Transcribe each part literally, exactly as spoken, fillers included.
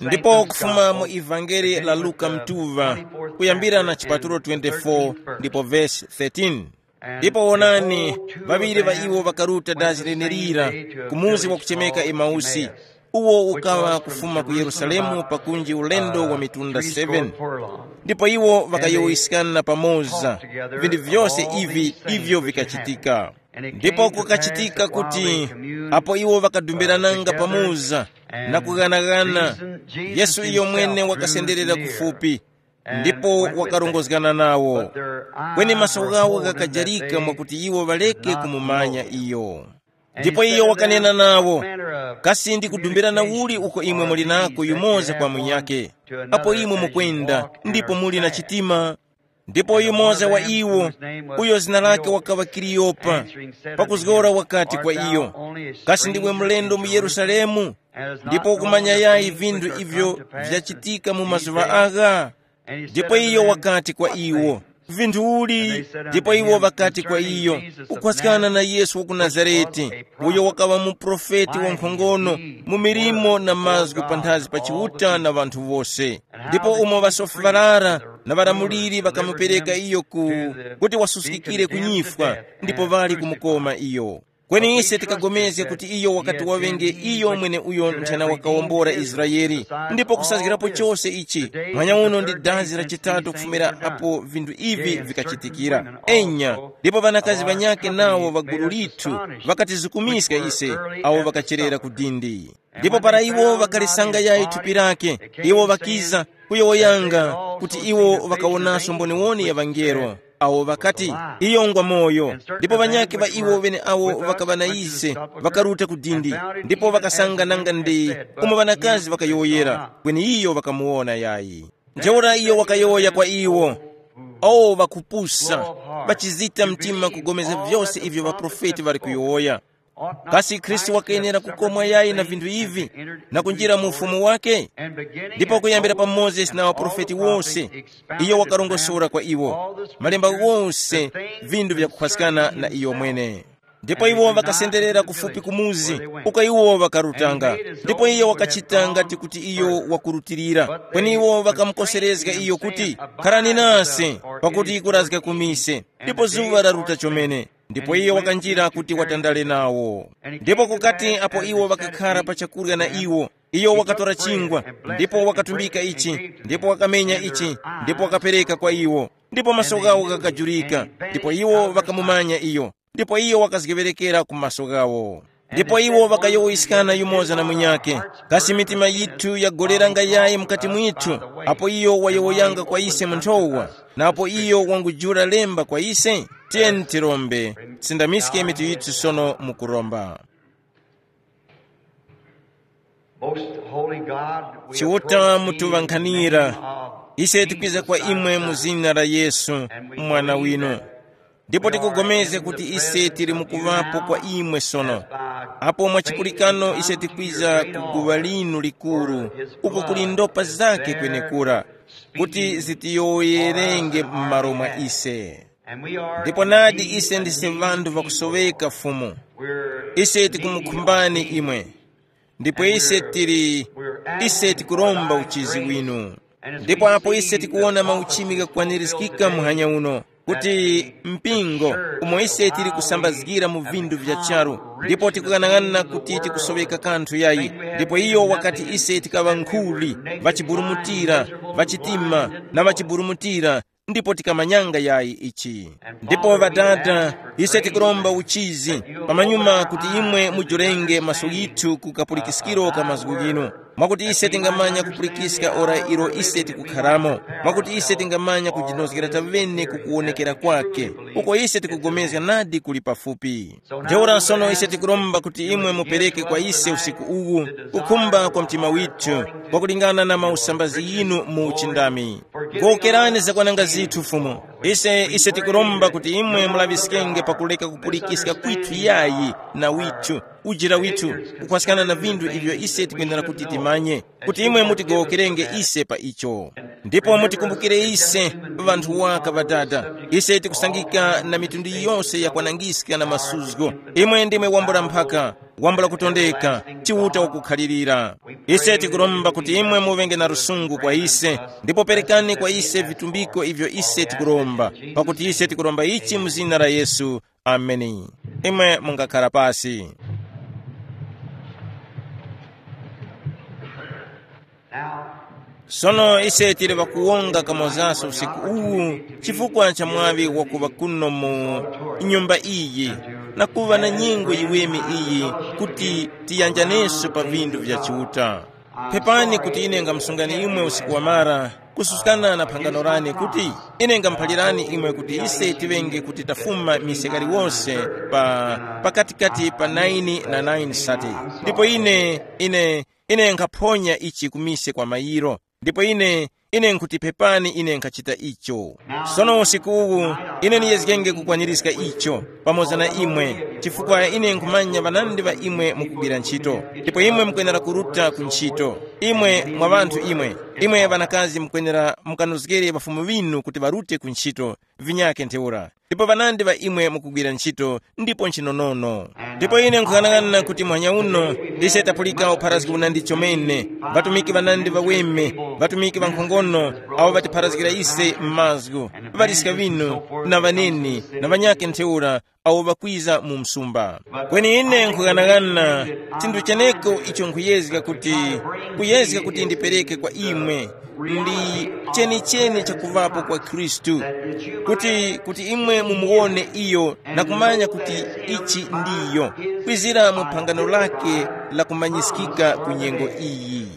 Ndipo kufuma mu ivangeli la Luka mtuva, kuyambira na chipatulo twenty-four ndipo vesi thirteen. Ndipo wonani, ŵaŵiri ŵa iwo ŵakaruta dazi lenelira ku muzi wakuchemeka Emausi, uwo ukaŵa kufuma ku Yerusalemu pakunji ulendo wa mitunda seven. Ndipo iwo ŵakayowoyeskana pamoza vinthu vyose ivi ivyo vikachitika. Ndipo kukachitika kuti apo iwo ŵakadumbirananga pamoza na kughanaghana, Yesu iyo mwene wakasenderera kufupi ndipo wakarongozgana nawo. Kweni maso ghawo ghakajarika mwakuti iwo ŵareke kumumanya iyo. Ndipo iyo wakanena nawo, kasi ndi kudumbirana uli uko imwe muli nako yumoza kwa munyakhe? Apo imwe mukwenda ndipo muli na chitima. Ndipo yumoza wa iwo, uyo zina lake wakaŵa Kiliyopa, pakuzgora wakati kwa iyo, kasi ndiwe mlendo mu Yerusalemu ndipo ukumanya yayi vinthu ivyo vyachitika mu mazuŵa agha? Ndipo iyo wakati kwa iwo, vinthu uli? Ndipo iwo ŵakati kwa iyo, kukhwaskana na Yesu wa ku Nazarete, uyo wakaŵa muprofeti wankhongono mu milimo na mazgu panthazi pa Chiuta na ŵanthu wose. Ndipo umo ŵasofi ŵarara na ŵalamuliri ŵakamupereka iyo ku kuti wasuskikire ku nyifwa, ndipo ŵali kumukoma iyo. Kweni ise tikapulikana kuti iyo wakati waŵenge iyo mweneuyo nthena wakawombora Israele, ndipo kusazgirapo chose ichi, manyauno ndi dazi la chitatu kufumira apo vinthu ivi vikachitikira. Enya, ndipo ŵanakazi ŵanyakhe nawo ŵa gulu lithu ŵakatizikumiska ise, awo ŵakacherera ku dindi. Ndipo para iwo ŵakalisanga yayi thupi lake, iwo ŵakiza kuyowoyanga kuti iwo ŵakawonaso mboniwoni ya ŵangelo, awo ŵakati, iyo ngwa moyo. Ndipo ŵanyakhe ŵa iwo ŵeneawo ŵakaŵa na ise ŵakaruta ku dindi, ndipo ŵakasanga nanga ndi umo ŵanakazi ŵakayowoyera, kweni iyo ŵakamuwona yayi. Ntheura iyo wakayowoya kwa iwo, o ŵakupusa, ŵachizita mtima kugomeza vyose ivyo ŵaprofeti ŵali kuyowoya. Kasi Khristu wakayenera kukomwa yayi na vinthu ivi na kunjira mu ufumu wake? Ndipo kuyambira pa Mozesi na ŵaprofeti wose, iyo wakarongosora kwa iwo malemba ghose, vinthu vyakukhwaskana na iyo mwene. Ndipo iwo ŵakasenderera kufupi ku muzi uko iwo ŵakarutanga. Ndipo iyo wakachita ngati kuti iyo wakurutilira, kweni iwo ŵakamukoserezga iyo kuti, kharani nase, pakuti kurazga ku mise, ndipo zuŵa laruta chomene. Ndipo iyo wakanjira kuti watandale nawo. Ndipo kukati apo iwo ŵakakhara pa chakurya na iwo, iyo wakatora chingwa, ndipo wakatumbika ichi, ndipo wakamenya ichi, ndipo wakapereka kwa iwo. Ndipo maso ghawo ghakajurika, ndipo iwo ŵakamumanya iyo, ndipo iyo wakazgeŵerekera ku maso ghawo. Ndipo iwo ŵakayowoyeskana yumoza na munyakhe, kasi mitima yithu yagolera nga yayi mukati mwithu, apo iyo wayowoyanga kwa ise mu nthowa, na apo iyo wangujula lemba kwa ise? Tiyeni tirombe, tisindamiske mitu yithu sono mu kuromba. Most Holy God, we Chiuta approach thee in the mutuŵankhanira, name of ise tikwiza kwa Jesus imwe mu Christ. Zina la Yesu, mwana winu. Ndipo tikugomezga kuti ise tili mukuŵapo kwa imwe sono. Apo mwa chipulikano ise tikwiza ku guŵa linu likuru, uko kuli ndopa zake kwenekura, kuti zitiyowoyerenge m'malo mwa ise. Ndipo nadi ise ndise ŵanthu ŵakusoweka Fumu. Ise tikumukhumbani imwe. Ndipo ise tili, ise tikuromba uchizi winu. Ndipo apo ise tikuwona mauchimi ghakwanirizgika muhanya uno, kuti mpingo umo ise tili kusambazgira mu vinthu vya charu, ndipo tikughanag'ana kuti tikusoweka kanthu yayi. Ndipo iyo wakati ise tikaŵa nkhuli, ŵachiburumutira, ŵachitima, na ŵachiburumutira, ndipo tikamanyanga yayi ichi. Ndipo ŵadada, ise tikuromba uchizi, pamanyuma kuti imwe mujurenge maso ghithu ku kapulikiskiro ka mazgu ghinu, mwakuti ise tingamanya kupulikiska ora ilo ise tikukharamo, mwakuti ise tingamanya kujinozgera tavene ku kuwonekera kwake, uko ise tikugomezga nadi kuli pafupi. Ntheura sono ise tikuromba kuti imwe mupereke kwa ise usiku uwu kukhumba kwa mtima withu, kwakulingana na mausambazi yinu mu uchindami. Gowokerani zakwananga zithu, Fumu. Ise, ise tikuromba kuti imwe mulaŵiskenge pakuleka kupulikiska kwithu yayi na withu, ujira withu, kukhwaskana na vinthu ivyo ise tikwenera kuti timanye, kuti imwe mutigowokerenge ise pa icho. Ndipo mutikumbukire ise, ŵanthu waka ŵadada, ise tikusangika na mitundu yose ya kwanangiska na masuzgo. Imwe ndimwe wambula mphaka, wambula kutondeka, Chiuta wakukhalirira. Ise tikuromba kuti imwe muŵenge na lusungu kwa ise, ndipo perekani kwa ise vitumbiko ivyo ise tikuromba, pakuti ise tikuromba ichi mu zina la Yesu. Ameni. Imwe mungakhala pasi. Sono ise tili ŵakuwonga kamozaso usiku uwu chifukwa cha mwaŵi wakuŵa kuno mu nyumba iyi, na kuŵa na nyengo yiweme iyi, kuti tiyanjaneso pa vinthu vya Chiuta. Pepani kuti ine ngamusungani imwe usiku wamara, kususkana na phangano lane kuti ine ngamuphalirani imwe kuti ise tiŵenge kuti tafuma mise kaliwonse pa, pakatikati pa nine na nine sati. Ndipo ine, ine, ine nkhaphonya ichi kumise kwa mayiro. Ndipo ine, ine nkhuti pepani ine nkhachita icho. Sono usiku uwu, ine ndiyezgenge kukwanirizga icho pamoza na imwe, chifukwa ine nkhumanya ŵanandi ŵa imwe mukugwira ntchito, ndipo imwe mukwenera kuruta ku ntchito. Imwe mwa ŵanthu imwe, imwe ŵanakazi mukwenera mukanozgere ŵafumu ŵinu kuti ŵarute ku ntchito, vinyake ntheura. Ndipo ŵanandi ŵa imwe mukugwira ntchito, ndipo nchinonono. Ndipo ine nkhughanagana kuti muhanya uno, ise tapulika upharazgi unandi chomene, ŵatumiki ŵanandi ŵaweme, ŵatumiki ŵankhongono, awo ŵatipharazgira ise m'mazgu, ŵaliska ŵinu, na ŵaneni, na ŵanyakhe ntheura, awo ŵakwiza mu msumba. Kweni ine nkhughanagana chinthu cheneko icho nkhuyezga kuti, kuyezga kuti ndipereke kwa imwe, ndi chenicheni chakuvapo kwa Khristu, kuti, kuti imwe mumuwone iyo na kumanya kuti ichi ndiyo, kwizira mu phangano lake la kumanyiskika ku nyengo iyi.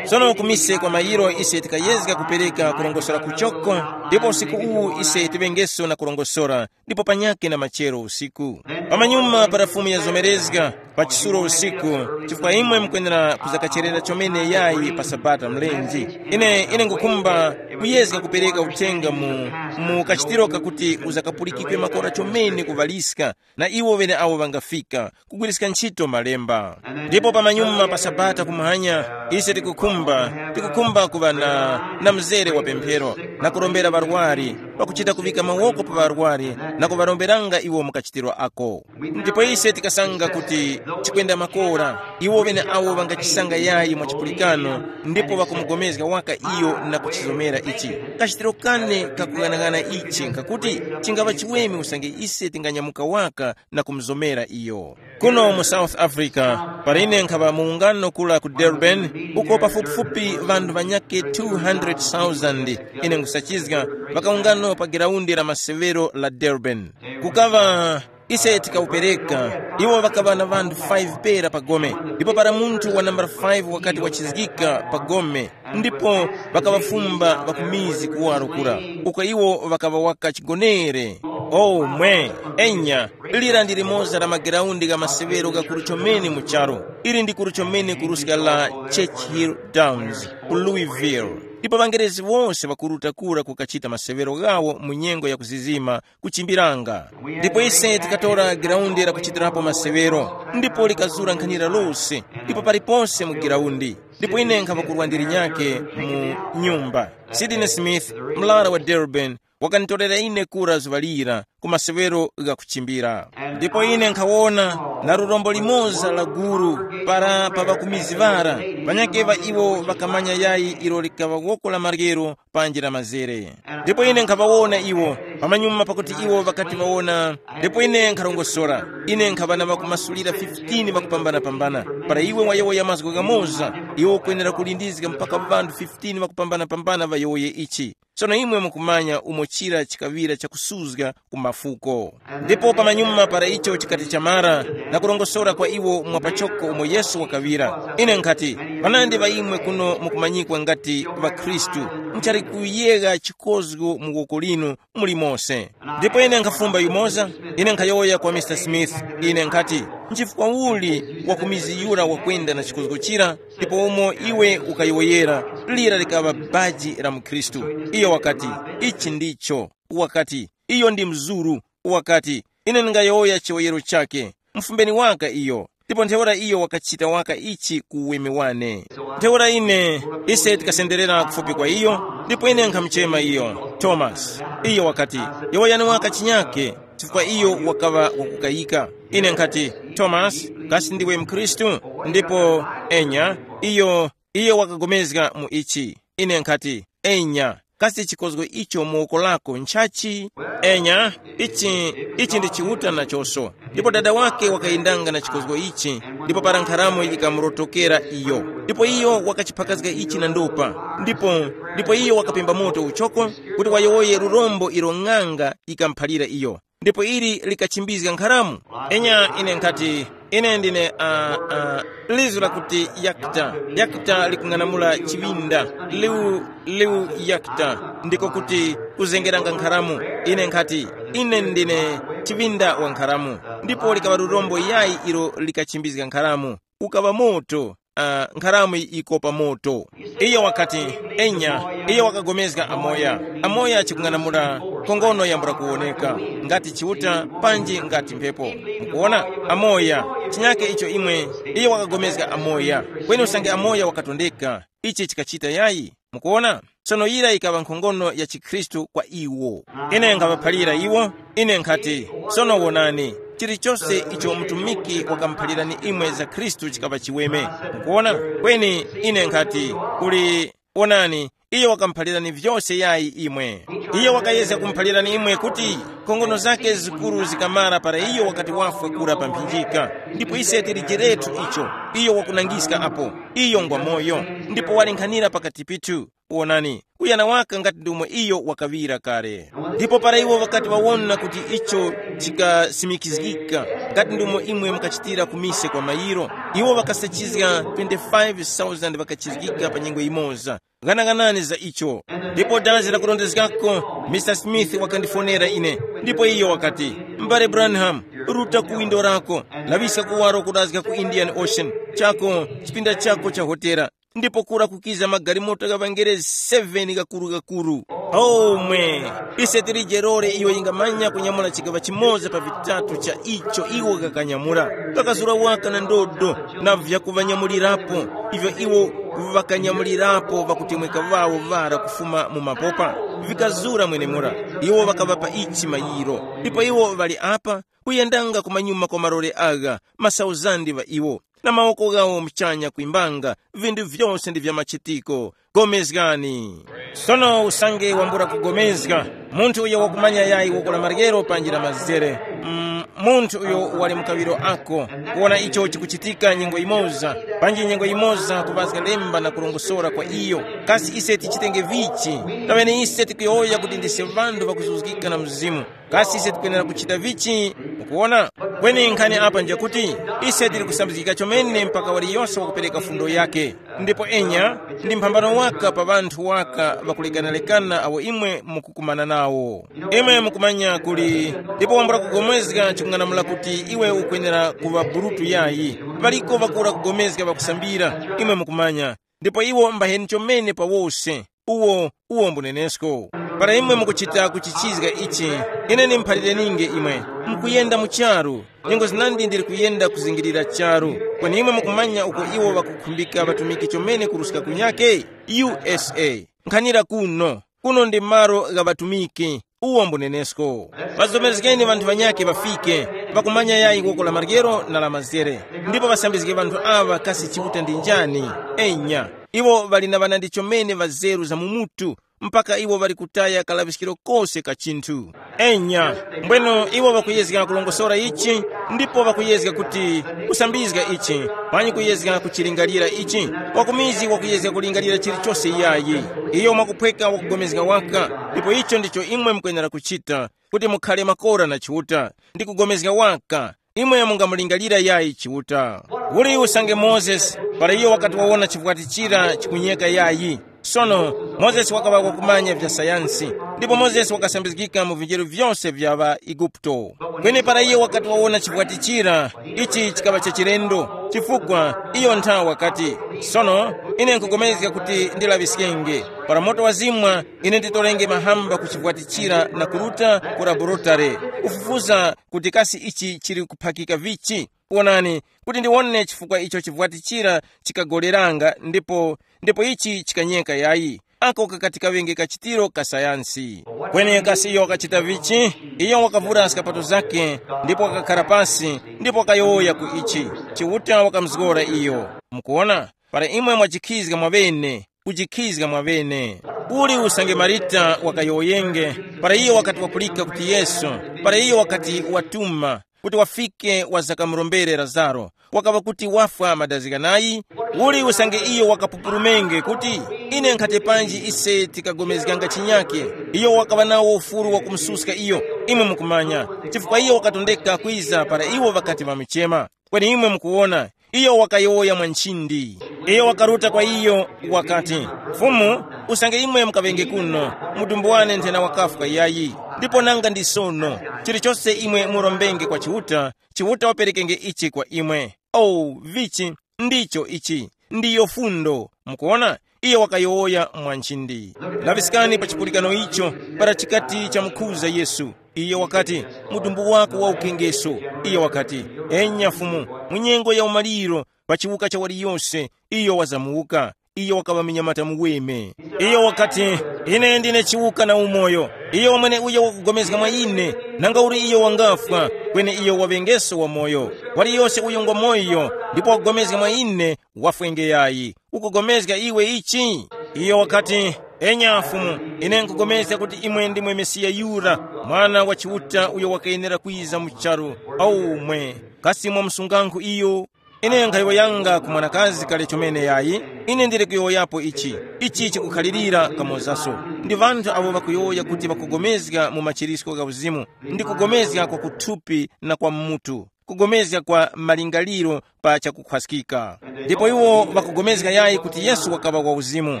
Sono kumise kwa mayiro ise tikayezga kupereka kurongosora kuchoko, ndipo usiku uwu ise tiŵengeso na kurongosora, ndipo panyakhe na machero usiku. Pamanyuma para Fumu yazomerezga, pa chisulo usiku, chifukwa imwe mukwenera kuzakacherera chomene yayi pa Sabata mlenje. Ine, ine ngukhumba kuyezga kupereka uthenga mu, mu kachitiro kakuti uzakapulikikwe makora chomene kuvaliska, na iwo ŵene awo ŵangafika, kugwiriska ntchito malemba. Ndipo pamanyuma pa Sabata kumwanya, ise tikukhumba, tikukhumba kuŵa na, na mzere wa pemphero, na kurombera ŵarwari, pakuchita kuvika mawoko pa ŵarwari, na kuŵaromberanga iwo mu kachitiro ako. Ndipo ise tikasanga kuti chikwenda makora, iwo ŵene awo ŵangachisanga yayi mwa chipulikano, ndipo ŵakumugomezga waka iyo na kuchizomera ichi. Kachitiro kane kakughanagana ichi nkakuti chingaŵa chiweme usange ise tinganyamuka waka na kumuzomera iyo. Kuno mu South Africa, para ine nkhaŵa mu ungano kula ku Durban, uko pafupifupi ŵanthu ŵanyakhe two hundred thousand, ine nkhusachizga, ŵakaungano pa giraundi la masewero la Durban. Kukaŵa ise tikawupereka, iwo ŵakaŵa na ŵanthu five pera pa gome, ndipo para munthu wa nambala five wakati wachizgika pa gome, ndipo ŵakaŵafumba ŵakumizi kuwaro kura, uko iwo ŵakaŵa waka chigonere. O mwe, enya, lira ndi limoza la mageraundi gha masewero ghakuru chomene mu charu. Ili ndi kuru chomene kuruska la Churchill Downs ku Louisville. Ndipo ŵangerezi wose ŵakuruta kura kukachita masewero ghawo mu nyengo ya kuzizima kuchimbiranga. Ndipo ise tikatora giraundi la kuchitirapo masewero, ndipo likazura nkhanira lose, ndipo paliponse mu giraundi. Ndipo ine nkhaŵa kurwa ndi linyakhe mu nyumba. Sidney Smith, mlara wa Durban, wakanditorera ine kura zuŵa lira ku masewero gha kuchimbira. Ndipo ine nkhawona na lurombo limoza la guru para pa ŵakumizi ŵara, ŵanyakhe ŵa iwo ŵakamanya yayi ilo likaŵa woko la maryero panji la mazere. Ndipo ine nkhaŵawona iwo, pamanyuma pakuti iwo ŵakati ŵawona, ndipo ine nkharongosora, ine nkhaŵa na ŵakumasulira fifteen ŵakupambana-pambana. Para iwe wayowoya mazgu ghamoza, iwe ukwenera kulindizga mpaka ŵanthu fifteen ŵakupambana-pambana ŵayowoye ichi. Sono imwe mukumanya umo chira chikaŵira chakusuzga ku mafuko. Ndipo pamanyuma para icho chikati chamara, na kurongosora kwa iwo mwa pachoko umo Yesu wakaŵira, ine nkhati, ŵanandi ŵa imwe kuno mukumanyikwa ngati ŵakhristu, muchali kuyegha chikozgo mu woko linu muli mose. Ndipo ine nkhafumba yumoza, ine nkhayowoya kwa Mister Smith, ine nkhati, nchifukwa uli wakumiziyura wakwenda na chikozgo chira, ndipo umo iwe ukayowoyera, lira likaŵa baji la mukhristu. Iyo wakati, ichi ndicho. wakati, iyo ndi mzuru, wakati, ine ndingayowoya chiyowoyero chakhe. Mufumbeni waka iyo. Ndipo ntheura iyo wakachita waka ichi ku uweme wane. Ntheura ine, ise tikasenderera kufupi kwa iyo, ndipo ine nkhamuchema iyo Tomasi. Iyo wakati, yowoyani waka chinyake, chifukwa iyo wakaŵa wakukayika. Ine nkhati, Tomasi, kasi ndiwe mkhristu? Ndipo enya, iyo, iyo wakagomezga mu ichi. Ine nkhati, enya, kasi chikozgo icho mu woko lako nchachi? Enya, ichi, ichi ndi Chiuta nachoso. Ndipo dada wake wakayendanga na chikozgo ichi, ndipo para nkharamo yikamurotokera iyo. Ndipo iyo wakachiphakazga ichi na ndopa. Ndipo, ndipo iyo wakapemba moto uchoko, kuti wayowoye lurombo ilo ng'anga yikamuphalira iyo. Ndipo ili likachimbizga nkharamo. Enya ine nkhati, ine ndine uh, uh, lizu lakuti yakta. Yakta likung'anamula chiŵinda. Liu, liu yakta, ndiko kuti kuzengeranga nkharamo. Ine nkhati, ine ndine chiŵinda wa nkharamo. Ndipo likaŵa lurombo yayi ilo likachimbizga nkharamo. Ukaŵa moto. Uh, nkharamo yikopa moto. Iyo wakati, enya, iyo wakagomezga amoya. Amoya chikung'anamula, kongono yambula kuwoneka, ngati Chiuta, panji ngati mphepo. Mukuona? Amoya, chinyake icho imwe, iyo wakagomezga amoya. Kweni usange amoya wakatondeka, ichi chikachita yayi. Mukuona? Sono yira yikaŵa nkhongono ya chikhristu kwa iwo. Ine nkhaŵaphalira iwo, ine nkhati, sono wonani, chilichose icho mtumiki wakamuphalirani imwe za Khristu chikaŵa chiweme. Mukuona? Kweni ine nkhati, kuli, wonani, iyo wakamuphalirani vyose yayi imwe. Iyo wakayezga kumuphalirani imwe kuti nkhongono zake zikuru zikamara para iyo wakati wafwe kura pa mphinjika. Ndipo ise tili jerethu icho, iyo wakunangiska apo, iyo ngwa moyo, ndipo walenkhanira pakati pithu. Wonani, uyana waka ngati ndi umo iyo wakaŵira kale. Ndipo para iwo ŵakati ŵawona kuti icho chikasimikizgika, ngati ndi umo imwe mukachitira ku mise kwa mayiro, iwo ŵakasachizga twenty-five thousand ŵakachizgika pa nyengo yimoza. Ghanaghanani za icho. Ndipo dazi lakurondezgako, Mr Smith wakandifonera ine, ndipo iyo wakati, m'bale Branham, ruta ku windo lako, laŵiska kuwaro kudazga ku Indian Ocean, chako, chipinda chako cha hotera, ndipo kura kukiza magalimoto gha ŵangerezi seven ghakuru-ghakuru. Omwe, ise tilije lore iyo yingamanya kunyamula chigaŵa chimoza pa vitatu cha icho iwo ghakanyamula. Ghakazura waka na ndodo na vyakuŵanyamulirapo, ivyo iwo ŵakanyamulirapo ŵakutemweka ŵawo ŵara kufuma mu mapopa. Vikazura mwenemura, iwo ŵakaŵapa ichi mayiro. Ndipo iwo ŵali apa, kuyendanga kumanyuma kwa malore agha, masauzandi ŵa iwo, na mawoko ghawo muchanya kwimbanga, vinthu vyose ndi vya machitiko. Gomezgani. Sono usange wambula kugomezga, munthu uyo wakumanya yayi woko la maryero panji la mazere, mm, munthu uyo wali mukaŵiro ako, kuwona icho chikuchitika nyengo yimoza, panji nyengo yimoza kuŵazga lemba na kurongosora kwa iyo. Kasi ise tichitenge vichi? Taŵene ise tikuyowoya kuti ndise ŵanthu ŵakuzuzgika na Mzimu. Kasi ise tikwenera kuchita vichi? Mukuwona? Kweni nkhani apa njakuti, ise tili kusambizgika chomene mpaka waliyose wakupereka fundo yake. Ndipo enya, ndi mphambano waka pa ŵanthu waka ŵakulekanalekana awo imwe mukukumana nawo. Imwe mukumanya kuli, ndipo wambula kugomezga chikung'anamula kuti iwe ukwenera kuŵa burutu yayi. Ŵaliko ŵakura kugomezga ŵakusambira, imwe mukumanya. Ndipo iwo mbaheni chomene pa wose. Uwo, uwo mbunenesko. Para imwe mukuchita kuchichizga ichi, ine ndimuphalirenininge imwe, mukuyenda mu charu. Nyengo zinandi ndili kuyenda kuzingirira charu. Kweni imwe mukumanya uko iwo ŵakukhumbika ŵatumiki chomene kuruska kunyake? U S A. Nkhanira kuno. Kuno ndi malo gha ŵatumiki. Uwo mbunenesko. Ŵazomezgeni ŵanthu ŵanyakhe ŵafike, ŵakumanya yayi woko la maryero na la mazere. Ndipo ŵasambizge ŵanthu aŵa kasi Chiuta ndi njani. Enya, iwo ŵali na ŵanandi chomene ŵazeru za mu mutu, mpaka iwo ŵali kutaya kalaŵiskiro kose ka chinthu. Enya, mbweno iwo ŵakuyezga kulongosora ichi, ndipo ŵakuyezga kuti kusambizga ichi, panyi kuyezga kuchilingalira ichi. Wakumizi wakuyezga kulingalira chilichose yayi. Iyo mwakuphweka wakugomezga waka, ndipo icho ndicho imwe mukwenera kuchita, kuti mukhale makora na Chiuta, ndi kugomezga waka. Imwe mungamulingalira yayi Chiuta. Uli usange Mozesi, para iyo wakati wawona chivwati chira chikunyeka yayi, Sono, Mozesi wakaŵa wakumanya vya sayansi, ndipo Mozesi wakasambizgika mu vinjeru vyose vya ŵaEguputo. Kweni para iyo wakati wawona chivwatichira, ichi chikaŵa cha chilendo, chifukwa iyo nthawe wakati, sono, ine nkupulikana kuti ndilaŵiskenge. Para moto wazimwa, ine nditorenge mahamba ku chivwatichira na kuruta ku laborotare, kufufuza kuti kasi ichi chili kuphakika vichi. Wonani, kuti ndiwone chifukwa icho chivwatichira chikagoleranga ndipo ndipo ichi chikanyeka yayi. Ako kakati kaŵenge kachitiro ka sayansi. Kweni kasi iyo wakachita vichi? Iyo wakavura skapato zake, ndipo wakakhara pasi, ndipo wakayowoya ku ichi. Chiuta wakamuzgora iyo. Mukuona, para imwe mwajikhizga mwaŵene, kujikhizga mwaŵene. Uli usange Marita wakayowoyenge, para iyo wakati wapulika kuti Yesu, para iyo wakati watuma, kuti wafike wazakamurombere Lazaro, wakaŵa kuti wafwa madazi ghanayi? Uli usange iyo wakapupulumenge kuti, ine nkhati panji ise tikagomezganga chinyake? Iyo wakaŵa nawo ufuru wa kumususka iyo, imwe mukumanya, chifukwa iyo wakatondeka kwiza para iwo ŵakati ŵamuchema. Kweni imwe mukuwona, iyo wakayowoya mwa nchindi. Iyo wakaruta kwa iyo, wakati, Fumu, usange imwe mukaŵenge kuno, mudumbu wane nthena wakafwa yayi, ndipo nanga ndi sono, chilichose imwe murombenge kwa Chiuta, Chiuta waperekenge ichi kwa imwe. Oh, vichi, ndicho ichi, ndiyo fundo. Mukuona, iyo wakayowoya mwa nchindi. Laŵiskani pa chipulikano icho, para chikati chamukhuza Yesu. Iyo wakati, mudumbu wako wa ukengeso. Iyo wakati, enya Fumu, mu nyengo ya umaliro, pa chiwuka cha waliyose, iyo wazamuwuka. Iyo wakaŵa munyamata muweme. Iyo wakati, ine ndine chiwuka na umoyo. Iyo wamwene uyo wakugomezga mwa ine, nanga uli iyo wangafwa, kweni iyo waŵengeso wamoyo. Waliyose uyo ngwa moyo, ndipo wakugomezga mwa ine, wafwenge yayi. Ukugomezga iwe ichi? Iyo wakati, enya Fumu, ine nkugomezga kuti imwe ndimwe Mesiya yura, Mwana wa Chiuta uyo wakayenera kwiza mu charu. Aumwe, kasi mwamusungankhu iyo? Ine nkhayowoyanga ku mwanakazi kale chomene yayi, ine ndili kuyowoyapo ichi, ichi chikukhalirira kamozaso. Ndi ŵanthu awo ŵakuyowoya kuti ŵakugomezga mu machirisco gha uzimu, ndi kugomezga kwa kuthupi na kwa mutu, kugomezga kwa malingaliro pa chakukhwaskika. Ndipo iwo ŵakugomezga yayi kuti Yesu wakaŵa wa uzimu.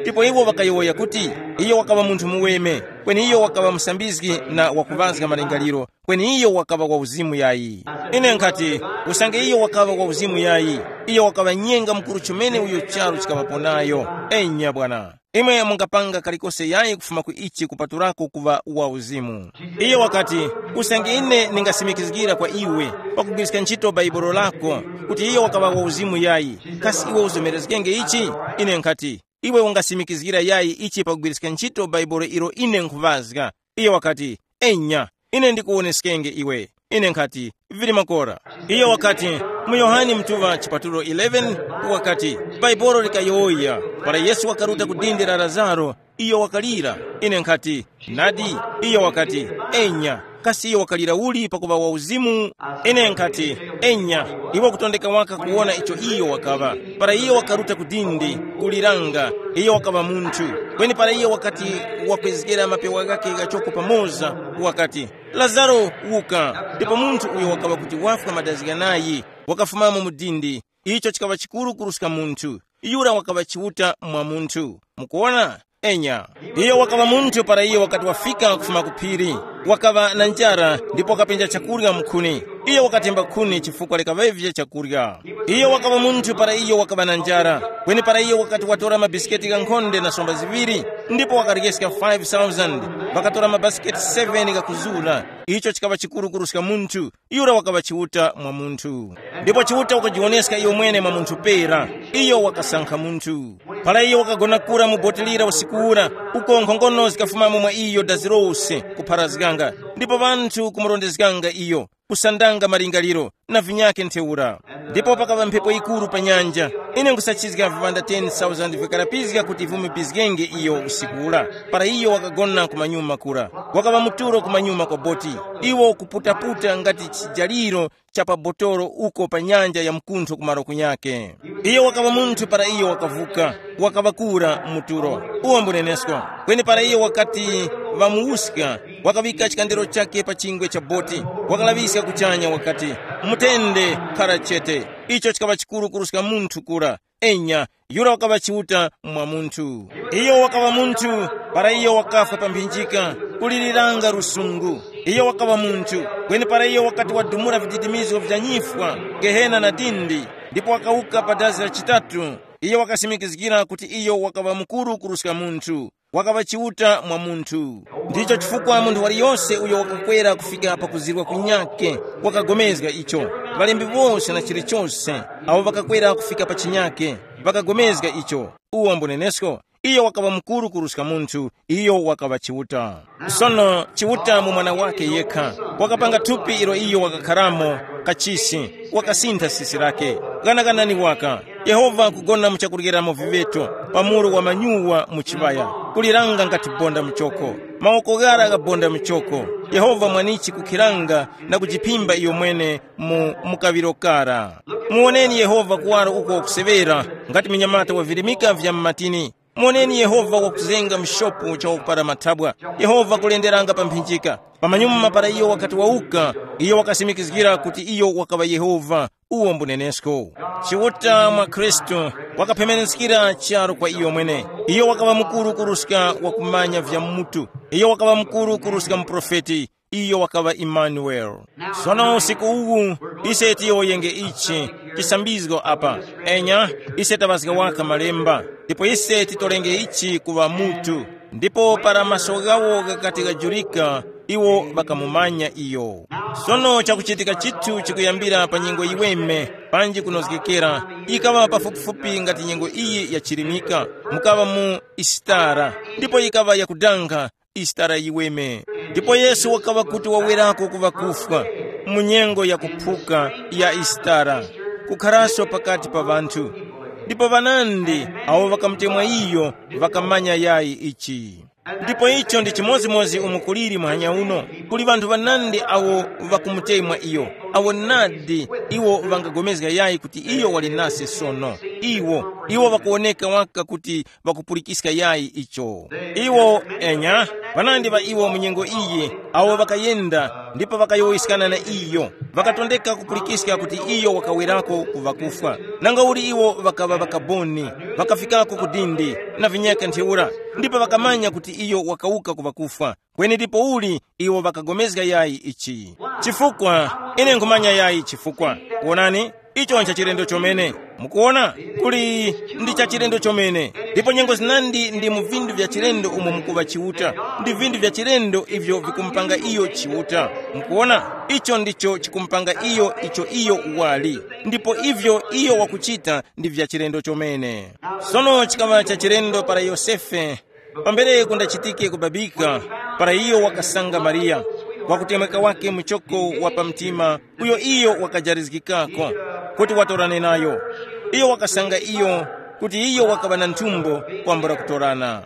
Ndipo iwo ŵakayowoya kuti, iyo wakaŵa munthu muweme, kweni iyo wakaŵa musambizgi na wakuŵazga malingaliro, kweni iyo wakaŵa wa uzimu yayi. Ine nkhati, usange iyo wakaŵa wa uzimu yayi, iyo wakaŵa nyenga mukuru chomene uyo charu chikaŵapo nayo. Enya bwana. Imwe mungapanga kalikose yayi kufuma ku ichi kupatulako kuŵa wa uzimu. Iyo wakati, usange ine ndingasimikizgira kwa iwe, pakugwiriska ntchito bhaibolo lako, kuti iyo wakaŵa wa uzimu yayi, kasi iwe uzomerezgenge ichi? Ine nkhati, iwe ungasimikizgira yayi ichi pakugwiriska ntchito bhaibolo ilo ine nkhuŵazga? Iyo wakati, enya, ine ndikuwoneskenge iwe. Ine nkhati, vili makora. Iyo wakati, mu Yohane mtuŵa chipatulo eleven, wakati, bhaibolo likayowoya, para Yesu wakaruta ku dindi la Lazaro, iyo wakalira. Ine nkhati, nadi? Iyo wakati, enya. Kasi iyo wakalira uli pakuŵa wa uzimu? Ine nkhati, enya. Iwe kutondeka waka kuwona icho iyo wakaŵa. Para iyo wakaruta ku dindi, kuliranga, iyo wakaŵa munthu. Kweni para iyo wakati wakwezgera mapewa ghakhe ghachoko pamoza, wakati, lazaro, wuka. Ndipo munthu uyo wakaŵa kuti wafwa madazi ghanayi, wakafumamo mu dindi. Icho chikaŵa chikuru kuruska munthu. Yura wakaŵa Chiuta mwa munthu. Mukuwona? Enya. Iyo wakaŵa munthu para iyo wakati wafika kufuma ku phiri. Wakaŵa na njara, ndipo wakapenja chakurya mu nkhuni. Iyo wakatemba nkhuni chifukwa likaŵavye chakurya. Iyo wakaŵa munthu para iyo wakaŵa na njara. Kweni para iyo wakati watora mabisiketi ghankhonde na somba ziŵiri, ndipo wakaryeska five thousand, wakatora mabasiketi seven ghakuzura. Icho chikaŵa chikuru kuruska munthu. Yura wakaŵa Chiuta mwa munthu. Ndipo Chiuta wakajiwoneska iyo mwene mwa munthu pera. Iyo wakasankha munthu. Para iyo wakagona kura mu boti lira usiku ura, uko nkhongono zikafumamo mwa iyo dazi lose, kupharazganga. Ndipo ŵanthu kumurondezganga iyo, kusandanga malingaliro, na vinyakhe ntheura. Ndipo pakaŵa mphepo yikuru pa nyanja. Ine nkhusachizga viŵanda ten thousand vikarapizga kuti vimupizgenge iyo usiku ura. Para iyo wakagona kumanyuma kura, wakaŵa muturo kumanyuma kwa boti. Iwo kuputaputa ngati chijaliro cha pa botolo uko pa nyanja ya mkuntho kumaro kunyake. Iyo wakaŵa munthu para iyo wakavuka, wakaŵa kura muturo. Uwo mbunenesko. Kweni para iyo wakati ŵamuwuska, wakaŵika chikandiro chakhe pa chingwe cha boti, wakalaŵiska kuchanya wakati, mutende, khara chete. Icho chikaŵa chikuru kuruska munthu kura. Enya, yura wakaŵa Chiuta mwa munthu. Iyo wakaŵa munthu, para iyo wakafwa pa mphinjika, kuliliranga lusungu. Iyo wakaŵa munthu, kweni para iyo wakati wadumula vididimizgo vya nyifwa, gehena na dindi, ndipo wakawuka pa dazi la chitatu, iyo wakasimikizgira kuti iyo wakaŵa mukuru kuruska munthu. Wakaŵa Chiuta mwa munthu. Ndicho chifukwa munthu waliyose uyo wakakwera kufika pa kuzirwa kunyakhe, wakagomezga icho. Ŵalembi wose na chilichose, awo ŵakakwera kufika pa chinyakhe, ŵakagomezga icho. Uwo mbunenesko, iyo wakaŵa mukuru kuruska munthu, iyo wakaŵa Chiuta. Sono Chiuta mu Mwana wake yekha, wakapanga thupi ilo iyo wakakharamo, kachisi, wakasintha sisi lake. Ghanaganani waka, Yehova kugona mu chakuryeramo viŵeto, pa muru wa manyuwa mu chiŵaya, kuliranga ngati bonda muchoko. Mawoko ghara ghabonda muchoko. Yehova mwanichi kukhiranga na kujiphimba iyo mwene mu mukaŵiro kara. Muwoneni Yehova kuwaro uko wakuseŵera, ngati munyamata wa virimika vya mu matini. Muwoneni Yehova wakuzenga mshopu cha wakupara mathabwa. Yehova kulenderanga pa mphinjika. Pamanyuma para iyo wakati wawuka, iyo wakasimikizgira kuti iyo wakaŵa Yehova. Uwo mbunenesko. Chiuta mwa Khristu wakaphemeneskira charu kwa iyo mwene. Iyo wakaŵa mukuru kuruska wakumanya vya mutu. Iyo wakaŵa mukuru kuruska muprofeti. Iyo wakaŵa Imanueli. Sono usiku uwu, ise tiyowoyenge ichi chisambizgo apa. Enya, ise taŵazga waka malemba, ndipo ise titolenge ichi kuŵa mutu. Ndipo para maso ghawo ghakati ghajurika, iwo ŵakamumanya iyo. Sono chakuchitika chithu chikuyambira pa nyengo yiweme, panji kunozgekera, yikaŵa pafupifupi ngati nyengo iyi yachirimika, mukaŵa mu Isitara, ndipo yikaŵa yakudanga, Isitara yiweme. Ndipo Yesu wakaŵa kuti wawerako ku ŵakufwa, mu nyengo ya kuphuka ya Isitara, kukharaso pakati pa ŵanthu. Ndipo ŵanandi awo ŵakamutemwa iyo ŵakamanya yayi ichi. Ndipo icho ndi chimodzimodzi umo kuliri muhanya uno, kuli ŵanthu ŵanandi awo ŵakumutemwa iyo, awo nadi iwo ŵangagomezga yayi kuti iyo wali nase sono. Iwo, iwo ŵakuwoneka waka kuti ŵakupulikiska yayi icho. Iwo, enya, ŵanandi ŵa iwo mu nyengo iyi, awo ŵakayenda ndipo ŵakayowoyeskana na iyo, ŵakatondeka kupulikiska kuti iyo wakawerako ku ŵakufwa. Nangauli iwo ŵakaŵa ŵakaboni, ŵakafikako ku dindi, na vinyaka ntheura, ndipo ŵakamanya kuti iyo wakawuka ku ŵakufwa. Kweni ndipouli iwo ŵakagomezga yayi ichi. Chifukwa, ine nkhumanya yayi chifukwa. Wonani, icho nchachilendo chomene. Mukuwona, kuli ndi chachilendo chomene. Ndipo nyengo zinandi ndi mu vinthu vya chilendo umo mukuŵa Chiuta, ndi vinthu vya chilendo ivyo vikumupanga iyo Chiuta. Mukuwona, icho ndicho chikumupanga iyo icho iyo wali. Ndipo ivyo iyo wakuchita ndi vya chilendo chomene. Sono chikaŵa cha chilendo para Yosefe, pambere kundachitike kubabika, para iyo wakasanga Mariya, wakutemweka wake muchoko wa pamtima, uyo iyo wakajarizgikako, kuti watorane nayo. Iyo wakasanga iyo, kuti iyo wakaŵa na nthumbo kwambula kutorana.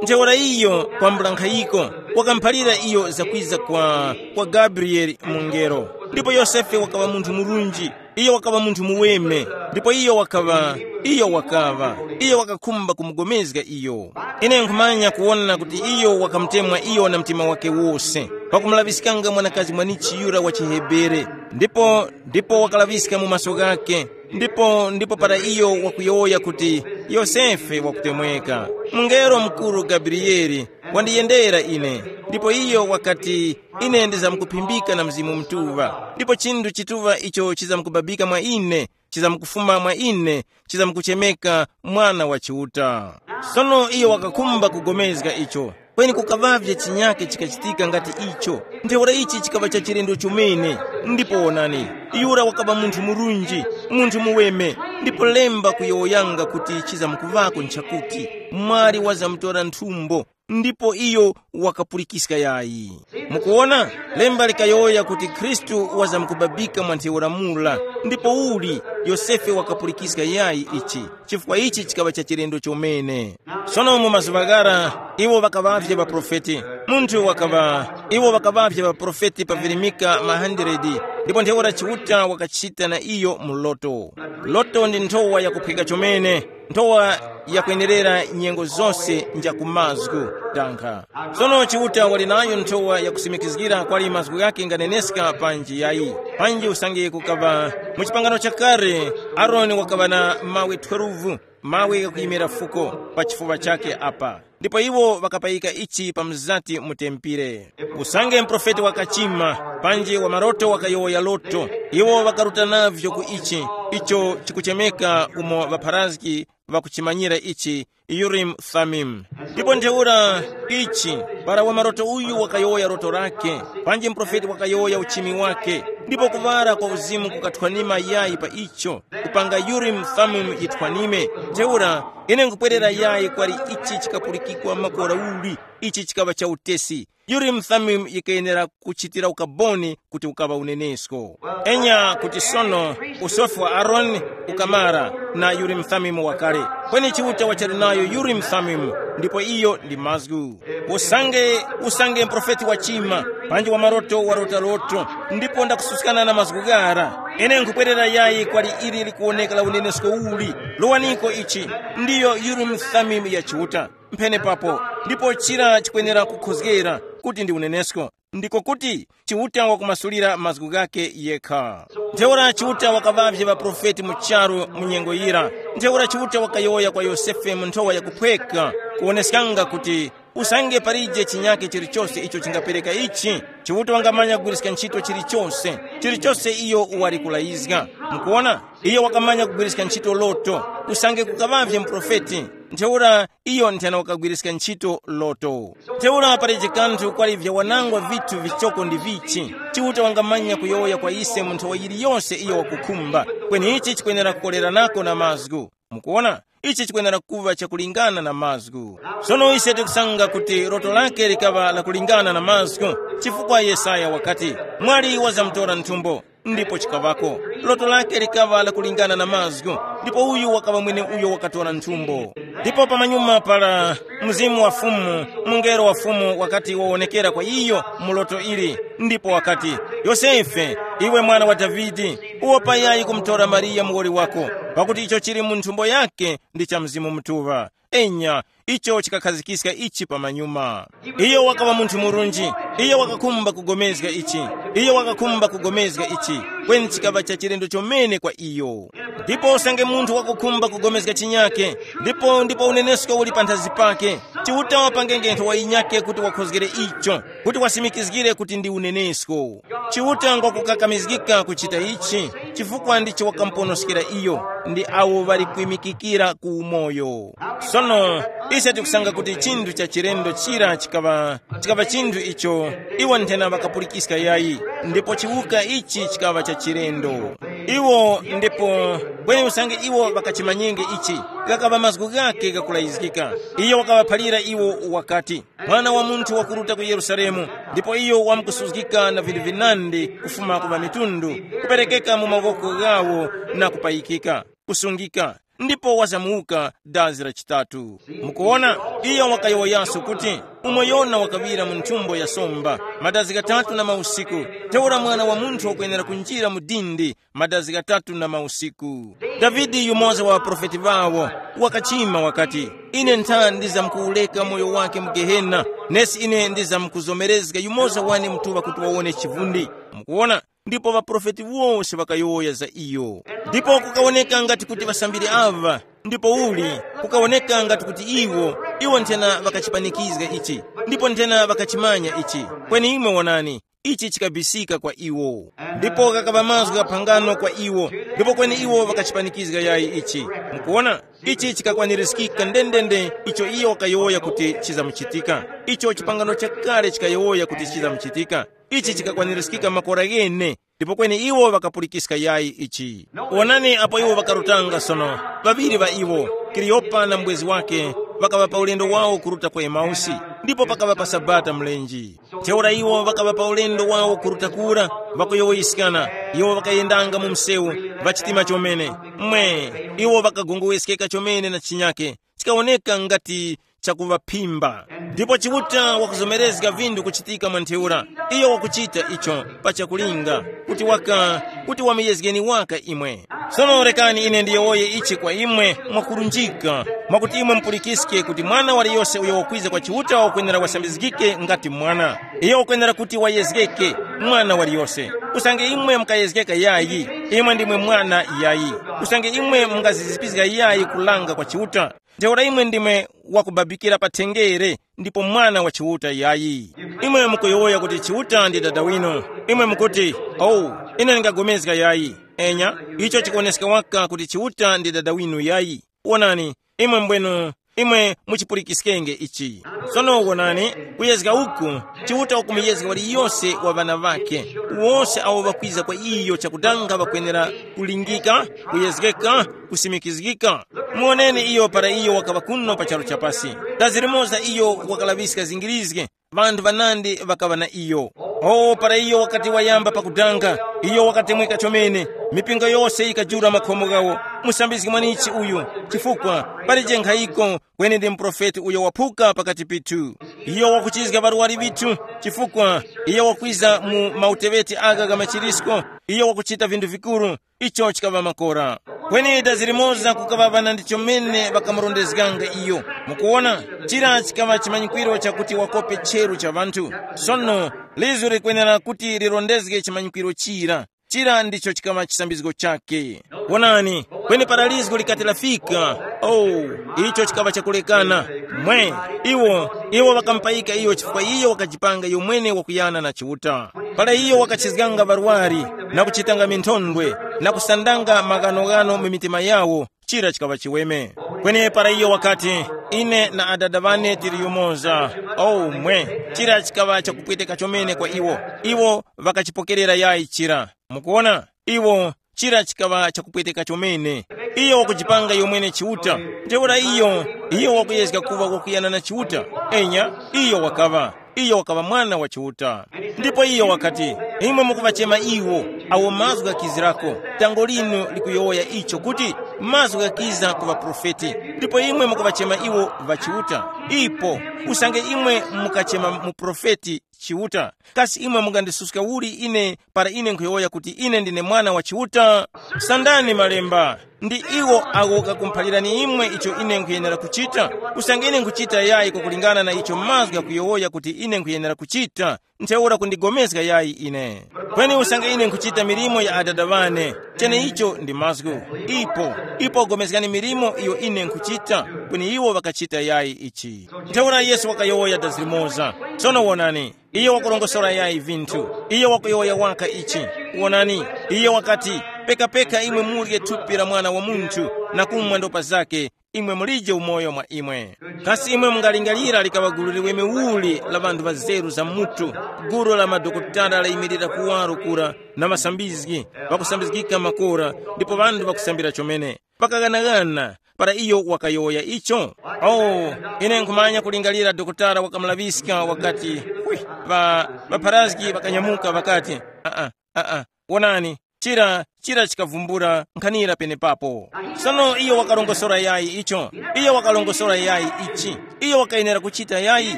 Ntheura iyo kwambula nkhayiko, wakamuphalira iyo zakwiza kwa, kwa Gabriyele mungelo. Ndipo Yosefe wakaŵa munthu murunji, iyo wakaŵa munthu muweme, ndipo iyo wakaŵa, iyo wakaŵa, iyo wakakhumba kumugomezga iyo. Ine nkhumanya kuwona kuti iyo wakamutemwa iyo na mtima wake wose, pakumulaŵiskanga mwanakazi mwanichi yura wa chiHebere, ndipo, ndipo wakalaŵiska mu maso ghake, ndipo, ndipo para iyo wakuyowoya kuti, Yosefe wakutemweka, mungelo mukuru Gabriyele wandiyendera ine, ndipo iyo wakati, ine ndizamkuphimbika na Mzimu Mutuŵa, ndipo chinthu chituŵa icho chizamkubabika mwa ine, chizamkufuma mwa ine, chizamkuchemeka Mwana wa Chiuta. Sono iyo wakakhumba kugomezga icho, kweni kukaŵavye chinyake chikachitika ngati icho. Ntheura ichi chikaŵa cha chilendo chomene. Ndipo wonani, yura wakaŵa munthu murunji, munthu muweme, ndipo lemba kuyowoyanga kuti chizamkuvako nchakuti, mwali wazamutora nthumbo, ndipo iyo wakapulikiska yayi. Mukuwona, lemba likayowoya kuti Khristu wazamkubabika mwa ntheura mura, ndipo uli Yosefe wakapulikiska yayi ichi, chifukwa ichi chikaŵa cha chilendo chomene. Sono mu mazuŵa ghara, iwo ŵakaŵavye ŵaprofeti. Munthu wakaŵa, iwo ŵakaŵavye ŵaprofeti pa virimika ma hundred, Ndipo ntheura Chiuta wakachita na iyo mu loto. Loto ndi nthowa yakuphwika chomene, nthowa yakwenerera nyengo zose nja ku mazgu. Tankha. Sono Chiuta wali nayo nthowa yakusimikizgira kwali mazgu ghake nganeneska panji yayi. Panji usange kukaŵa mu chipangano chakale, Aroni wakaŵa na mawe twelve, mawe ghakuyimira fuko pa chifuŵa chakhe apa. Ndipo iwo ŵakapayika ichi pa mzati mu tempire. Usange muprofeti wakachima, panji wa maroto wakayowoya loto, iwo ŵakaruta navyo ku ichi, icho chikuchemeka umo ŵapharazgi ŵakuchimanyira ichi, Urim Thummim. Ndipo ntheura ichi, para wa maroto uyu wakayowoya loto lake, panji muprofeti wakayowoya uchimi wake, ndipo kuŵala kwa uzimu kukathwanima yayi pa icho, kupanga Urim Thummim yithwanime. Ntheura, ine nkupwerera yayi kwali ichi chikapulikikwa makora uli, ichi chikaŵa cha utesi. Urim Thummim yikayenera kuchitira ukaboni kuti ukaŵa unenesko. Enya kuti sono usofi wa Aroni ukamara na Urim Thummim wakale. Kweni Chiuta wachali nayo Urim Thummim, ndipo iyo ndi mazgu. Usange, usange mprofeti wachima, panji wa maroto warota loto, ndipo ndakususkana na mazgu ghara. Ine nkupwerera yayi kwali ili likuwoneka la unenesko uli. Lowaniko ichi, ndiyo Urim Thummim ya Chiuta. Mphenepapo, ndipo chira chikwenera kukhozgera kuti ndi unenesko. Ndiko kuti Chiuta wakumasulira mazgu ghakhe yekha. Ntheura Chiuta wakaŵavye ŵaprofeti mu charu mu nyengo yira. Ntheura Chiuta wakayowoya kwa Yosefe mu nthowa yakuphweka, kuwoneskanga kuti usange palije chinyake chilichose icho chingapereka ichi, Chiuta wangamanya kugwiriska ntchito chilichose, chilichose iyo wali kulayizga. Mukuona, iyo wakamanya kugwiriska ntchito loto. Usange kukaŵavye muprofeti, ntheura iyo nthena wakagwiriska ntchito loto. Ntheura palije kanthu kwali vyawanangwa vithu vichoko ndi vichi, Chiuta wangamanya kuyowoya kwa ise mu nthowa yiliyose iyo wakukhumba. Kweni ichi chikwenera kukoleranako na mazgu. Mukuona, ichi chikwenera kuŵa chakulingana na mazgu. Sono ise tikusanga kuti loto lake likaŵa lakulingana na mazgu, chifukwa Yesaya wakati, mwali wazamutora nthumbo, ndipo chikaŵako. Loto lake likaŵa lakulingana na mazgu, ndipo uyu wakaŵa mwene uyo wakatora nthumbo. Ndipo pamanyuma pala, mzimu wa Fumu, mungelo wa Fumu wakati wawonekera kwa iyo mu loto ili, ndipo wakati, Yosefe, iwe mwana wa Davide, uwopa yayi kumutora Mariya muwoli wako, pakuti icho chili mu nthumbo yake ndi cha Mzimu Mutuŵa. Enya, icho chikakhazgiska ichi pamanyuma. Iyo wakaŵa munthu murunji, iyo wakakhumba kugomezga ichi, iyo wakakhumba kugomezga ichi, kweni chikaŵa cha chilendo chomene kwa iyo. Ndipo usange munthu wakukhumba kugomezga chinyake, ndipo ndipo unenesko uli panthazi pake, Chiuta wapangenge nthowa yinyake kuti wakhozgere icho, kuti wasimikizgire kuti ndi unenesko. Chiuta ngwakukakamizgika kuchita ichi, chifukwa ndicho wakamuponoskera iyo, ndi awo ŵali kwimikikira ku umoyo. Sono, ise tikusanga kuti chinthu cha chilendo chira chikaŵa, chikaŵa chinthu icho iwo nthena ŵakapulikiska yayi, ndipo chiwuka ichi chikaŵa cha chilendo. Iwo ndipo, kweni usange iwo ŵakachimanyenge ichi, ghakaŵa mazgu ghakhe ghakulayizgika. Iyo wakaŵaphalira iwo wakati, Mwana wa munthu wakuruta ku Yerusalemu, ndipo iyo wamkusuzgika na vinthu vinandi kufuma ku ŵamitundu, kuperekeka mu mawoko ghawo na kupayikika, kusungika, ndipo wazamuwuka dazi la chitatu. Mukuwona, iyo wakayowoyaso kuti, umo Yona wakaŵira mu nthumbo ya somba, madazi ghatatu na mausiku, ntheura Mwana wa munthu wakwenera kunjira mu dindi madazi ghatatu na mausiku. Davide yumoza wa ŵaprofeti ŵawo, wakachima wakati, ine ntha ndizamkuwureka moyo wake mu gehena, nesi ine ndizamkuzomerezga yumoza wane mutuŵa kuti wawone chivundi. Mukuwona, ndipo ŵaprofeti wose ŵakayowoya za iyo. Ndipo kukawoneka ngati kuti ŵasambiri aŵa, ndipo uli, kukawoneka ngati kuti iwo, iwo nthena ŵakachipanikizga ichi, ndipo nthena ŵakachimanya ichi. Kweni imwe wonani, ichi chikabisika kwa iwo. Ndipo ghakaŵa mazgu gha phangano kwa iwo, ndipo kweni iwo ŵakachipanikizga yayi ichi. Mukuwona, ichi chikakwanirizgika ndendende icho iyo wakayowoya kuti chizamuchitika, icho chipangano chakale chikayowoya kuti chizamuchitika. Ichi chikakwanirizgika makora ghene, ndipo kweni iwo ŵakapulikiska yayi ichi. Wonani apo iwo ŵakarutanga sono, ŵaŵiri ŵa iwo, Kaliyopa na mubwezi wake, ŵakaŵa pa ulendo wawo kuruta ku Emausi, ndipo pakaŵa pa Sabata mlenje. Ntheura iwo ŵakaŵa pa ulendo wawo kuruta kura, ŵakuyowoyiskana. Iwo ŵakayendanga mu msewu, ŵachitima chomene. Mwe, iwo ŵakagongoweskeka chomene na chinyake, chikawoneka ngati chakuŵaphimba. Ndipo Chiuta wakuzomerezga vinthu kuchitika mwa ntheura. Iyo wakuchita icho pa chakulinga, kuti waka, kuti wamuyezgeni waka imwe. Sono rekani ine ndiyowoye ichi kwa imwe mwakurunjika, mwakuti imwe mupulikiske kuti mwana waliyose uyo wakwiza kwa Chiuta wakwenera wasambizgike ngati mwana. Iyo wakwenera kuti wayezgeke, mwana waliyose. Usange imwe mukayezgeka yayi, imwe ndimwe mwana yayi. Usange imwe mungazizipizga yayi kulanga kwa Chiuta, ntheura imwe ndimwe wakubabikira pa thengere, ndipo mwana wa Chiuta yayi. Imwe mukuyowoya kuti Chiuta ndi dada winu. Imwe mukuti, oh, ine ndingagomezga yayi. Enya, icho chikuwoneska waka kuti Chiuta ndi dada winu yayi. Wonani, imwe mbwenu, imwe muchipulikiskenge ichi. Sono wonani, kuyezga uku, Chiuta ukumuyezga waliyose wa ŵana ŵakhe, wose awo ŵakwiza kwa iyo chakudanga ŵakwenera kulingika, kuyezgeka, kusimikizgika. Muwoneni iyo para iyo wakaŵa kuno pa charu chapasi. Dazi limoza iyo wakalaŵiska zingirizge, ŵanthu ŵanandi ŵakaŵa na iyo. O para iyo wakati wayamba pakudanga, iyo wakatemweka chomene. Mipingo yose yikajula makhomo ghawo. Musambizgi mwanichi uyu, chifukwa palije nkhayiko, kweni ndi muprofeti uyo waphuka pakati pithu. Iyo wakuchizga ŵarwari vithu, chifukwa iyo wakwiza mu mauteŵeti aga ga machirisko. Iyo wakuchita vinthu vikuru. Icho chikaŵa makora. Kweni dazi limoza kukaŵa ŵana ndicho mene ŵakamurondezganga iyo. Mukuwona, chira chikaŵa chimanyikwiro chakuti wakope cheru cha ŵanthu. Sono, lizgu likwenera kuti lirondezge chimanyikwiro chira. Chira ndicho chikaŵa chisambizgo chake. Wonani, kweni para lizgu likati lafika, oh, icho chikaŵa chakulekana. Mwe, iwo, iwo ŵakamupayika iyo chifukwa iyo wakajipanga iyo mwene wakuyana na Chiuta. Para iyo wakachizganga ŵarwari, na kuchitanga minthondwe, na kusandanga maghanoghano mu mitima yawo, chira chikaŵa chiweme. Kweni para iyo wakati, ine na adada ŵane tili yumoza, oh mwe, chira chikaŵa chakupweteka chomene kwa iwo. Iwo ŵakachipokerera yayi chira. Mukuwona, iwo, chira chikaŵa chakupweteka chomene. Iyo wakujipanga yomwene Chiuta. Ntheura iyo, iyo wakuyezga kuŵa wakuyana na Chiuta. Enya, iyo wakaŵa, iyo wakaŵa mwana wa Chiuta. Ndipo iyo wakati, imwe mukuŵachema iwo, awo mazgu ghakizirako. Tango linu likuyowoya icho kuti, mazgu ghakiza ku ŵaprofeti. Ndipo imwe mukuŵachema iwo ŵachiuta. Ipo, usange imwe mukachema muprofeti Chiuta, kasi imwe mungandisuska uli ine para ine nkhuyowoya kuti ine ndine mwana wa Chiuta? Sandani malemba. Ndi iwo awo ghakumuphalirani imwe icho ine nkhuyenera kuchita. Usange ine nkhuchita yayi kwakulingana na icho mazgu ghakuyowoya kuti ine nkhuyenera kuchita, ntheura kundigomezga yayi ine. Kweni usange ine nkhuchita milimo ya Adada ŵane, cheneicho ndi mazgu. Ipo, ipo gomezgani milimo iyo ine nkhuchita, kweni iwo ŵakachita yayi ichi. Ntheura Yesu wakayowoya dazi limoza. Sono wonani, iyo wakurongosora yayi vinthu. Iyo wakuyowoya waka ichi. Wonani, iyo wakati, pekapeka imwe murye thupi la Mwana wa Munthu, na kumwa ndopa zake, imwe mulije umoyo mwa imwe. Kasi imwe mungalingalira likaŵa gulu liweme uli la ŵanthu ŵazeru za mutu, gulu la madokotala layimirira kuwaro kura, na masambizgi, ŵakusambizgika makora, ndipo ŵanthu ŵakusambira chomene. Pakaghanagana, para iyo wakayowoya icho? Oh, ine nkhumanya kulingalira dokotala wakamulaŵiska wakati, wi, ŵa, ŵapharazgi ŵakanyamuka ŵakati, aa, aa, wonani, chira, chira chikavumbula nkhanira penepapo. Sono iyo wakarongosora yayi icho, iyo wakarongosora yayi ichi, iyo wakayenera kuchita yayi,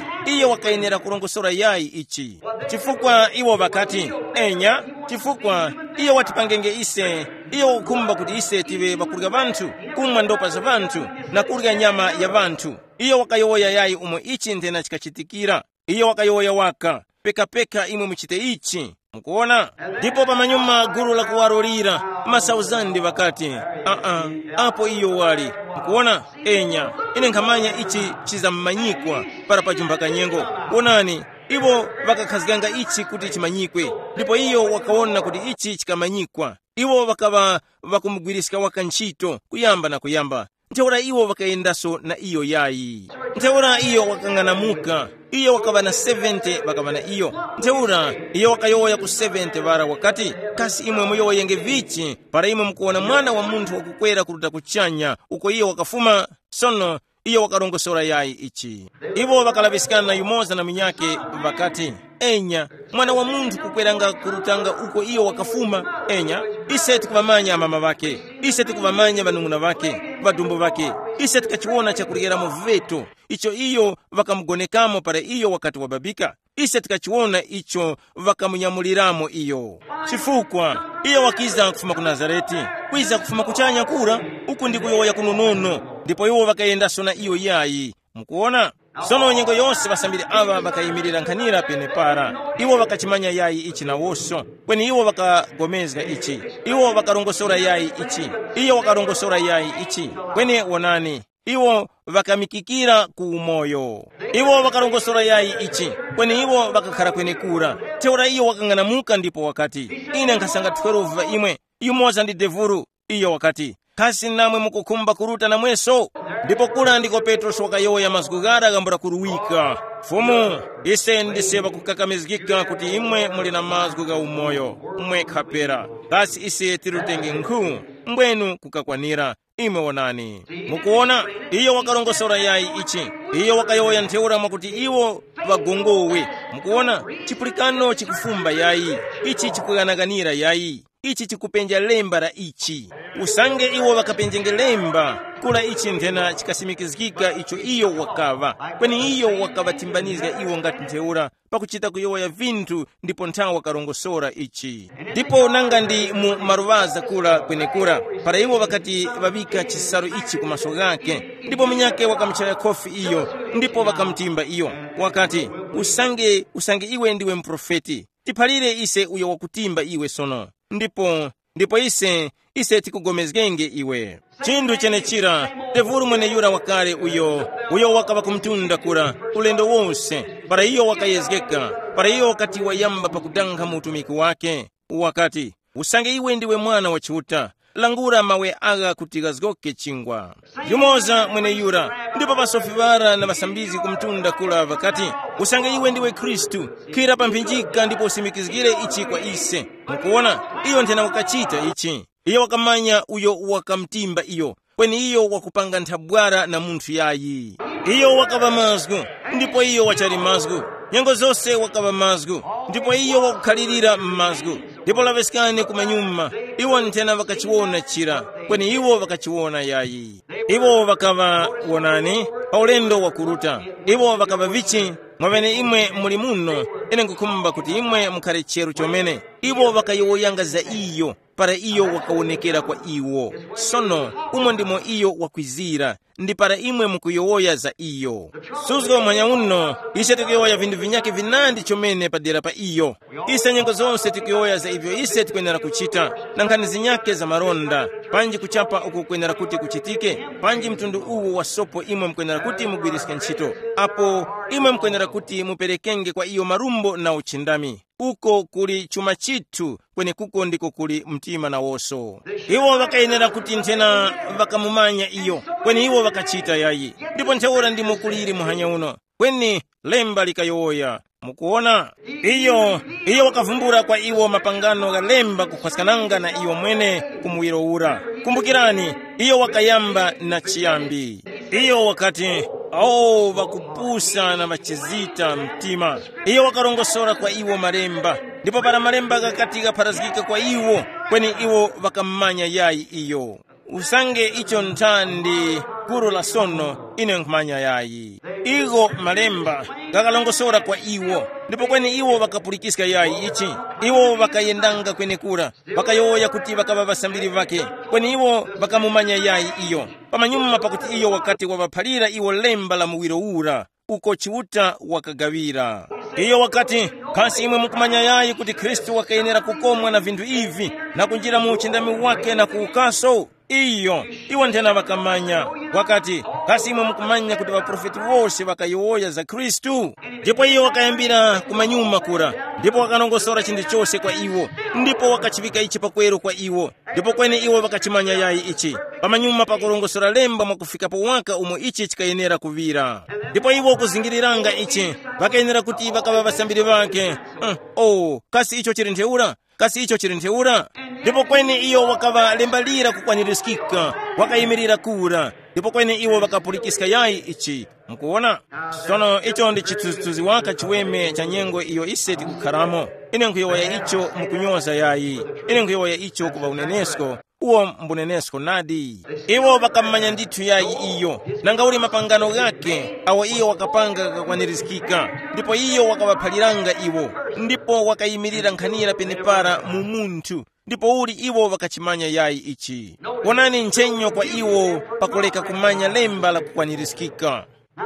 iyo wakayenera kurongosora yayi ichi. Chifukwa iwo ŵakati, enya, chifukwa iyo watipangenge ise, iyo wakukhumba kuti ise tive ŵakurya ŵanthu, kumwa ndopa za ŵanthu, na kurya nyama ya ŵanthu. Iyo wakayowoya yayi umo ichi nthena chikachitikira. Iyo wakayowoya waka, pekapeka imwe muchite ichi. Mukuwona? Ndipo pamanyuma gulu la kuwarulira, masauzande ŵakati, aa, apo iyo wali. Mukuwona? Enya, ine nkhamanya ichi chizamumanyikwa para pajumba kanyengo. Wonani, iwo ŵakakhazganga ichi kuti chimanyikwe. Ndipo iyo wakawona kuti ichi chikamanyikwa. Iwo ŵakaŵa ŵakumugwiriska waka ntchito kuyamba na kuyamba. Ntheura iwo ŵakayendaso na iyo yayi. Ntheura iyo wakang'anamuka. Iyo wakaŵa na sevente ŵakaŵa na iyo. Ntheura iyo wakayowoya ku sevente ŵara wakati, kasi imwe muyowoyenge vichi para imwe mukuwona Mwana wa Munthu wakukwera kuruta kuchanya uko iyo wakafuma? Sono iyo wakarongosora yayi ichi. Iwo ŵakalaŵiskana yumoza na munyakhe, ŵakati, enya, Mwana wa Munthu kukweranga kurutanga uko iyo wakafuma. Enya, ise tikuŵamanya amama ŵakhe, ise tikuŵamanya ŵanung'una ŵakhe, ŵadumbu ŵakhe, ise tikachiwona chakuryera mu veto. icho iyo ŵakamugonekamo para iyo wakati wababika. Ise tikachiwona icho ŵakamunyamuliramo iyo. Chifukwa iyo wakiza kufuma ku Nazarete, kwiza kufuma kuchanya kura, uku ndi kuyowoya kunonono, ndipo iwo ŵakayendaso na iyo yayi. Mukuona? Sono nyengo yose ŵasambiri aŵa ŵakayimirira nkhanira penepara. Iwo ŵakachimanya yayi ichi nawoso, kweni iwo ŵakagomezga ichi. Iwo ŵakarongosora yayi ichi. Iyo wakarongosora yayi ichi. Kweni wonani, iwo ŵakamikikira ku umoyo. Iwo ŵakarongosora yayi ichi, kweni iwo ŵakakhara kwenekura. Ntheura iyo wakang'anamuka ndipo wakati, ine nkhasanga twelve ŵa imwe, yumoza ndi devuru. Iyo wakati, kasi namwe mukukhumba kuruta namweso? Ndipo kura ndiko Petrosi wakayowoya mazgu ghara ghambula kuruwika, Fumu, ise ndise ŵakukakamizgika kuti imwe muli na mazgu gha umoyo, mwekha pera. Kasi ise tirutenge nkhu? Mbwenu kukakwanira. Imwe wonani. Mukuona, iyo wakarongosora yayi ichi. Iyo wakayowoya ntheura mwakuti iwo ŵagongowe. Mukuona, chipulikano chikufumba yayi. Ichi chikughanaganira yayi. Ichi chikupenja lemba la ichi. Usange iwo ŵakapenjenge lemba, kula ichi nthena chikasimikizgika icho iyo wakaŵa. Kweni iyo wakaŵatimbanizga iwo ngati ntheura, pakuchita kuyowoya vinthu ndipo nthawi wakarongosora ichi. Ndipo nanga ndi mu maluŵaza kura kwenekura, para iwo ŵakati ŵaŵika chisalu ichi ku maso ghakhe, ndipo munyakhe wakamuchaya khofi iyo, ndipo ŵakamutimba iyo, wakati, usange usange iwe ndiwe muprofeti, tiphalire ise uyo wakutimba iwe sono. Ndipo ndipo ise ise tikugomezgenge iwe. Chinthu chenechira, tevulu mweneyura wakale uyo, uyo wakaŵa kumtunda kura, ulendo wose, para iyo wakayezgeka, para iyo wakati wayamba pakudankha mu utumiki wake, wakati, usange iwe ndiwe Mwana wa Chiuta, langula mawe agha kuti ghazgoke chingwa. Yumoza mweneyura, ndipo ŵasofi ŵara na ŵasambizgi kumtunda kura ŵakati, usange iwe ndiwe Khristu, khwira pa mphinjika ndipo usimikizgire ichi kwa ise. Mukuwona, iyo nthena wakachita ichi. Iyo wakamanya uyo wakamutimba iyo, kweni iyo wakupanga nthabwara na munthu yayi. Iyo wakaŵa mazgu, ndipo iyo wachali mazgu. Nyengo zose wakaŵa mazgu, ndipo iyo wakukhalirira m'mazgu. Ndipo laŵeskani kumanyuma, iwo nthena ŵakachiwona chira, kweni iwo ŵakachiwona yayi. Iwo ŵakaŵa wonani pa ulendo wakuruta. Iwo ŵakaŵa vichi, mwaŵene imwe muli muno, ine nkhukhumba kuti imwe mukhare cheru chomene. Iwo ŵakayowoyanga za iyo, para iyo wakawonekera kwa iwo. Sono umo ndimo iyo wakwizira, ndi para imwe mukuyowoya za iyo. Suzgo muhanya uno, ise tikuyowoya vinthu vinyakhe vinandi chomene padera pa iyo. Ise nyengo zose tikuyowoya za ivyo ise tikwenera kuchita, na nkhani zinyakhe za maronda, panji kuchapa uku kwenera kuti kuchitike, panji mtundu uwu wa sopo imwe mukwenera kuti mugwiriske ntchito, apo imwe mukwenera kuti muperekenge kwa iyo marumbo na uchindami. Uko kuli chuma chithu, kwenekuko ndiko kuli mtima nawoso. Iwo ŵakayenera kuti nthena ŵakamumanya iyo, kweni iwo ŵakachita yayi. Ndipo ntheura ndimo kuliri muhanya uno, kweni lemba likayowoya. Mukuona, iyo iyo wakavumbula kwa iwo mapangano gha lemba kukhwaskananga na iyo mwene ku muwiro ura. Kumbukirani, iyo wakayamba na chiyambi. Iyo wakati, awo ŵakupusa na ŵachizita mtima. Iyo wakarongosora kwa iwo malemba, ndipo para malemba ghakati ghapharazgika kwa iwo, kweni iwo ŵakammanya yayi iyo. Usange icho nthandi gulu la sono, ine nkhumanya yayi. Igo malemba ghakalongosora kwa iwo, ndipo kweni iwo ŵakapulikiska yayi ichi. Iwo ŵakayendanga kwenekura, ŵakayowoya kuti ŵakaŵa ŵasambiri ŵakhe, kweni iwo ŵakamumanya yayi iyo. Pamanyuma pakuti iyo wakati waŵaphalira iwo lemba la muwiro ura, uko Chiuta wakagaŵira. Iyo wakati, kasi imwe mukumanya yayi kuti Khristu wakayenera kukomwa na vinthu ivi, na kunjira mu uchindami wake na kuwukaso? Iyo, iwo nthena ŵakamanya. Wakati, kasi imwe mukumanya kuti ŵaprofeti wose ŵakayowoya za Khristu? Ndipo iyo wakayambira kumanyuma kura, ndipo wakarongosora chinthu chose kwa iwo, ndipo wakachiŵika ichi pakweru kwa iwo. Ndipo kweni iwo ŵakachimanya yayi ichi. Pamanyuma pakurongosora lemba mwakufikapo waka umo ichi chikayenera kuŵira. Ndipo iwo kuzingiriranga ichi, ŵakayenera kuti ŵakaŵa ŵasambiri ŵakhe. Mm, oh, kasi icho chili ntheura? Kasi icho chili ntheura? Ndipo kweni iyo wakaŵa lemba lira kukwanirizgika, wakayimirira kura. Ndipo kweni iwo ŵakapulikiska yayi ichi. Mukuwona? Sono icho ndi chithunzithunzi waka chiweme cha nyengo iyo ise tikukharamo. Ine nkhuyowoya icho mukunyoza yayi. Ine nkhuyowoya icho kuŵa unenesko. Uwo mbunenesko nadi. Iwo ŵakammanya ndithu yayi iyo, nanga uli mapangano ghakhe awo iyo wakapanga ghakwanirizikika, ndipo iyo wakaŵaphaliranga iwo, ndipo wakayimirira nkhanira penepara mu munthu, ndipo uli iwo ŵakachimanya yayi ichi? Wonani nchenyo kwa iwo pakuleka kumanya lemba la kukwanirizikika.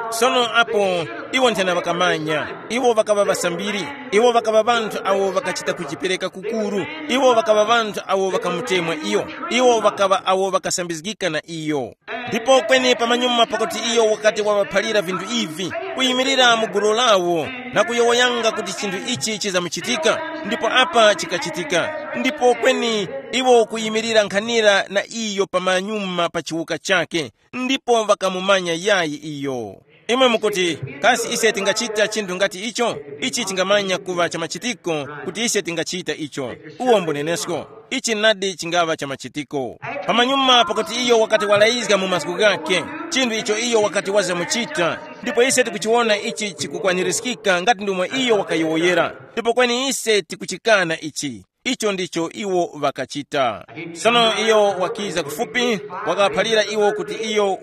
Sono apo iwo nthena ŵakamanya, iwo ŵakaŵa ŵasambiri, iwo ŵakaŵa ŵanthu awo ŵakachita kujipereka kukuru, iwo ŵakaŵa ŵanthu awo ŵakamutemwa iyo, iwo ŵakaŵa awo ŵakasambizgika na iyo. Ndipo kweni pamanyuma pakuti iyo wakati waŵaphalira vinthu ivi, kuyimirira mu gulu lawo na kuyowoyanga kuti chinthu ichi chizamuchitika, ndipo apa chikachitika, ndipo kweni iwo kuyimirira nkhanira na iyo pamanyuma pa chiwuka chake, ndipo ŵakamumanya yayi iyo. Imwe mukuti, kasi ise tingachita chinthu ngati icho? Ichi chingamanya kuŵa cha machitiko kuti ise tingachita icho. Uwo mbunenesko, ichi nadi chingaŵa cha machitiko. Pamanyuma pakuti iyo wakati walayizga mu mazgu ghakhe chinthu icho iyo wakati wazamuchita, ndipo ise tikuchiwona ichi chikukwanirizikika ngati ndomwe iyo wakayowoyera, ndipo kweni ise tikuchikana ichi. Icho ndicho iwo ŵakachita. Sono iyo wakiza kufupi, wakaphalira iwo kuti iyo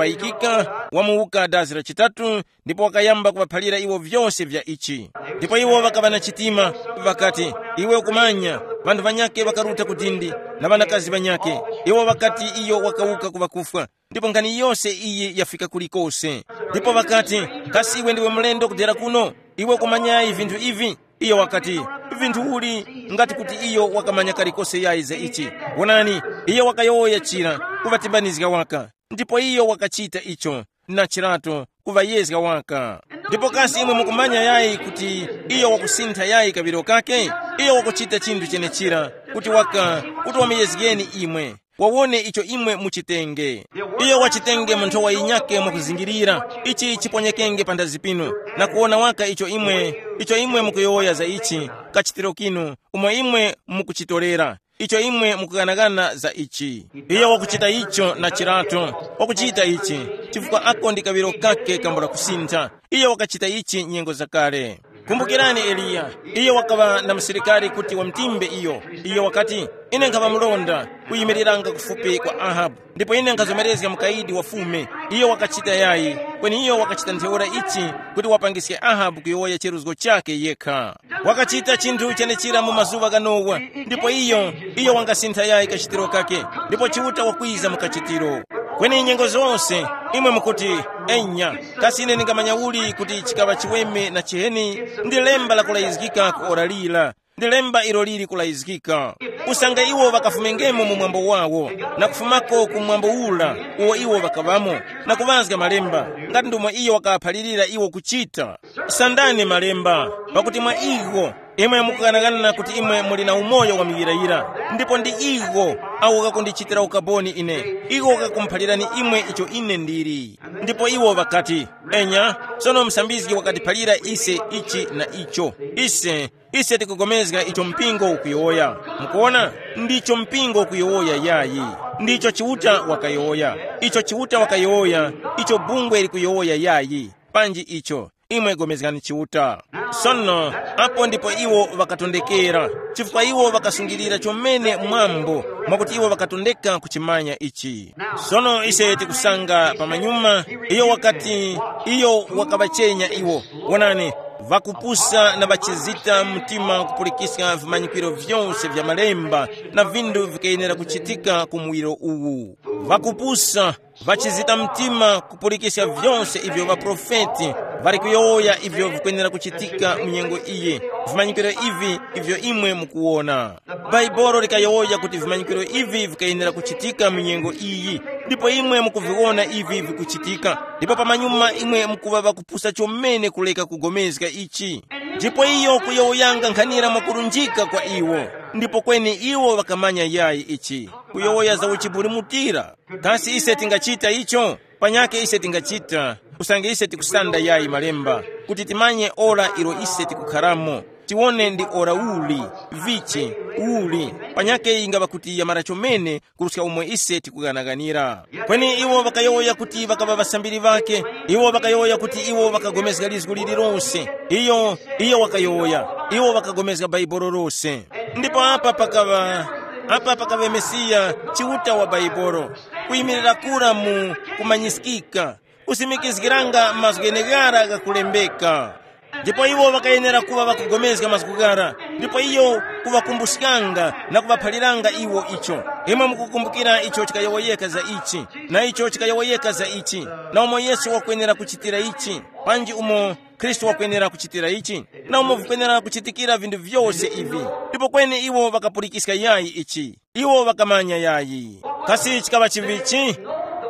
wamkupayikika, wamuwuka dazi la chitatu, ndipo wakayamba kuŵaphalira iwo vyose vya ichi. Ndipo iwo ŵakaŵa na chitima, ŵakati, iwe ukumanya, ŵanthu ŵanyakhe ŵakaruta ku dindi, na ŵanakazi ŵanyakhe, iwo ŵakati iyo wakawuka ku ŵakufwa, ndipo nkhani yose iyi yafika kulikose. Ndipo ŵakati, kasi iwe ndiwe mlendo kudera kuno? Iwe ukumanyayi vinthu ivi? Iyo wakati, vinthu uli? Ngati kuti iyo wakamanya kalikose yayi za ichi. Wonani, iyo wakayowoya chira, kuŵatimbanizga waka, ndipo iyo wakachita icho, na chirato, kuŵayezga waka. Ndipo kasi imwe mukumanya yayi kuti iyo wakusintha yayi kaŵiro kake? Iyo wakuchita chinthu chenechira, kuti waka, kuti wamuyezgeni imwe, wawone icho imwe muchitenge. Iyo wachitenge mu nthowa yinyakhe mwakuzingirira, ichi chiponyekenge panthazi pinu, na kuwona waka icho imwe, icho imwe mukuyowoya za ichi, kachitiro kinu, umo imwe mukuchitorera, icho imwe mukughanaghana za ichi. Iyo wakuchita icho na chirato, wakuchita ichi, chifukwa ako ndi kaŵiro kake kambula kusintha. Iyo wakachita ichi nyengo zakale. Kumbukirani Eliya, iyo wakaŵa na musilikari kuti wamtimbe iyo. Iyo wakati, ine nkhaŵa mlonda kuyimiriranga kufupi kwa Ahabu, ndipo ine nkhazomerezga mukayidi wa fume. Iyo wakachita yayi, kweni iyo wakachita ntheura ichi kuti wapangiske Ahabu kuyowoya cheruzgo chakhe yekha. Wakachita chinthu chenechira mu mazuŵa gha Nowa, ndipo iyo, iyo wangasintha yayi kachitiro kake, ndipo Chiuta wakwiza mu kachitiro. Kweni nyengo zose, imwe mukuti, enya, kasi ine ndingamanya uli kuti chikaŵa chiweme na chiheni? Ndi lemba lakulayizgika ku ora lira, ndi lemba ilo lili kulayizgika. Usange iwo ŵakafumengemo mu mwambo wawo, na kufumako ku mwambo ura uwo iwo ŵakaŵamo, na kuŵazga malemba, ngati ndomwe iyo wakaphalirira iwo kuchita. Sandani malemba, pakuti mwa iwo imwe mukughanaghana kuti imwe muli na umoyo wa muyirayira, ndipo ndi iwo awo ghakundichitira ukaboni ine, iwo ghakumuphalirani imwe icho ine ndili. Ndipo iwo ŵakati, enya, sono musambizgi wakatiphalira ise ichi na icho. Ise, ise tikupulikana icho mpingo ukuyowoya. Mukuona, ndicho mpingo ukuyowoya yayi. Ndicho Chiuta wakayowoya. Icho Chiuta wakayowoya, icho bungwe likuyowoya yayi. Panji icho, imwe pulikani Chiuta. Sono, apo ndipo iwo ŵakatondekera, chifukwa iwo ŵakasungilira chomene mwambo, mwakuti iwo ŵakatondeka kuchimanya ichi. Sono ise tikusanga pamanyuma, iyo wakati, iyo wakaŵachenya iwo. Wonani, ŵakupusa na ŵachizita mtima kupulikiska vimanyikiro vyose vya malemba na vindu vikayenera kuchitika ku muwiro uwu. Ŵakupusa, ŵachizita mtima kupulikiska vyose ivyo ŵaprofeti ŵali kuyowoya ivyo vikwenera kuchitika mu nyengo iyi, vimanyikiro ivi ivyo imwe mukuwona. Bhaibuli likayowoya kuti vimanyikiro ivi vikayenera kuchitika mu nyengo iyi, ndipo imwe mukuviwona ivi vikuchitika, ndipo pamanyuma imwe mukuŵa ŵakupusa chomene kuleka kugomezga ichi. Ndipo iyo kuyowoyanga nkhanira mwakulunjika kwa iwo, ndipo kweni iwo ŵakamanya yayi ichi, kuyowoya za uchibulimutira. Kasi ise tingachita icho? Panyakhe ise tingachita, usange ise tikusanda yayi malemba, kuti timanye ora ilo ise tikukharamo, tiwone ndi ora uli, vichi, uli, panyakhe yingaŵa kuti yamara chomene kuruska umo ise tikughanaganira. Kweni iwo ŵakayowoya kuti ŵakaŵa ŵasambiri ŵakhe, iwo ŵakayowoya kuti iwo ŵakagomezga lizgu lililose. Iyo, iyo wakayowoya, iwo ŵakagomezga Bhaibuli lose. Ndipo apa pakaŵa Apa pakaŵe Mesiya, Chiuta wa Baibolo, kuyimirira kura mu kumanyiskika, kusimikizgiranga mazgu gheneghara ghakulembeka. Ndipo iwo ŵakayenera kuŵa ŵakugomezga mazgu ghara, ndipo iyo kuŵakumbuskanga na kuŵaphaliranga iwo icho. Imwe mukukumbukira icho chikayowoyeka za ichi, na icho chikayowoyeka za ichi, na umo Yesu wakwenera kuchitira ichi, panji umo Khristu wakwenera kuchitira ichi, na umo vikwenera kuchitikira vinthu vyose ivi. Ndipo kweni iwo ŵakapulikiska yayi ichi. Iwo ŵakamanya yayi. Kasi chikaŵa chivichi?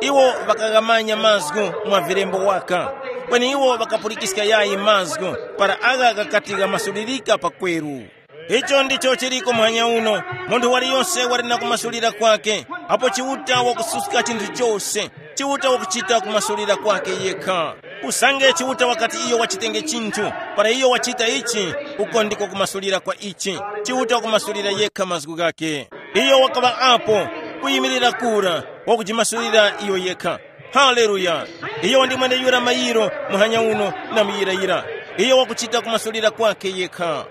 Iwo ŵakaghamanya mazgu mwa vilembo waka. Kweni iwo ŵakapulikiska yayi mazgu para agha ghakati ghamasulirika pakweru. Icho ndicho chiliko muhanya uno. Munthu waliyose wali na kumasulira kwake. Apo Chiuta wakususka chinthu chose, Chiuta wakuchita kumasulira kwake yekha. Usange Chiuta wakati iyo wachitenge chinthu, para iyo wachita ichi, uko ndiko kumasulira kwa ichi. Chiuta wakumasulira yekha mazgu ghake. Iyo wakaŵa apo, kuyimirira kura, wakujimasulira iyo yekha. Haleluya! Iyo ndi mweneyura mayiro muhanya uno na muyirayira. Iyo wakuchita kumasulira kwake yekha.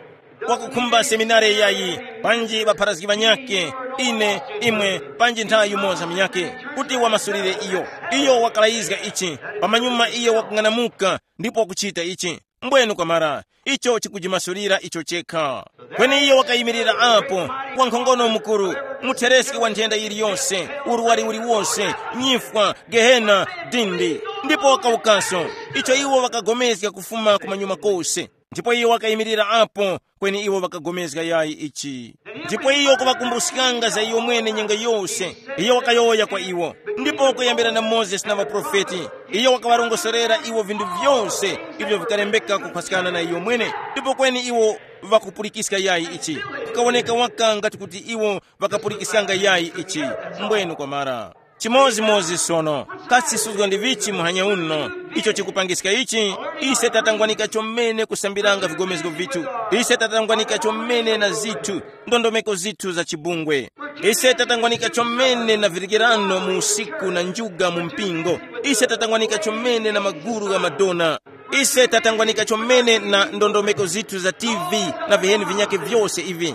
Wakukhumba seminari yayi, panji ŵapharazgi ŵanyakhe, ine, imwe, panji nthawi yumoza munyakhe, kuti wamasulire iyo. Iyo wakalayizga ichi, pamanyuma iyo wakung'anamuka, ndipo wakuchita ichi. Mbwenu kwamara, icho chikujimasulira icho chekha. Kweni iyo wakayimirira apo, wankhongono mukuru, muthereski wa nthenda yiliyose, urwari uliwose, nyifwa, gehena, dindi. Ndipo wakawukaso, icho iwo ŵakagomezga kufuma kumanyuma kose. Ndipo iyo wakayimirira apo, kweni iwo ŵakagomezga yayi ichi. Ndipo iyo kuŵakumbuskanga za iyo mwene nyengo yose, iyo wakayowoya kwa iwo. Ndipo kuyambira na Mozesi na ŵaprofeti, iyo wakaŵarongosorera iwo vinthu vyose ivyo vikalembeka kuphaskana na iyo mwene. Ndipo kweni iwo ŵakupulikiska yayi ichi, kukawoneka waka ngati kuti iwo ŵakapulikiskanga yayi ichi. Mbwenu kwamara. Chimodzimodzi sono, kasi suzgo ndi vichi muhanya uno? Icho chikupangiska ichi, ise tatangwanika chomene kusambiranga vigomezgo vithu. Ise tatangwanika chomene na zithu, ndondomeko zithu za chibungwe. Ise tatangwanika chomene na virikirano mu usiku na njuga mu mpingo. Ise tatangwanika chomene na maguru gha madona. Ise tatangwanika chomene na ndondomeko zithu za T V na viheni vinyakhe vyose ivi.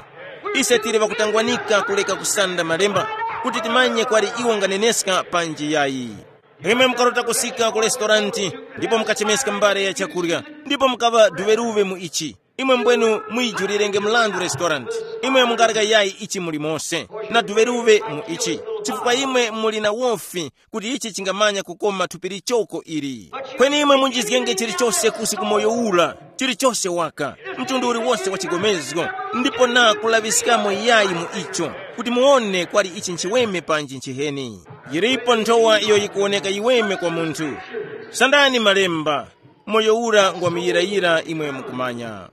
Ise tili ŵakutangwanika kuleka kusanda malemba, kuti timanye kwali iwo nganeneska panji yayi. Imwe mukarota kusika ku restoranti, ndipo mukachemeska mbale ya chakurya, ndipo mukaŵa duŵeruŵe mu ichi. Imwe mbwenu muyijulirenge mrandu restoranti. Imwe mungareka yayi ichi muli mose, na duŵeruŵe mu ichi, chifukwa imwe muli na wofi kuti ichi chingamanya kukoma thupi lichoko ili. Kweni imwe munjizgenge chilichose kusi ku moyo ura, chilichose waka, mtundu uliwose wa chigomezgo, ndipo na kulaŵiskamo yayi mu icho, kuti muwone kwali ichi nchiweme panji nchiheni. Yilipo nthowa iyo yikuwoneka yiweme kwa munthu. Sandani malemba, moyo ura ngwa muyirayira imwe mukumanya.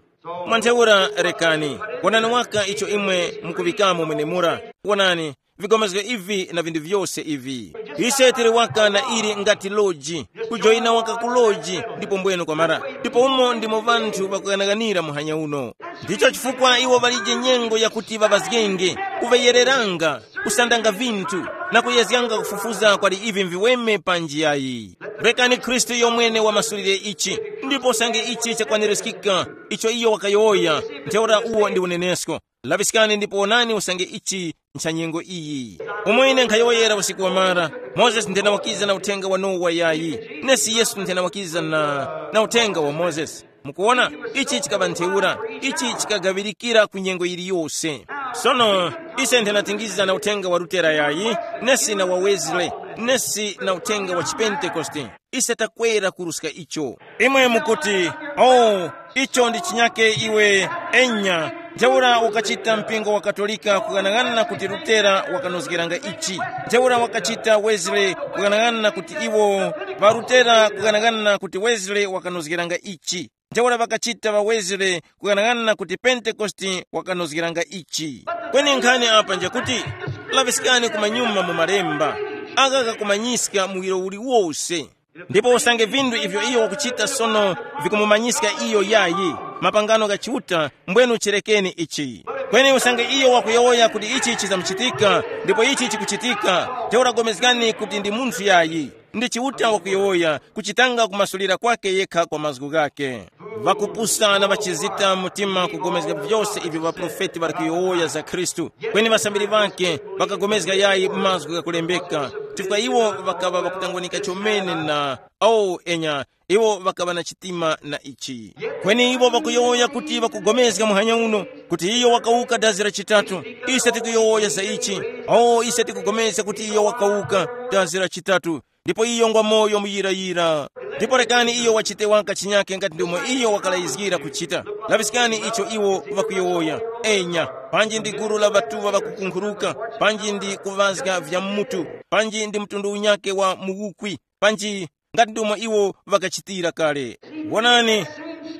Mwantheura rekani, wonani waka icho imwe mukuŵikamo mwenemura. Wonani, vikomezgo ivi na vinthu vyose ivi. Ise tili waka na ili ngati loji, kujoyina waka ku loji, ndipo mbwenu kwamara. Ndipo umo ndimo ŵanthu ŵakughanaghanira muhanya uno. Ndicho chifukwa iwo ŵalije nyengo yakuti ŵaŵazgenge, kuŵeyereranga, kusandanga vinthu, na kuyezganga kufufuza kwali ivi mviweme panji yayi. Rekani Khristu yomwene wamasulire ichi, ndipo usange ichi chakwanirizgika, icho iyo wakayowoya, ntheura uwo ndi unenesko. Laŵiskani ndipo wonani usange ichi ncha nyengo iyi. Umo ine nkhayowoyera usiku wamara, Mozesi nthena wakiza na uthenga wa Nowa yayi, nesi Yesu nthena wakiza na, na uthenga wa Mozesi. Mukuwona, ichi chikaŵa ntheura, ichi chikagaŵirikira ku nyengo yiliyose. Sono, ise nthena tingiza na uthenga wa Lutera yayi, nesi na wa Wesley, nesi na uthenga wa Chipentekoste. Ise takwera kuruska icho. Imwe mukuti, oh, icho ndi chinyake iwe, enya. Ntheura ukachita mpingo wa Katolika kughanaghanana kuti Lutera wakanozgeranga ichi. Ntheura wakachita Wesley kughanaghanana kuti iwo, ŵa Lutera kughanaghanana kuti Wesley wakanozgeranga ichi. Ntheura ŵakachita ŵa Wesley kughanaghanana kuti Pentekoste wakanozgeranga ichi. Kweni nkhani apa njakuti, laŵiskani kumanyuma mu malemba, agha ghakumanyiska muwiro uliwose. Ndipo usange vinthu ivyo iyo wakuchita sono vikumumanyiska iyo yayi, mapangano gha Chiuta, mbwenu chirekeni ichi. Kweni usange iyo wakuyowoya kuti ichi chizamuchitika, ndipo ichi chikuchitika, ntheura pulikani kuti ndi munthu yayi. Ndi Chiuta wakuyowoya, kuchitanga kumasulira kwake yekha kwa mazgu ghake. Ŵakupusa na ŵachizita mtima kugomezga vyose ivyo ŵaprofeti ŵali kuyowoya za Khristu. Kweni ŵasambiri ŵake ŵakagomezga yayi mazgu ghakulembeka, chifukwa iwo ŵakaŵa ŵakutangwanika chomene na, oh, enya, iwo ŵakaŵa na chitima na ichi. Kweni iwo ŵakuyowoya kuti ŵakugomezga muhanya uno, kuti iyo wakawuka dazi la chitatu. Ise tikuyowoya za ichi. Oh, ise tikugomezga kuti iyo wakawuka dazi la chitatu. Ndipo iyo ngwa moyo muyirayira. Ndipo rekani iyo wachite waka chinyake ngati ndomwe iyo wakalayizgira kuchita. Laŵiskani icho iwo ŵakuyowoya. Enya, panji ndi gulu la ŵatuŵa ŵakukunkhuruka, panji ndi kuŵazga vya mutu, panji ndi mtundu unyake wa muwukwi, panji ngati ndomwe iwo ŵakachitira kale. Wonani,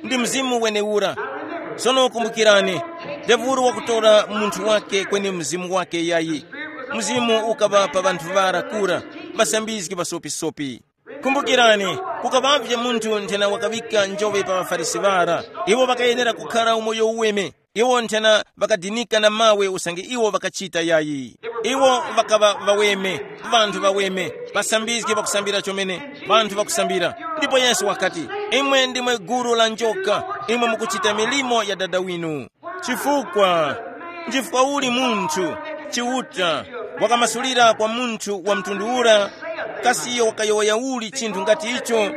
ndi mzimu wenewura. Sono kumbukirani, Devulu wakutora munthu wake kweni mzimu wake yayi. Mzimu ukaŵa pa ŵanthu ŵara kura, ŵasambizgi ŵasopisopi. Kumbukirani, kukaŵavye munthu nthena wakaŵika njoŵe pa ŵaFarisi ŵara. Iwo ŵakayenera kukhara umoyo uweme. Iwo nthena ŵakadinika na mawe usange iwo ŵakachita yayi. Iwo ŵakaŵa ŵaweme, ŵanthu ŵaweme, ŵasambizgi ŵakusambira chomene, ŵanthu ŵakusambira. Ndipo Yesu wakati, imwe ndimwe gulu la njoka, imwe mukuchita milimo ya dada winu. Chifukwa, nchifukwa uli munthu, Chiuta, wakamasulira kwa munthu wa mtundu ura, kasi iyo wakayowoya uli chinthu ngati icho?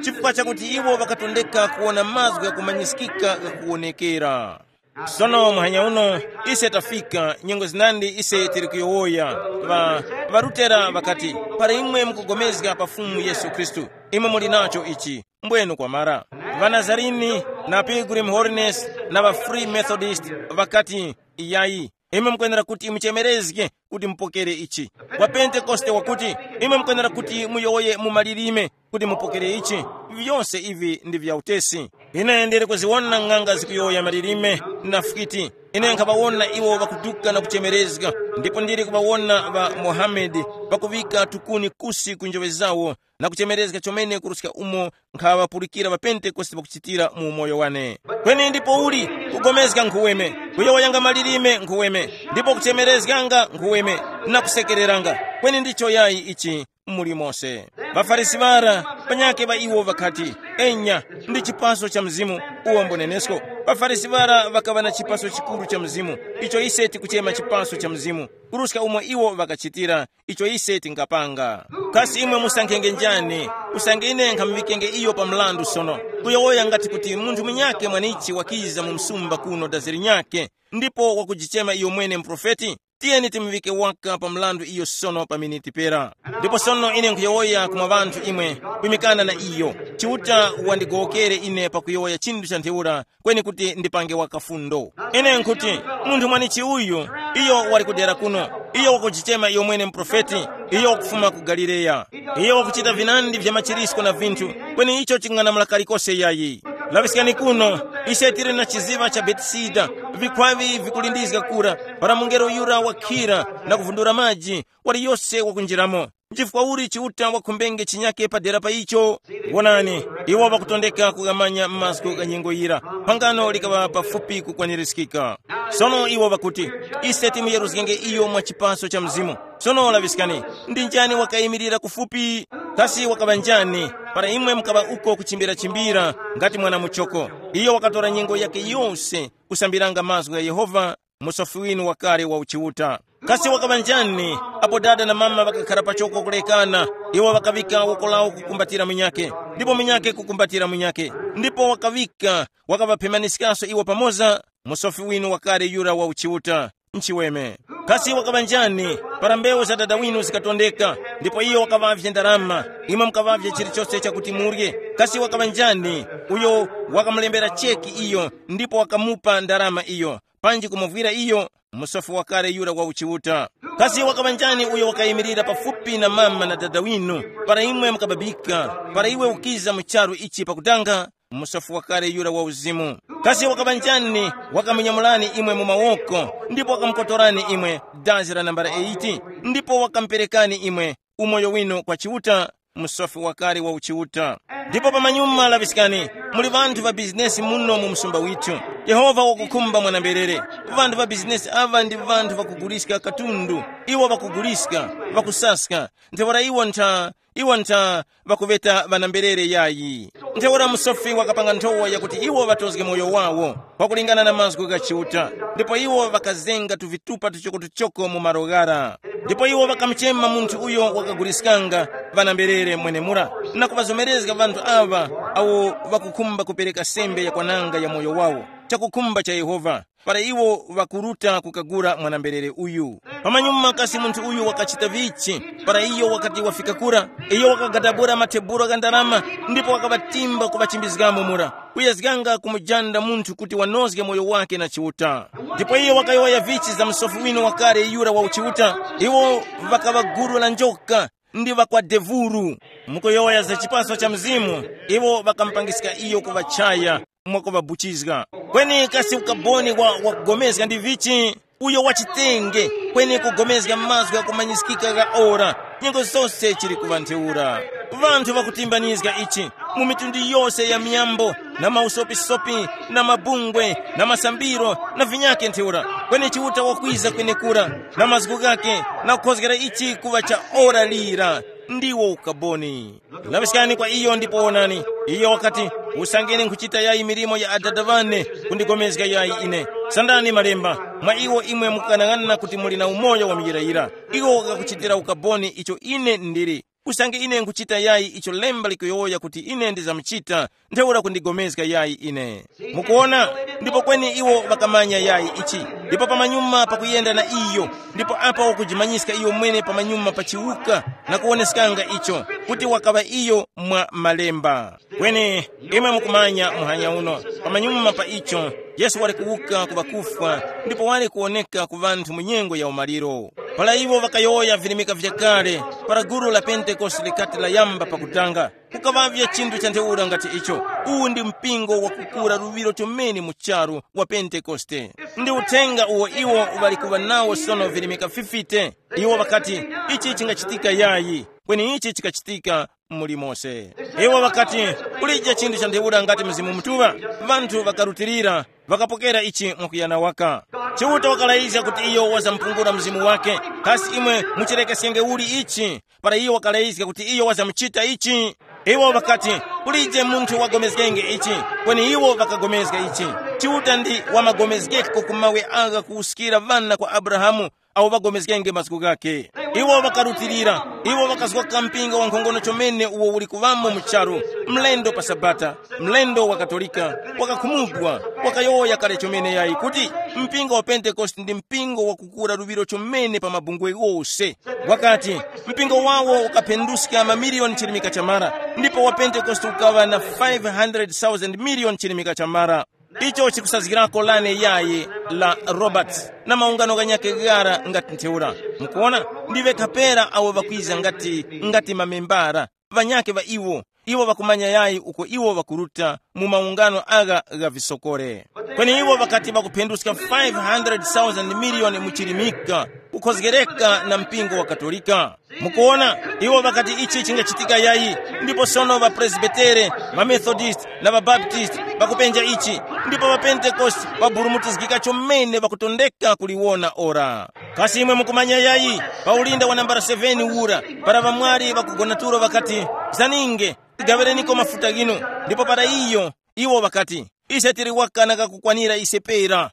Chifukwa chakuti iwo ŵakatondeka kuwona mazgu ghakumanyiskika ghakuwonekera. Sono muhanya uno, ise tafika nyengo zinandi ise tili kuyowoya. Ŵa, ŵarutera ŵakati, para imwe mukugomezga pa Fumu Yesu Khristu, imwe muli nacho ichi. Mbwenu kwamara, ŵanazarini, na Pilgrim Holiness, na ŵa Free Methodist, ŵakati, iyayi, imwe mukwenera kuti muchemerezge kuti mupokere ichi. Wa Pentekoste wakuti, imwe mukwenera kuti muyowoye mu malilime kuti mupokere ichi. Vyose ivi ndi vya utesi. Ine ndili kuziwona ng'anga zikuyowoya malilime na fwiti. Ine nkhaŵawona iwo ŵakuduka na kuchemerezga, ndipo ndili kuŵawona ŵa Mohamedi ŵakuŵika tukuni kusi ku njoŵe zawo na kuchemerezga chomene kuruska umo nkhaŵapulikira ŵapentekoste ŵakuchitira mu umoyo wane. Kweni ndipo uli kugomezga nkhuweme, kuyowoyanga malilime nkhuweme, ndipo kuchemerezganga nkhuweme, na kusekereranga. Kweni ndicho yayi ichi muli mose. །Ŵafarisi ŵara, panyakhe ŵa iwo ŵakati, enya, ndi chipaso cha mzimu, uwo mbonenesko. །ВaFarisi ŵara ŵakaŵa na chipaso chikuru cha mzimu, icho ise tikuchema chipaso cha mzimu, kuruska umo iwo ŵakachitira, icho ise tingapanga. Kasi imwe musankhenge njani? Usange ine nkhamuŵikenge iyo pa mrandu sono, kuyowoya ngati kuti munthu munyakhe mwanichi wakiza mu msumba kuno dazi linyakhe, ndipo wakujichema iyo mwene muprofeti? Tiyeni timuŵike waka pa mrandu iyo sono pa miniti pera. Ndipo sono ine nkhuyowoya kumwa ŵanthu imwe, kwimikana na iyo. Chiuta wandigowokere ine pakuyowoya chinthu cha ntheura, kweni kuti ndipange waka fundo. Ine nkhuti, munthu mwanichi uyu, iyo wali kudera kuno, iyo wakujichema iyo mwene muprofeti, iyo wakufuma ku Galileya. Iyo wakuchita vinandi vya machirisko na vinthu, kweni icho ching'anamula kalikose yayi. Laŵiskani kuno, ise tili na chiziŵa cha Betisida, vikhwavi vikulindizga kura, para mungelo yura wakhira na kuvundura maji, wali yose wakunjiramo. Nchifukwa uli Chiuta wakhumbenge chinyake padera pa icho? Wonani, iwo ŵakutondeka kughamanya mazgu gha nyengo yira, phangano likaŵa pafupi kukwanirizgika. Sono iwo ŵakuti, ise timuyeruzgenge iyo mwa chipaso cha Mzimu. Sono laŵiskani, ndi njani wakayimirira kufupi? Kasi wakaŵa njani, para imwe mukaŵa uko kuchimbira-chimbira ngati mwana muchoko? Iyo wakatora nyengo yake yose kusambiranga mazgu gha Yehova, musofi winu wakale wa uchiuta. Kasi wakaŵa njani, apo dada na mama ŵakakhara pachoko kulekana, iwo ŵakaŵika woko lawo kukumbatira munyakhe, ndipo munyakhe kukumbatira munyakhe, ndipo wakaŵika, wakaŵaphemaniskaso iwo pamoza, musofi winu wakale yura wa uchiuta? Nchiweme. Kasi wakaŵa njani, para mbewu za dada winu zikatondeka, ndipo iyo wakaŵavye ndarama, imwe mukaŵavye chilichose chakuti murye? Kasi wakaŵa njani, uyo wakamulembera cheki iyo, ndipo wakamupa ndarama iyo, panji kumuvwira iyo? Musofi wakale yura wa uchiuta. Kasi wakaŵa njani uyo wakayimirira pafupi na mama na dada winu, para imwe mukababika, para iwe ukiza mu charu ichi pakutanga? Musofi wakale yura wa uzimu. Kasi wakaŵa njani wakamunyamulani imwe mu mawoko, ndipo wakamukotorani imwe dazi la nambala eighty, ndipo wakamuperekani imwe umoyo winu kwa Chiuta? Musofi wakale wa uchiuta. Ndipo pamanyuma laŵiskani, muli ŵanthu ŵa bizinesi muno mu msumba withu. Yehova wakukhumba mwanamberere. Ŵanthu ŵa bizinesi aŵa ndi ŵanthu ŵakuguliska katundu. Iwo ŵakuguliska, ŵakusaska. Ntheura iwo ntha, Iwo ntha ŵakuŵeta ŵanamberere yayi. Ntheura musofi wakapanga nthowa yakuti iwo ŵatozge moyo wawo pakulingana na mazgu gha Chiuta, ndipo iwo ŵakazenga tuvitupa tuchokotuchoko mu malo ghara. Ndipo iwo ŵakamuchema munthu uyo wakaguliskanga ŵanamberere mwenemura, na kuŵazomerezga ŵanthu aŵa awo ŵakukhumba kupereka sembe yakwananga ya moyo wawo, chakukhumba cha Yehova, para iwo ŵakuruta kukagula mwanamberere uyu. Pamanyuma kasi munthu uyu wakachita vichi? Para iyo wakati wafika kura, iyo wakagadabula mathebulo gha ndarama, ndipo wakaŵatimba kuŵachimbizgamo mura, kuyezganga kumujanda munthu kuti wanozge moyo wake na Chiuta. Ndipo iyo wakayowoya vichi za msofi winu wakale yura wa uchiuta. Iwo ŵakaŵa gulu la njoka ndi ŵakwadevuru. Mukuyowoya za chipaso cha Mzimu, iwo ŵakamupangiska iyo kuŵa chaya mwakuŵabuchizga. Kweni kasi ukaboni wa wakugomezga ndi vichi? Uyo wachitenge, kweni kugomezga mazgu ghakumanyiskika gha ora, nyengo zose chili kuŵa ntheura. Vanthu ŵakutimbanizga ichi mu mitundu yose ya miyambo, na mausopisopi, na mabungwe, na masambiro, na vinyake ntheura. Kweni Chiuta wakwiza kwenekura na mazgu ghake, na kukhozgera ichi kuŵa cha ora lira. Ndiwo ukaboni. Laŵiskani kwa iyo ndipo wonani. Iyo wakati, usangeni nkhuchita yayi milimo ya Adada ŵane, kundigomezga yayi ine. Sandani malemba, mwa iwo imwe mukukanang'ana kuti muli na umoyo wa muyirayira. Iwo wakakuchitira ukaboni icho ine ndili. Usange ine nkhuchita yayi icho lemba likuyowoya kuti ine ndizamuchita, ntheura kundigomezga yayi ine. Mukuona? Ndipo kweni iwo ŵakamanya yayi ichi. Ndipo pamanyuma pakuyenda na iyo, ndipo apa wakujimanyiska iyo mwene pamanyuma pa chiwuka, na kuwoneskanga icho kuti wakaŵa iyo mwa malemba. Kweni imwe mukumanya muhanya uno, pamanyuma pa icho, Yesu wali kuwuka ku ŵakufwa, ndipo wali kuwoneka ku ŵanthu mu nyengo ya umaliro. Para iwo ŵakayowoya virimika vyakale, para gulu la Pentekoste likati layamba pakutanga, kukaŵavye chinthu cha ntheura ngati icho. Uwu ndi mpingo wakukura luŵiro chomene mu charu wa Pentekoste. Ndi uthenga uwo iwo ŵali kuŵa nawo sono virimika fifite. Iwo ŵakati, ichi chingachitika yayi, kweni ichi chikachitika muli mose. Iwo ŵakati, kulije chinthu cha ntheura ngati Mzimu Mutuŵa. Ŵanthu ŵakarutilira, ŵakapokera ichi mwakuyana waka. Chiuta wakalayizga kuti iyo wazampungula Mzimu wake. Kasi imwe muchirekesyenge uli ichi? Para iyo wakalayizga kuti iyo wazamuchita ichi, iwo ŵakati, kulije munthu wagomezgenge ichi, kweni iwo ŵakagomezga ichi. Chiuta ndi wamagomezgeko ku mawe agha kuwuskira ŵana kwa Abrahamu, awo ŵagomezgenge mazgu ghakhe. Iwo ŵakarutilira, iwo ŵakazgoka mpingo wankhongono chomene uwo uli kuŵamo mu charu, mlendo pa Sabata, mlendo wa Katolika, wakakhumudwa, wakayowoya kale chomene yayi kuti mpingo wa Pentekoste ndi mpingo wakukura luŵiro chomene pa mabungwe ghose. Wakati, mpingo wawo ukaphenduska mamiliyoni chirimika chamara, ndipo wa Pentekoste ukaŵa na five hundred thousand million chirimika chamara. Icho chikusazgirako lane yayi la Roberts na maungano ghanyakhe ghara ngati ntheura. Mukuona, ndiŵe kapera awo ŵakwiza ngati, ngati mamembara, ŵanyakhe ŵa iwo, iwo ŵakumanya yayi uko iwo ŵakuruta mu maungano agha gha visokore. Kweni iwo ŵakati ŵakuphenduska five hundred thousand million mu chirimika, kukhozgereka na mpingo wa Katolika. Mukuona, iwo ŵakati ichi chingachitika yayi, ndipo sono ŵapresbitere, ŵamethodist na ŵabaptist ŵakupenja ichi, ndipo ŵapentekoste ŵaburumutizgika chomene ŵakutondeka kuliwona ora. Kasi imwe mukumanya yayi, pa ulinda wa nambala seveni ura, para ŵamwali ŵakugona tulo ŵakati, zaninge, tigaŵireniko mafuta ghinu, ndipo para iyo, iwo ŵakati, ise tili waka na kakukwanira ise pera.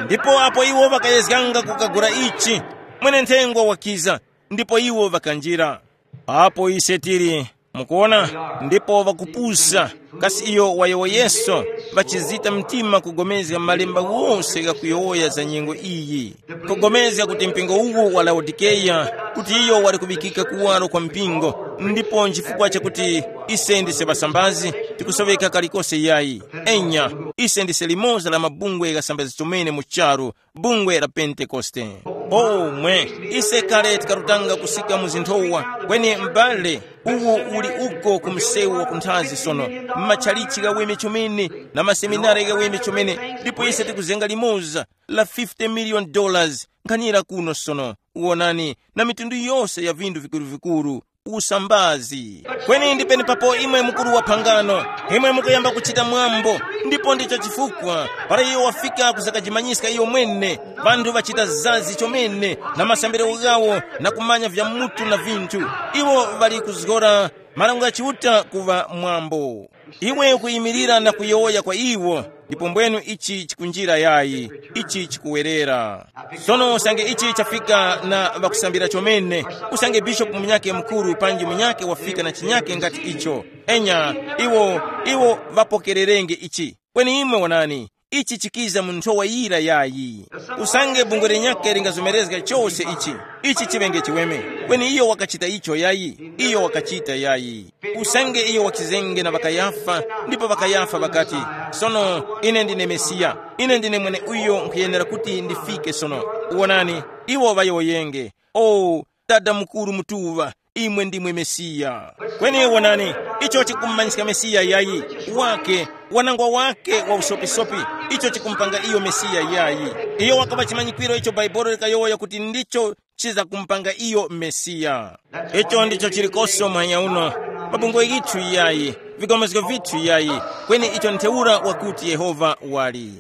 Ndipo apo iwo ŵakayezganga kukagula ichi, mwene-nthengwa wakiza, ndipo iwo ŵakanjira. Apo ise tili, mukuona, ndipo ŵakupusa, kasi iyo wayowoyeso, ŵachizita mtima kugomezga malemba wose ghakuyowoya za nyengo iyi. Kugomezga kuti mpingo uwu wa Laodikeya, kuti iyo wali kuŵikika kuwaro kwa mpingo, ndipo nchifukwa chakuti ise ndise ŵasambazi, tikusoweka kalikose yayi. Enya, ise ndise limoza la mabungwe ghasambazi chomene mu charu, bungwe la Pentekoste. Omwe, ise kale tikarutanga kusika mu zinthowa, kweni m'bale, uwu uli uko ku msewu wa kunthazi sono, m'matchalichi ghaweme chomene, na maseminari ghaweme chomene, ndipo ise tikuzenga limoza la fifty million dollars nkhanira kuno sono, wonani, na mitundu yose ya vinthu vikuru-vikuru. usambazi. Kweni ndi penepapo imwe mukuru wa phangano, imwe mukuyamba kuchita mwambo, ndipo ndicho chifukwa para iyo wafika kuzakajimanyiska iyo mwene, vanthu vachita zazi chomene na masambiro ghawo na kumanya vya mutu na vinthu. Iwo ŵali kuzgora marango gha Chiuta kuŵa mwambo. Iwe ukuyimirira na kuyowoya kwa iwo, ndipo mbwenu ichi chikunjira yayi, ichi chikuwerera. Sono usange ichi chafika na ŵakusambira chomene, usange bishopu munyakhe mukuru panji munyakhe wafika na chinyakhe ngati icho, enya, iwo, iwo ŵapokererenge ichi. Kweni imwe wonani, ichi chikiza mu nthowa yira yayi. Usange bungwe lenyakhe lingazomerezga chose ichi, ichi chiŵenge chiweme. Kweni iyo wakachita icho yayi, iyo wakachita yayi. Usange iyo wakizenge na ŵakayafa, ndipo ŵakayafa ŵakati, sono, ine ndine Mesiya, ine ndine mweneuyo nkhuyenera kuti ndifike sono. Wonani, iwo ŵayowoyenge, o, Dada mukuru mutuŵa, imwe ndimwe Mesiya. Kweni wonani, icho chikummanyiska Mesiya yayi, wake, wanangwa wake wa usopisopi, icho chikumpanga iyo Mesiya yayi. Iyo wakaŵa chimanyikwiro icho Bhaibuli likayowoya kuti ndicho chiza kumpanga iyo Mesiya. Icho ndicho chilikoso mwanya uno, mabungwe yithu yayi, vikomezgo vithu yayi, kweni icho ntheura wakuti Yehova wali.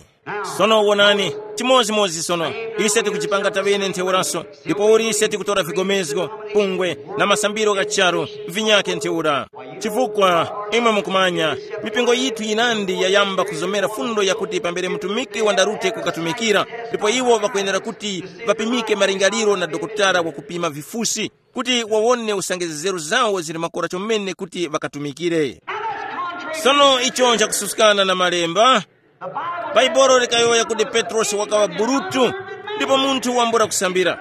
Sono wonani, chimodzimodzi sono, ise tikuchipanga taŵene ntheuraso, ndipo uli ise tikutora vigomezgo, pungwe, na masambiro gha charu, vinyakhe ntheura. Chifukwa, imwe mukumanya, mipingo yithu yinandi yayamba kuzomera fundo yakuti pambere mtumiki wandarute kukatumikira, ndipo iwo ŵakwenera kuti ŵapimike malingaliro na dokotala wakupima vifusi, kuti wawone usange nzeru zawo zili makora chomene kuti ŵakatumikire. Sono icho nchakususkana na malemba. Bhaibuli likayowoya kuti Petrosi wakaŵa burutu, ndipo munthu wambula kusambira.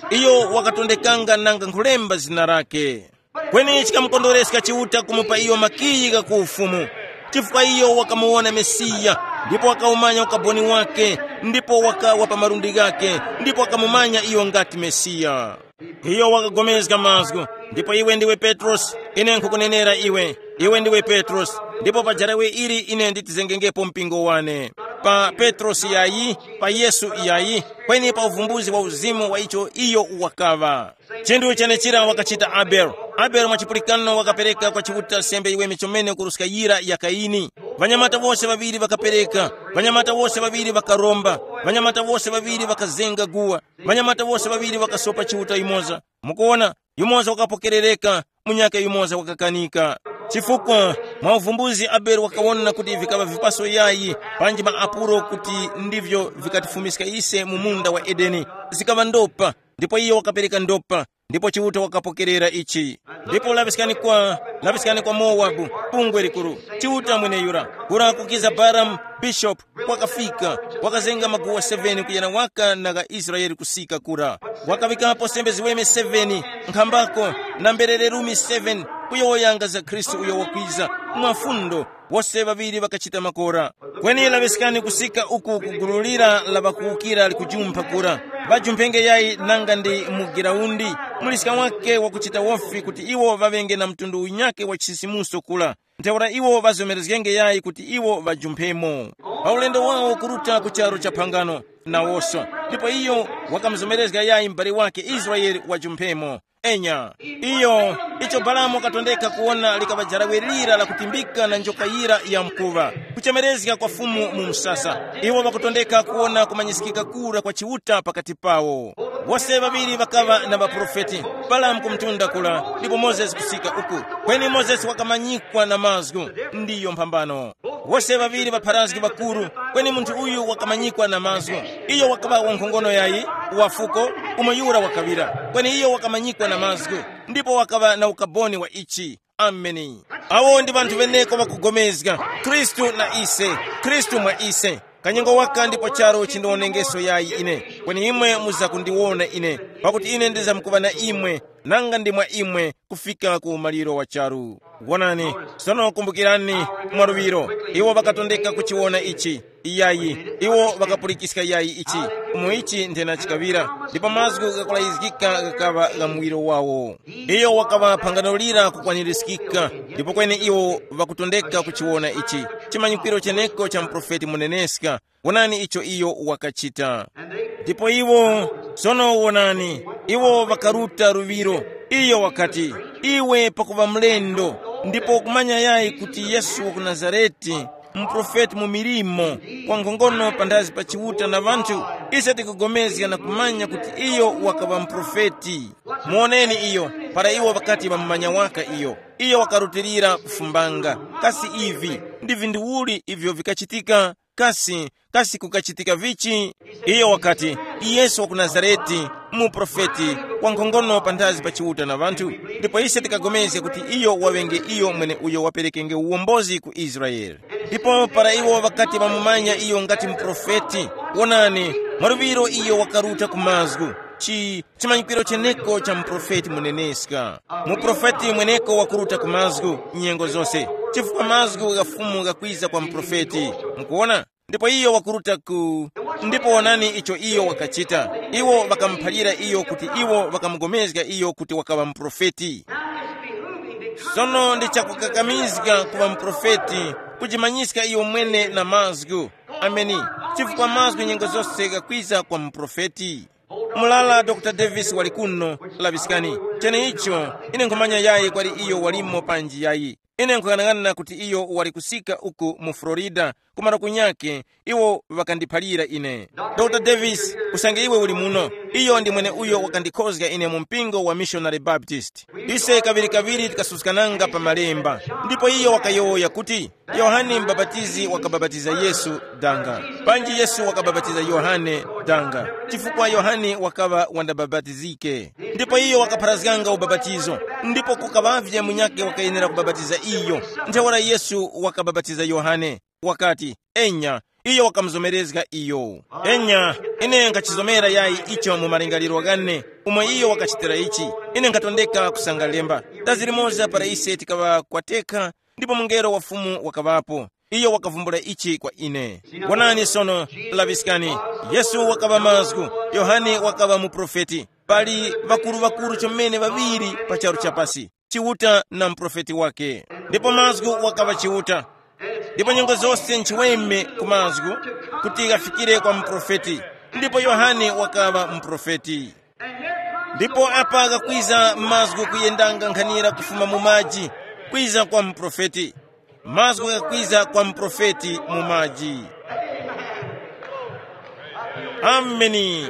Iyo wakatondekanga nanga nkhulemba zina lake. Kweni chikamukondwereska Chiuta kumupa iyo makiyi gha ku ufumu, chifukwa iyo wakamuwona Mesiya, ndipo wakawumanya ukaboni wake, ndipo wakawa pa malundi ghake, ndipo wakamumanya iyo ngati Mesiya. Iyo wakagomezga mazgu, ndipo iwe ndiwe Petrosi, ine nkhukunenera iwe, iwe ndiwe Petrosi, ndipo pa jarawe ili ine nditizengengepo mpingo wane. Pa Petrosi yayi, pa Yesu yayi, kweni pa uvumbuzi wa uzimu wa icho iyo wakaŵa. Chinthu chenechira wakachita Abele. Abele mwa chipulikano wakapereka kwa Chiuta sembe yiweme chomene kuruska yira ya Kaini. Ŵanyamata wose ŵaŵiri ŵakapereka, ŵanyamata wose ŵaŵiri ŵakaromba, ŵanyamata wose ŵaŵiri ŵakazenga guwa, ŵanyamata wose ŵaŵiri ŵakasopa Chiuta yumoza. Mukuona, yumoza wakapokerereka, munyakhe yumoza wakakanika. Chifukwa mwa uvumbuzi Abele wakawona kuti vikaŵa vipaso yayi, panji maapulo kuti ndivyo vikatifumiska ise mu munda wa Edeni, zikaŵa ndopa, ndipo iyo wakapereka ndopa, ndipo Chiuta wakapokerera ichi. Ndipo laŵiskani kwa, laŵiskani kwa Mowabu, bungwe likuru, Chiuta mweneyura, kura kukiza Balamu, bishopu, wakafika, wakazenga maguwa seven kuyana waka na gha Israele kusika kura. Wakaŵikapo sembe ziweme seven, nkhambako na mberere lumi seven, kuyowoyanga za Khristu uyo wakwiza, mwafundo, wose ŵaŵiri ŵakachita makora. Kweni laŵiskani kusika uku ku gulu lira la ŵakuwukira likujumpha kura. Ŵajumphenge yayi nanga ndi mu giraundi, muliska wake wakuchita wofi kuti iwo ŵaŵenge na mtundu unyakhe wa chisisimuso kura. Ntheura iwo ŵazomerezgenge yayi kuti iwo ŵajumphemo. Pa ulendo wawo kuruta ku charu cha phangano, nawoso. Ndipo iyo wakamuzomerezga yayi m'bale wake Israele wajumphemo. Enya, iyo, icho Balamu wakatondeka kuwona likaŵa jarawe lira lakutimbika na njoka yira ya mkuŵa, kuchemerezga kwa Fumu mu msasa. Iwo ŵakutondeka kuwona kumanyisikika kura kwa Chiuta pakati pawo. Wose ŵaŵiri ŵakaŵa na ŵaprofeti, Balamu ku mtunda kula, ndipo Mozesi kusika uku. Kweni Mozesi wakamanyikwa na mazgu, ndiyo mphambano. Wose ŵaŵiri ŵapharazgi ŵakuru, kweni munthu uyu wakamanyikwa na mazgu. Iyo wakaŵa wankhongono yayi, wa fuko, umo yura wakaŵira, kweni iyo wakamanyikwa na mazgu, ndipo wakaŵa na ukaboni wa ichi. Ameni. Awo ndi ŵanthu ŵeneko ŵakugomezga, Khristu na ise, Khristu mwa ise. Kanyengo waka ndipo charu chindionengeso yayi ine, kweni imwe muzakundiwona ine, pakuti ine ndizamkuŵa na imwe, nanga ndi mwa imwe, kufika ku umaliro wa charu. Wonani, sono kumbukirani, mwaluŵiro, iwo ŵakatondeka kuchiwona ichi. Iyayi, iwo ŵakapulikiska yayi ichi, umo ichi nthena chikaŵira, ndipo mazgu ghakulayizgika ghakaŵa gha muwiro wawo. Iyo wakaŵa phangano lira kukwanirizgika, ndipo kweni iwo ŵakutondeka kuchiwona ichi, chimanyikwiro cheneko cha muprofeti muneneska. Wonani icho iyo wakachita. Ndipo iwo, sono wonani, iwo ŵakaruta luŵiro. Iyo wakati, Iwe pakuŵa mlendo, ndipo ukumanya yayi kuti Yesu wa ku Nazarete, muprofeti mu milimo, wankhongono panthazi pa Chiuta na ŵanthu, ise tikugomezga na kumanya kuti iyo wakaŵa muprofeti. Muwoneni iyo, para iwo ŵakati ŵamumanya waka iyo, iyo wakarutilira kufumbanga. Kasi ivi ndi vinthu uli ivyo vikachitika? Kasi, kasi kukachitika vichi? Iyo wakati, Yesu wa ku Nazareti, muprofeti, wankhongono panthazi pa Chiuta na ŵanthu. Ndipo ise tikagomezga kuti iyo waŵenge iyo mwene uyo waperekenge uwombozi ku Israele. Ndipo para iwo ŵakati ŵamumanya iyo ngati muprofeti, wonani, mwaluŵiro iyo wakaruta ku mazgu. Chi chimanyikiro cheneko cha muprofeti muneneska. Muprofeti mweneko wakuruta ku mazgu nyengo zose, chifukwa mazgu gha Fumu ghakwiza kwa muprofeti. Mukuona? Ndipo iyo wakuruta ku ndipo wonani icho iyo wakachita. Iwo ŵakamuphalira iyo kuti iwo ŵakamugomezga iyo kuti wakaŵa muprofeti. Sono ndi chakukakamizga kuŵa muprofeti, kujimanyiska iyo mwene na mazgu. Ameni. Chifukwa mazgu nyengo zose ghakwiza kwa muprofeti. Mulala dr Davis wali kuno. Laŵiskani. Cheneicho, ine nkhumanya yayi kwali iyo walimo panji yayi. Ine nkhung'anang'ana kuti iyo wali kusika uku mu Florida, kumaro kunyake, iwo ŵakandiphalira ine. Dr Davis, usange iwe uli muno, iyo ndi mwene uyo wakandikhozga ine mu mpingo wa Missionary Baptist. Ise kaŵirikaŵiri tikasuskananga pa malemba, ndipo iyo wakayowoya kuti, Yohane Mubapatizi wakabapatiza Yesu danga. Panji Yesu wakabapatiza Yohane danga? Chifukwa Yohane wakaŵa wandabapatizike. Ndipo iyo wakapharazganga ubapatizo, ndipo kukaŵavye munyakhe wakayenera kubapatiza iyo. Ntheura Yesu wakabapatiza Yohane, wakati, enya, iyo wakamuzomerezga iyo. Enya, ine nkhachizomera yayi icho mu malingaliro ghane, umo iyo wakachitira ichi. Ine nkhatondeka kusangala lemba. Dazi limoza para ise tikaŵa kwatekha, ndipo mungelo wa Fumu wakaŵapo. Iyo wakavumbula ichi kwa ine. Wonani sono, laŵiskani. Yesu wakaŵa mazgu, Yohane wakaŵa muprofeti. Pali ŵakuru-ŵakuru chomene ŵaŵiri pa charu chapasi, Chiuta na muprofeti wake. Ndipo mazgu wakaŵa Chiuta. Ndipo nyengo zose nchiweme ku mazgu, kuti ghafikire kwa muprofeti. Ndipo Yohane wakaŵa muprofeti. Ndipo apa ghakwiza mazgu kuyendanga nkhanira kufuma mu maji, kwiza kwa muprofeti. Mazgu ghakwiza kwa muprofeti mu maji. Ameni.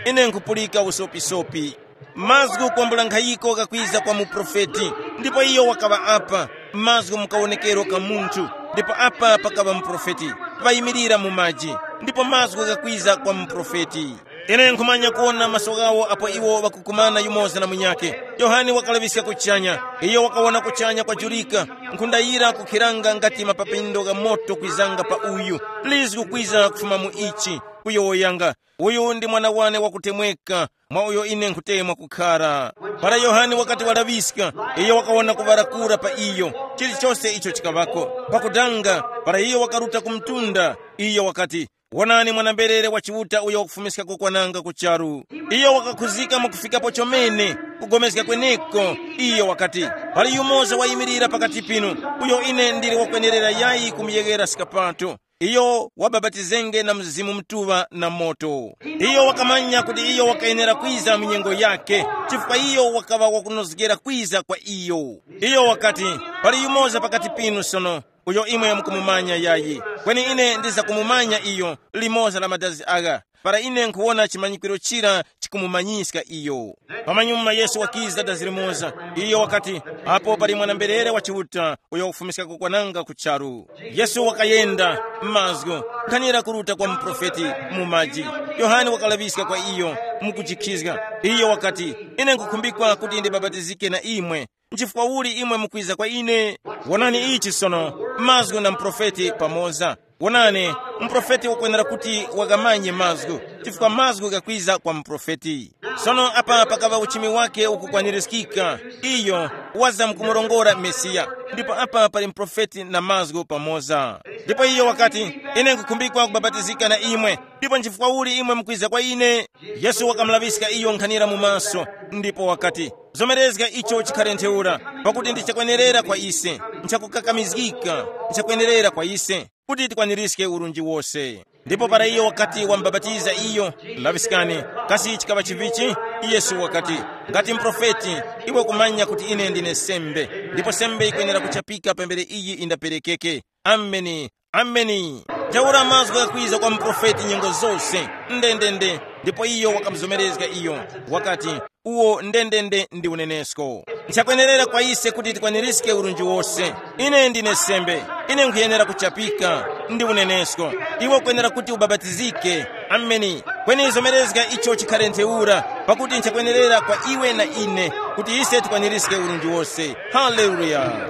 Ine nkhupulika usopisopi. Mazgu kwambula nkhayiko ghakwiza kwa muprofeti. Ndipo iyo wakaŵa apa, mazgu mukawonekero ka munthu. Ndipo apa pakaŵa muprofeti, ŵayimirira mu maji. Ndipo mazgu ghakwiza kwa muprofeti. Ine nkhumanya kuwona maso ghawo apo iwo ŵakukumana yumoza na munyakhe. Yohane wakalaŵiska kuchanya. Iyo wakawona kuchanya kwajurika, nkhunda yira kukhiranga ngati mapapindo gha moto kwizanga pa uyu. Lizgu kwiza kufuma mu ichi, kuyowoyanga, uyu ndi mwana wane wakutemweka, mwa uyo ine nkhutemwa kukhara. Para Yohane wakati walaŵiska, iyo wakawona kuŵarakura pa iyo, chilichose icho chikaŵako. Pakudanga, para iyo wakaruta ku mtunda, iyo wakati, wonani mwana-mberere wa Chiuta uyo wakufumiska kukwananga ku charu. Iyo wakakhuzika mwakufikapo chomene, kugomezga kweneko. Iyo wakati, pali yumoza wayimirira pakati pinu, uyo ine ndili wakwenerera yayi kumuyeghera skapato. Iyo wabapatizenge na Mzimu Mutuŵa na moto. Iyo wakamanya kuti iyo wakayenera kwiza mu nyengo yakhe, chifukwa iyo wakaŵa wakunozgera kwiza kwa iyo. Iyo wakati, pali yumoza pakati pinu sono, uyo imwe mukumumanya yayi. Kweni ine ndizakumumanya iyo, limoza la madazi agha, para ine nkhuwona chimanyikwiro chira chikumumanyiska iyo. Pamanyuma Yesu wakiza dazi limoza. Iyo wakati, apo pali mwana-mberere wa Chiuta uyo wakufumiska kukwananga ku charu. Yesu wakayenda m'mazgu, nkhanira kuruta kwa muprofeti mu maji. Yohane wakalaŵiska kwa iyo, mukujikhizga. Iyo wakati, ine nkukhumbikwa kuti ndibapatizike na imwe. Nchifukwa uli imwe mukwiza kwa ine? Wonani ichi sono, mazgu na muprofeti pamoza. Wonani, muprofeti wakwenera kuti wakamanye mazgu, chifukwa mazgu ghakwiza kwa muprofeti. Sono apa pakaŵa uchimi wake ukukwanirizgika. Iyo waza mukumurongora Mesiya. Ndipo apa pali muprofeti na mazgu pamoza. Ndipo iyo wakati, ine nkukhumbikwa kubapatizika na imwe, ndipo nchifukwa uli imwe mukwiza kwa ine? Yesu wakamulaŵiska iyo nkhanira mu maso, ndipo wakati, zomerezga icho chikhale ntheura, pakuti ndi chakwenerera kwa ise, nchakukakamizgika, nchakwenerera kwa ise, kuti tikwanirizge urunji wose. Ndipo para iyo wakati wamubapatiza iyo, laŵiskani, kasi chikaŵa chivichi? Yesu wakati, ngati mprofeti, iwe kumanya kuti ine ndine sembe, ndipo sembe yikwenera kuchapika pambere iyi indaperekeke. Ameni. Ameni. Ntheura mazgu ghakwiza kwa muprofeti nyengo zose. Ndendende. Ndipo iyo wakamuzomerezga iyo. Wakati, uwo ndendende ndi unenesko. Nchakwenerera kwa ise kuti tikwaniriske urunji wose. Ine ndine sembe. Ine nkhuyenera kuchapika. Ndi unenesko. Iwe ukwenera kuti ubabatizike. Ameni. Kweni zomerezga icho chikhale ntheura, pakuti nchakwenerera kwa iwe na ine kuti ise tikwaniриske urunji wose. Haleluya.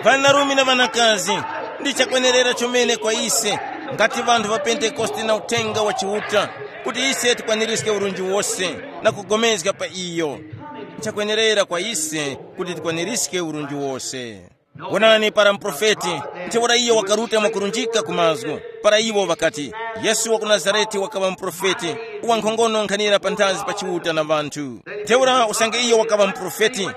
Ŵanarume na ŵanakazi, ndi chakwenerera chomene kwa ise, ngati ŵanthu ŵa Pentekoste na uthenga wa Chiuta, kuti ise tikwaniриske urunji wose na kugomezga pa iyo. Nchakwenerera kwa ise kuti tikwaniриske urunji wose. Wonani, para muprofeti, ntheura iyo wakaruta mwakurunjika ku mazgu, para iwo ŵakati, Yesu wa ku Nazarete wakaŵa muprofeti, wankhongono nkhanira panthazi pa Chiuta na ŵanthu. Ntheura usange iyo wakaŵa muprofeti,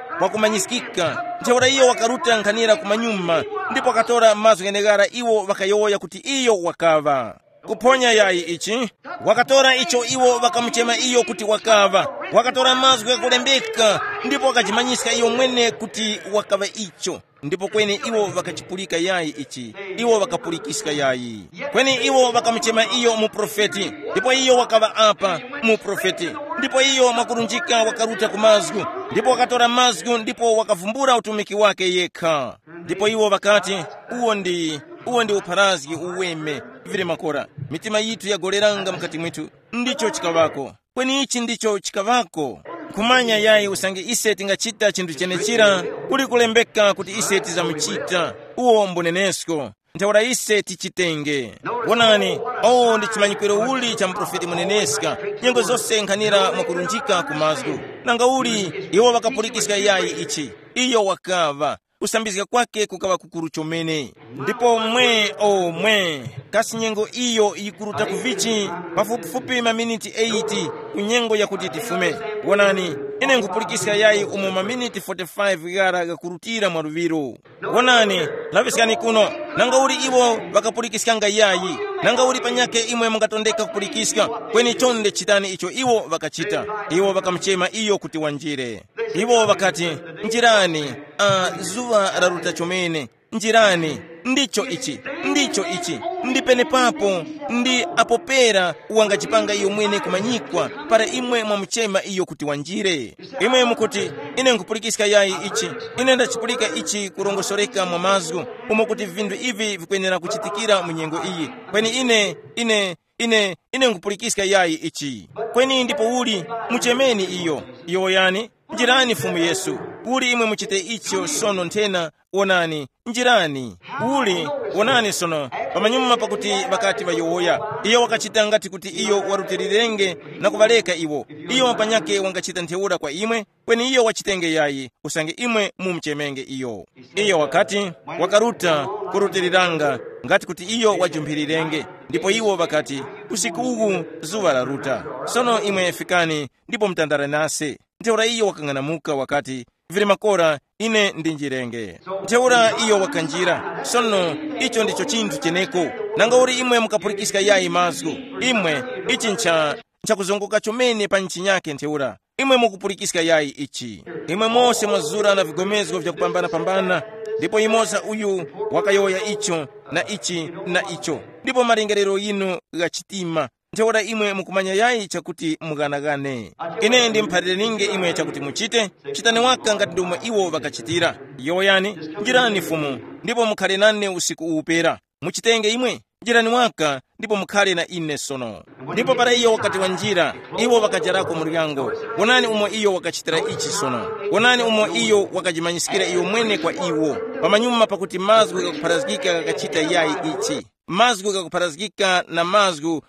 wakumanyiskika, ntheura iyo wakaruta nkhanira kumanyuma, ndipo wakatora mazgu gheneghara iwo ŵakayowoya kuti iyo wakaŵa. Kuphonya yayi ichi, wakatora icho iwo ŵakamuchema iyo kuti wakaŵa, wakatora mazgu ghakulembeka, ndipo wakajimanyiska iyo mwene kuti wakaŵa icho. Ndipo kweni iwo ŵakachipulika yayi ichi, iwo ŵakapulikiska yayi. Kweni iwo ŵakamuchema iyo muprofeti, ndipo iyo wakaŵa apa muprofeti. Ndipo iyo mwakurunjika wakaruta ku mazgu, ndipo wakatora mazgu ndipo wakavumbula utumiki wake yekha. Ndipo iwo ŵakati, uwo ndi, uwo ndi upharazgi uweme, vili makora. Mitima yithu yagoleranga mukati mwithu. Ndicho chikaŵako. Kweni ichi ndicho chikaŵako. Nkhumanya yayi usange ise tingachita chinthu chenechira, kuli kulembeka kuti ise tizamuchita. Uwo mbunenesko. Ntheura ise tichitenge. Wonani, owo ndi chimanyikwiro uli cha muprofeti muneneska, nyengo zose nkhanira mwakurunjika ku mazgu. Nanga uli, iwo ŵakapulikiska yayi ichi. Iyo wakaŵa, kusambizga kwake kukaŵa kukuru chomene. Ndipo mwe, o mwe, kasi nyengo iyo yikuruta ku vichi? Pafupifupi maminiti eight ku nyengo yakuti tifume. Wonani, ine nkhupulikiska yayi umo maminiti forty-five ghara ghakurutira mwa luŵiro. Wonani, laŵiskani kuno, nanga uli iwo ŵakapulikiskanga yayi? Nanga uli panyakhe imwe mungatondeka kupulikiska? Kweni chonde chitani icho iwo ŵakachita. Iwo ŵakamuchema iyo kuti wanjire. Iwo ŵakati, njirani, a, zuŵa laruta chomene. Njirani, ndicho ichi, ndicho ichi, ndi penepapo, ndi apo pera wangachipanga iyo mwene kumanyikwa, para imwe mwamuchema iyo kuti wanjire. Imwe mukuti, ine nkhupulikiska yayi ichi, ine ndachipulika ichi kurongosoreka mwa mazgu, umo kuti vinthu ivi vikwenera kuchitikira mu nyengo iyi. Kweni ine, ine, ine, ine nkhupulikiska yayi ichi. Kweni ndipo uli, muchemeni iyo. Iyo yani, njirani Fumu Yesu. Uli imwe muchite icho sono nthena, wonani, njirani. Uli, wonani sono, pamanyuma pakuti ŵakati ŵayowoya, iyo wakachita ngati kuti iyo warutilirenge na kuŵareka iwo. Iyo panyakhe wangachita ntheura kwa imwe, kweni iyo wachitenge yayi, usange imwe mumuchemenge iyo. Iyo wakati, wakaruta kurutiliranga, ngati kuti iyo wajumphilirenge. Ndipo iwo ŵakati, usiku uwu zuŵa laruta. Sono imwe fikani, ndipo mutandale nase. Ntheura iyo wakang'anamuka wakati, vili makora, ine ndinjirenge. Ntheura iyo wakanjira. Sono, icho ndicho chinthu cheneko. Nanga uli imwe mukapulikiska yayi mazgu? Imwe, ichi ncha, nchakuzongoka chomene pa nchinyake ntheura. Imwe mukupulikiska yayi ichi? Imwe mose mwazura na vigomezgo vyakupambana-pambana, ndipo imoza uyu wakayowoya icho, na ichi, na icho. Ndipo malingerero yinu gha chitima. Ntheura imwe mukumanya yayi chakuti mughanaghane. Ine ndimuphalirininge imwe chakuti muchite, chitani waka ngati ndomwe iwo ŵakachitira. Yowoyani, njirani Fumu, ndipo mukhale nane usiku uwu pera. Muchitenge imwe, njirani waka, ndipo mukhale na ine sono. Ndipo para iyo wakati wanjira, iwo ŵakajarako muryango. Wonani umo iyo wakachitira ichi sono. Wonani umo iyo wakajimanyiskira iyo mwene kwa iwo. Pamanyuma pakuti mazgu ghakupharazgika ghakachita yayi ichi. Mazgu ghakupharazgika na mazgu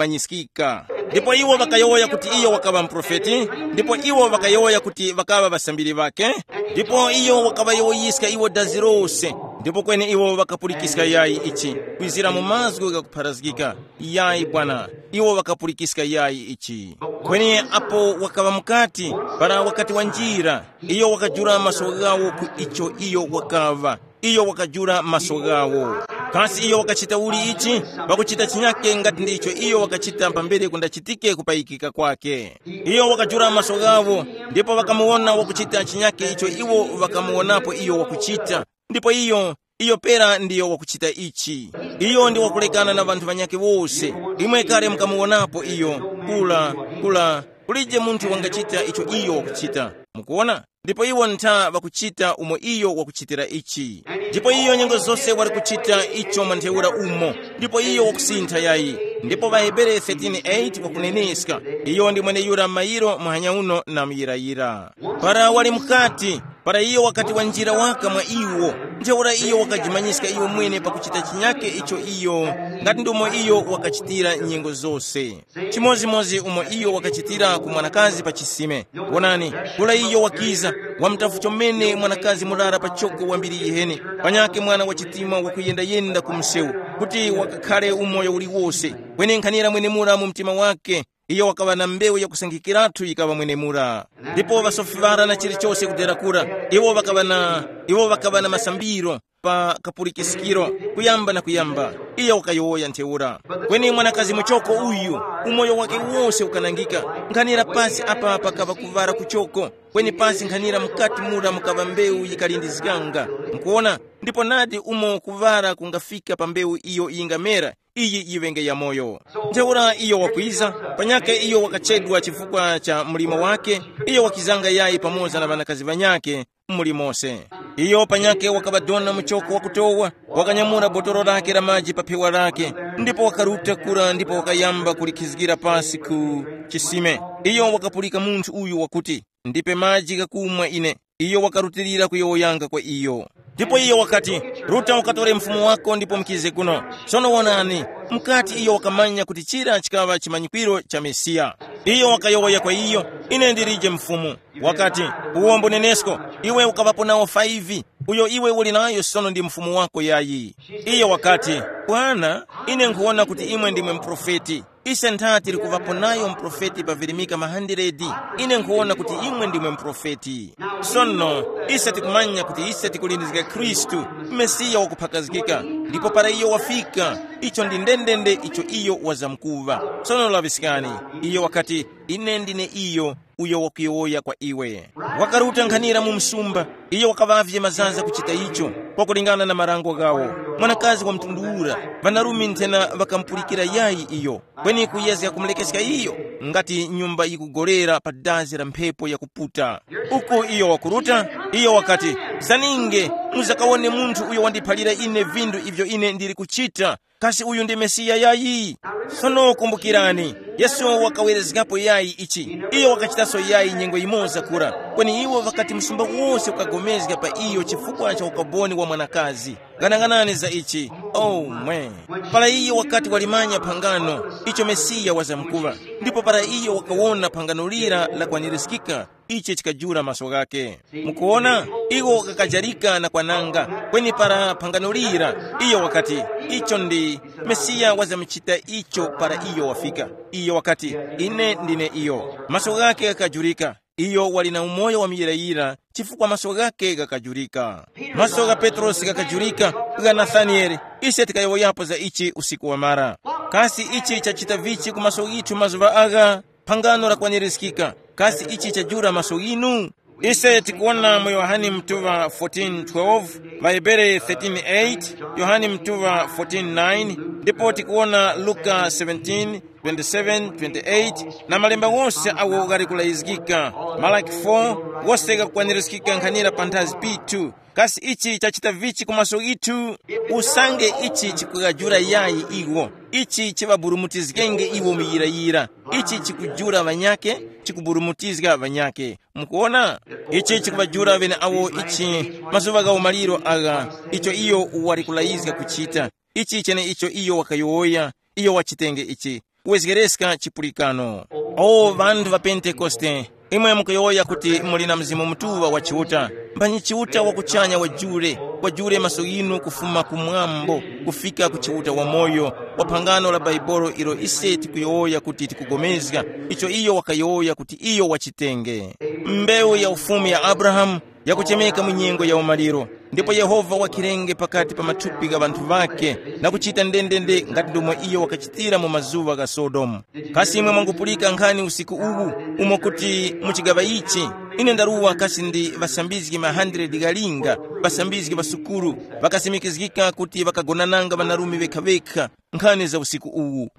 ghakumanyiskika. Ndipo iwo ŵakayowoya kuti iyo wakaŵa muprofeti, ndipo iwo ŵakayowoya kuti ŵakaŵa ŵasambiri ŵakhe. Ndipo iyo wakaŵayowoyiska iwo dazi lose. Ndipo kweni iwo ŵakapulikiska yayi ichi, kwizira mu mazgu ghakupharazgika. Yayi bwana, iwo ŵakapulikiska yayi ichi. Kweni apo wakaŵa mukati, para wakati wanjira, iyo wakajula maso ghawo ku icho iyo wakaŵa. Iyo wakajula maso ghawo. Kasi iyo wakachita uli ichi? Pakuchita chinyake ngati ndicho iyo wakachita pambere kundachitike kupayikika kwake. Iyo wakajula maso ghawo, ndipo ŵakamuwona wakuchita chinyake icho iwo ŵakamuwonapo iyo wakuchita. Ndipo iyo, iyo pera ndiyo wakuchita ichi. Iyo ndi wakulekana na ŵanthu ŵanyakhe wose. Imwe kale mukamuwonapo iyo, kula, kula, kulije munthu wangachita icho iyo wakuchita. Mukuona? Ndipo iwo ntha ŵakuchita umo iyo wakuchitira ichi. Ndipo iyo nyengo zose wali kuchita icho mwa ntheura umo. Ndipo iyo wakusintha yayi. Ndipo ŵaHebere thirteen eight wakuneneska, iyo ndi mweneyura mayiro muhanya uno na muyirayira. Para wali mukati, para iyo wakati wanjira waka mwa iwo, ntheura iyo wakajimanyiska iyo mwene pakuchita chinyake icho iyo, ngati ndomo iyo wakachitira nyengo zose. Chimodzimodzi umo iyo wakachitira ku mwanakazi pa chisime. Wonani, kula iyo wakiza, wamutafu chomene mwanakazi murara pachoko wambiri yiheni, panyakhe mwana wa chitima wakuyenda-yenda ku msewu, kuti wakakhare umoyo uliwose. Kweni nkhanira mwenemura mu mtima wake, iyo wakaŵa na mbewu yakusankhikiratu yikaŵa mwenemura. Ndipo ŵasofi ŵara na chilichose kudera kura, iwo ŵakaŵa na, iwo ŵakaŵa na masambiro pa kapulikiskiro, kuyamba na kuyamba, iyo wakayowoya ntheura. Kweni mwanakazi muchoko uyu, umoyo wake wose ukanangika. Nkhanira pasi apa pakaŵa kuvara kuchoko, kweni pasi nkhanira mukati mura mukaŵa mbewu yikalindizganga. Mukuona? Ndipo nadi umo kuvara kungafika pa mbewu iyo yingamera, iyi yiŵenge yamoyo. Ntheura iyo wakwiza, panyakhe iyo wakachedwa chifukwa cha mlimo wake, iyo wakizanga yayi pamoza na ŵanakazi ŵanyakhe, muli mose. Iyo panyakhe wakaŵadona muchoko wakutowa, wakanyamula botolo lake la maji pa phewa lake, ndipo wakaruta kura ndipo wakayamba kulikhizgira pasi ku chisime. Iyo wakapulika munthu uyu wakuti, ndipe maji ghakumwa ine. Iyo wakarutilira kuyowoyanga kwa iyo. Ndipo iyo wakati, ruta ukatore mfumu wako ndipo mukize kuno. Sono wonani, mukati iyo wakamanya kuti chira chikaŵa chimanyikwiro cha Mesiya. Iyo wakayowoya kwa iyo, ine ndilije mfumu. Wakati, uwombo nenesko, iwe ukaŵapo nawo five, uyo iwe uli nayo sono ndi mfumu wako yayi. Iyo wakati, bwana, ine nkhuwona kuti imwe ndimwe muprofeti. Ise ntha tili kuŵapo nayo muprofeti pa virimika mahandiredi. Ine nkhuwona kuti imwe ndimwe muprofeti. Sono, ise tikumanya kuti ise tikulindizga Khristu, Mesiya wakuphakazgika, ndipo para iyo wafika, icho ndi ndendende icho iyo wazamkuŵa. Sono laŵiskani, iyo wakati, ine ndine iyo, uyo wakuyowoya kwa iwe. Wakaruta nkhanira mu msumba, iyo wakaŵavye mazaza kuchita icho, kwakulingana na marango ghawo. Mwanakazi wa mtundu ura, ŵanarume nthena ŵakamupulikira yayi iyo, kweni kuyezga kumulekeska iyo, ngati nyumba yikugolera pa dazi la mphepo yakuputa. Uku iyo wakuruta, iyo wakati, zaninge, muzakawone munthu uyo wandiphalira ine vindu ivyo ine ndili kuchita. Kasi uyu ndi Mesiya yayi? Sono kumbukirani, Yesu wakawerezgapo yayi ichi. Iyo wakachitaso yayi nyengo yimoza kura. Kweni iwo ŵakati msumba wose ukapulikana pa iyo chifukwa cha ukaboni wa mwanakazi. Ghanaghanani za ichi. Oh, mwe. Para iyo wakati walimanya phangano, icho Mesiya wazamkuŵa, ndipo para iyo wakawona phangano lira lakwanirizgika, ichi chikajula maso ghakhe. Mukuona, iwo kakajarika na kwananga, kweni para phangano lira, iyo wakati, icho ndi Mesiya wazamuchita icho para iyo wafika. Iyo wakati, ine ndine iyo. Maso ghakhe ghakajurika. Iyo wali na umoyo wa muyirayira, chifukwa maso ghakhe ghakajurika. Maso gha Petrosi ghakajurika, gha Nathanieli. Ise tikayowoyapo za ichi usiku wamara. Kasi ichi chachita vichi ku maso ghithu mazuŵa agha? Phangano lakwanirizgika. Kasi ichi chajula maso ghinu? Ise tikuwona mu Yohane mtuŵa fourteen twelve, ŵaHebere thirteen eight, Yohane mtuŵa fourteen nine, ndipo tikuwona Luka seventeen twenty-seven, twenty-eight, na malemba wose awo ghali kulayizgika, Malaki four, wose ghakukwanirizgika nkhanira panthazi pithu. Kasi ichi chachita vichi ku maso ghithu? Usange ichi chikughajula yayi iwo, ichi chiŵaburumutizgenge iwo muyirayira, ichi chikujula ŵanyakhe, chikuburumutizga ŵanyakhe. Mukuona? Ichi chikuŵajula ŵeneawo ichi, mazuŵa gha umaliro agha, icho iyo wali kulayizga kuchita. Ichi cheneicho iyo wakayowoya, iyo wachitenge ichi, kuwezgereska chipulikano. O ŵanthu ŵa Pentekoste, imwe mukuyowoya kuti muli na Mzimu Mutuŵa wa Chiuta, mphanyi Chiuta wa kuchanya wajule, wajule maso ghinu kufuma kumwambo kufika ku Chiuta wamoyo, wa phangano la Baibolo ilo ise tikuyowoya kuti tikupulikana, icho iyo wakayowoya kuti iyo wachitenge. Mbewu ya ufumu ya Abrahamu yakuchemeka mu nyengo ya umaliro. Ndipo Yehova wakhirenge pakati pa mathupi gha ŵanthu ŵakhe, na kuchita ndendende ngati ndomwe iyo wakachitira mu mazuŵa gha Sodomu. Kasi imwe mwangupulika nkhani usiku uwu, umo kuti mu chigaŵa ichi, ine ndaruwa kasi ndi ŵasambizgi ma hundred ghalinga, ŵasambizgi ŵa sukulu, ŵakasimikizgika kuti ŵakagonananga ŵanarume ŵekha-ŵekha, nkhani za usiku uwu.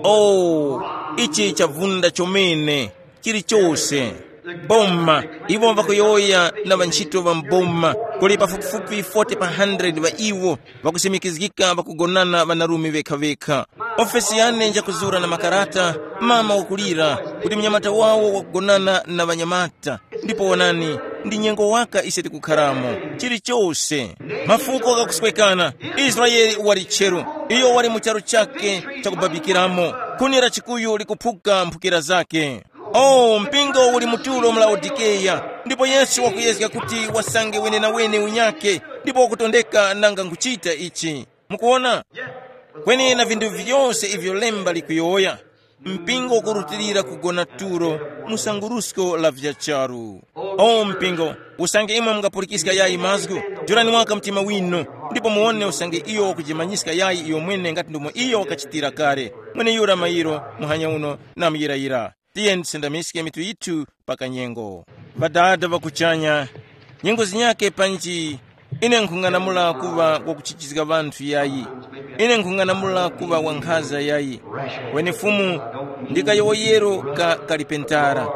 Oh, ichi chavunda chomene, chilichose. Boma, iwo ŵakuyowoya na ŵantchito ŵa m'boma, kuli pafupifupi forty pa hundred ŵa iwo ŵakusimikizgika ŵakugonana ŵanarume ŵekha-ŵekha. Ofesi yane njakuzura na makarata, mama wakulira, kuti mnyamata wawo wakugonana na ŵanyamata. Ndipo wonani, ndi nyengo waka ise tikukharamo. Chilichose, mafuko ghakuswekana. Israele wali tcheru, iyo wali mu charu chake chakubabikiramo. Khuni la chikuyu likuphuka mphukira zake. Oh, mpingo uli mu tulo mu Laodikeya, ndipo Yesu wakuyezga kuti wasange wenenawene unyakhe, ndipo wakutondeka nanga nkuchita ichi. Mukuona? Kweni na vinthu vyose ivyo lemba likuyowoya, mpingo ukurutilira kugona tulo mu sangurusko la vya charu. O mpingo, usange imwe mungapulikiska yayi mazgu, jurani waka mtima winu, ndipo muwone usange iyo wakujimanyiska yayi iyo mwene ngati ndomwe iyo wakachitira kale. Mweneyura mayiro, muhanya uno, na muyirayira. Tiyeni tisendamiske mitu yithu pa kanyengo. Ŵadada ŵa kuchanya, nyengo zinyakhe panji, ine nkhung'anamula kuŵa wakuchijizga ŵanthu yayi. Ine nkhung'anamula kuŵa wankhaza yayi. Kweni Fumu, ndi kayowoyero ka kalipentara.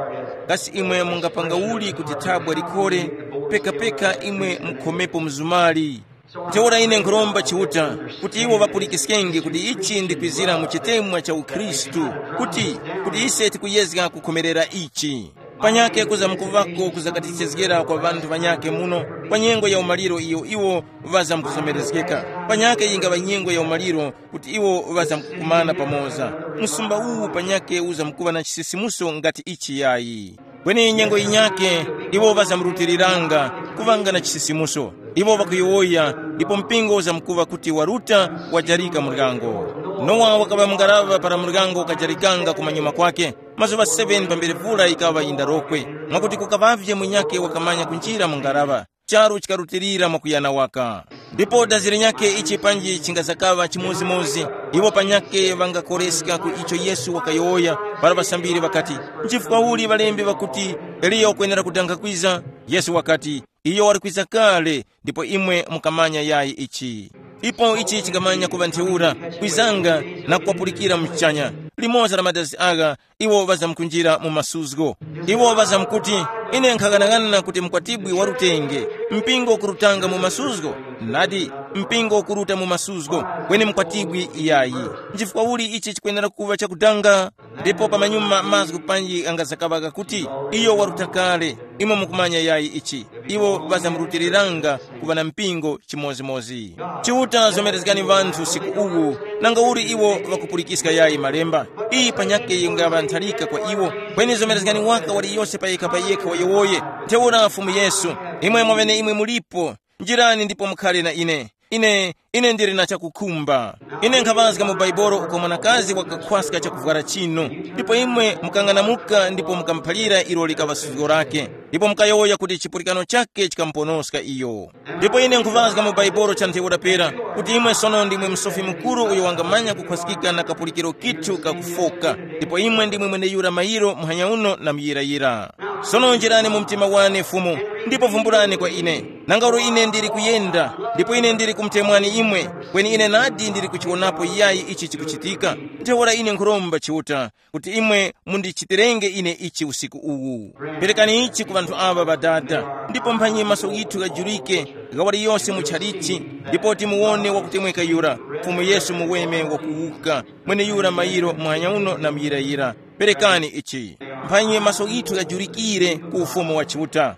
Kasi imwe mungapanga uli kuti thabwa likhore, pekapeka imwe mukhomepo mzumali? Ntheura ine nkhuromba Chiuta kuti iwo ŵapulikiskenge kuti ichi ndikwizira mu chitemwa cha ukhristu, kuti, kuti ise tikuyezga kukhomerera ichi. Panyakhe kuza mukuvako kuzakatichezgera kwa ŵanthu ŵanyakhe muno, kwa nyengo ya umaliro iyo iwo ŵazamkuzomerezgeka. Panyakhe yingaŵa nyengo ya umaliro kuti iwo ŵazamkukumana pamoza. Msumba uwu panyakhe uzamkuŵa na chisisimuso ngati ichi yayi. Kweni nyengo yinyakhe, iwo ŵazamurutiriranga, kuŵanga na chisisimuso. Iwo ŵakuyowoya, ndipo mpingo uzamkuŵa kuti waruta, wajarika muryango. Nowa wakaŵa mu ngaraŵa para muryango ukajarikanga kumanyuma kwake. Mazuŵa seven pambere vula yikaŵa yindarokwe, mwakuti kukaŵavye munyakhe wakamanya kunjira mu ngaraŵa. Charu chikarutilira mwakuyana waka. Ndipo dazi linyakhe ichi panji chingazakaŵa chimodzimodzi, iwo panyakhe ŵangakoreska ku icho Yesu wakayowoya, para ŵasambiri ŵakati, nchifukwa uli ŵalembi ŵakuti, Eliya wakwenera kudanga kwiza? Yesu wakati, iyo wali kwiza kale, ndipo imwe mukamanya yayi ichi. Ipo ichi chingamanya kuŵa ntheura, kwizanga na kuwapulikira mu kuchanya. Limoza la madazi agha, iwo ŵazamkunjira mu masuzgo. Iwo ŵazamkuti, ine nkhaghanaghanana kuti mkwatibwi warutenge, mpingo ukurutanga mu masuzgo. Nadi, mpingo ukuruta mu masuzgo, kweni mkwatibwi iyayi. Nchifukwa uli ichi chikwenera kuŵa chakudanga? Ndipo pamanyuma mazgu panji angazakaŵa ghakuti, iyo waruta kale, imwe mukumanya yayi ichi. Iwo ŵazamurutiriranga kuŵa na mpingo chimodzimodzi. Chiuta zomerezgani ŵanthu usiku uwu, nanga uli iwo ŵakupulikiska yayi malemba. Iyi panyakhe yingaŵa ntharika kwa iwo, kweni zomerezgani waka waliyose payekha payekha wayowoye. Ntheura Fumu Yesu, imwe mwaŵene imwe mulipo, njirani ndipo mukhale na ine. Ine, ine ndili na chakukhumba. Ine nkhaŵazga mu Baibolo uko mwanakazi wakakhwaska chakuvwara chinu, ndipo imwe mukang'anamuka ndipo mukamuphalira ilo likaŵa suzgo lake, ndipo mukayowoya kuti chipulikano chake chikamuponoska iyo. Ndipo ine nkhuvazga mu Baibolo cha ntheura pera, kuti imwe sono ndimwe Musofi Mukuru uyo wangamanya kukhwaskika na kapulikiro kithu kakufoka, ndipo imwe ndimwe mweneyura mayiro muhanya uno na muyirayira. Sono njirani mu mtima wane, Fumu, ndipo vumbulani kwa ine. Nanga uli ine ndili kuyenda, ndipo ine ndili kumutemwani imwe, kweni ine nadi ndili kuchiwonapo yayi ichi chikuchitika. Ntheura ine nkhuromba Chiuta, kuti imwe mundichitirenge ine ichi usiku uwu. Perekani ichi ku ŵanthu aŵa ŵadada, ndipo mphanyi maso ghithu ghajurike, gha waliyose mu tchalichi, ndipo timuwone wakutemweka yura, Fumu Yesu muweme wakuwuka, mweneyura mayiro muhanya uno na muyirayira. Perekani ichi, mphanyi maso ghithu ghajurikire ku ufumu wa Chiuta.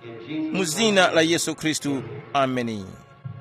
Mu zina la Yesu Khristu, ameni.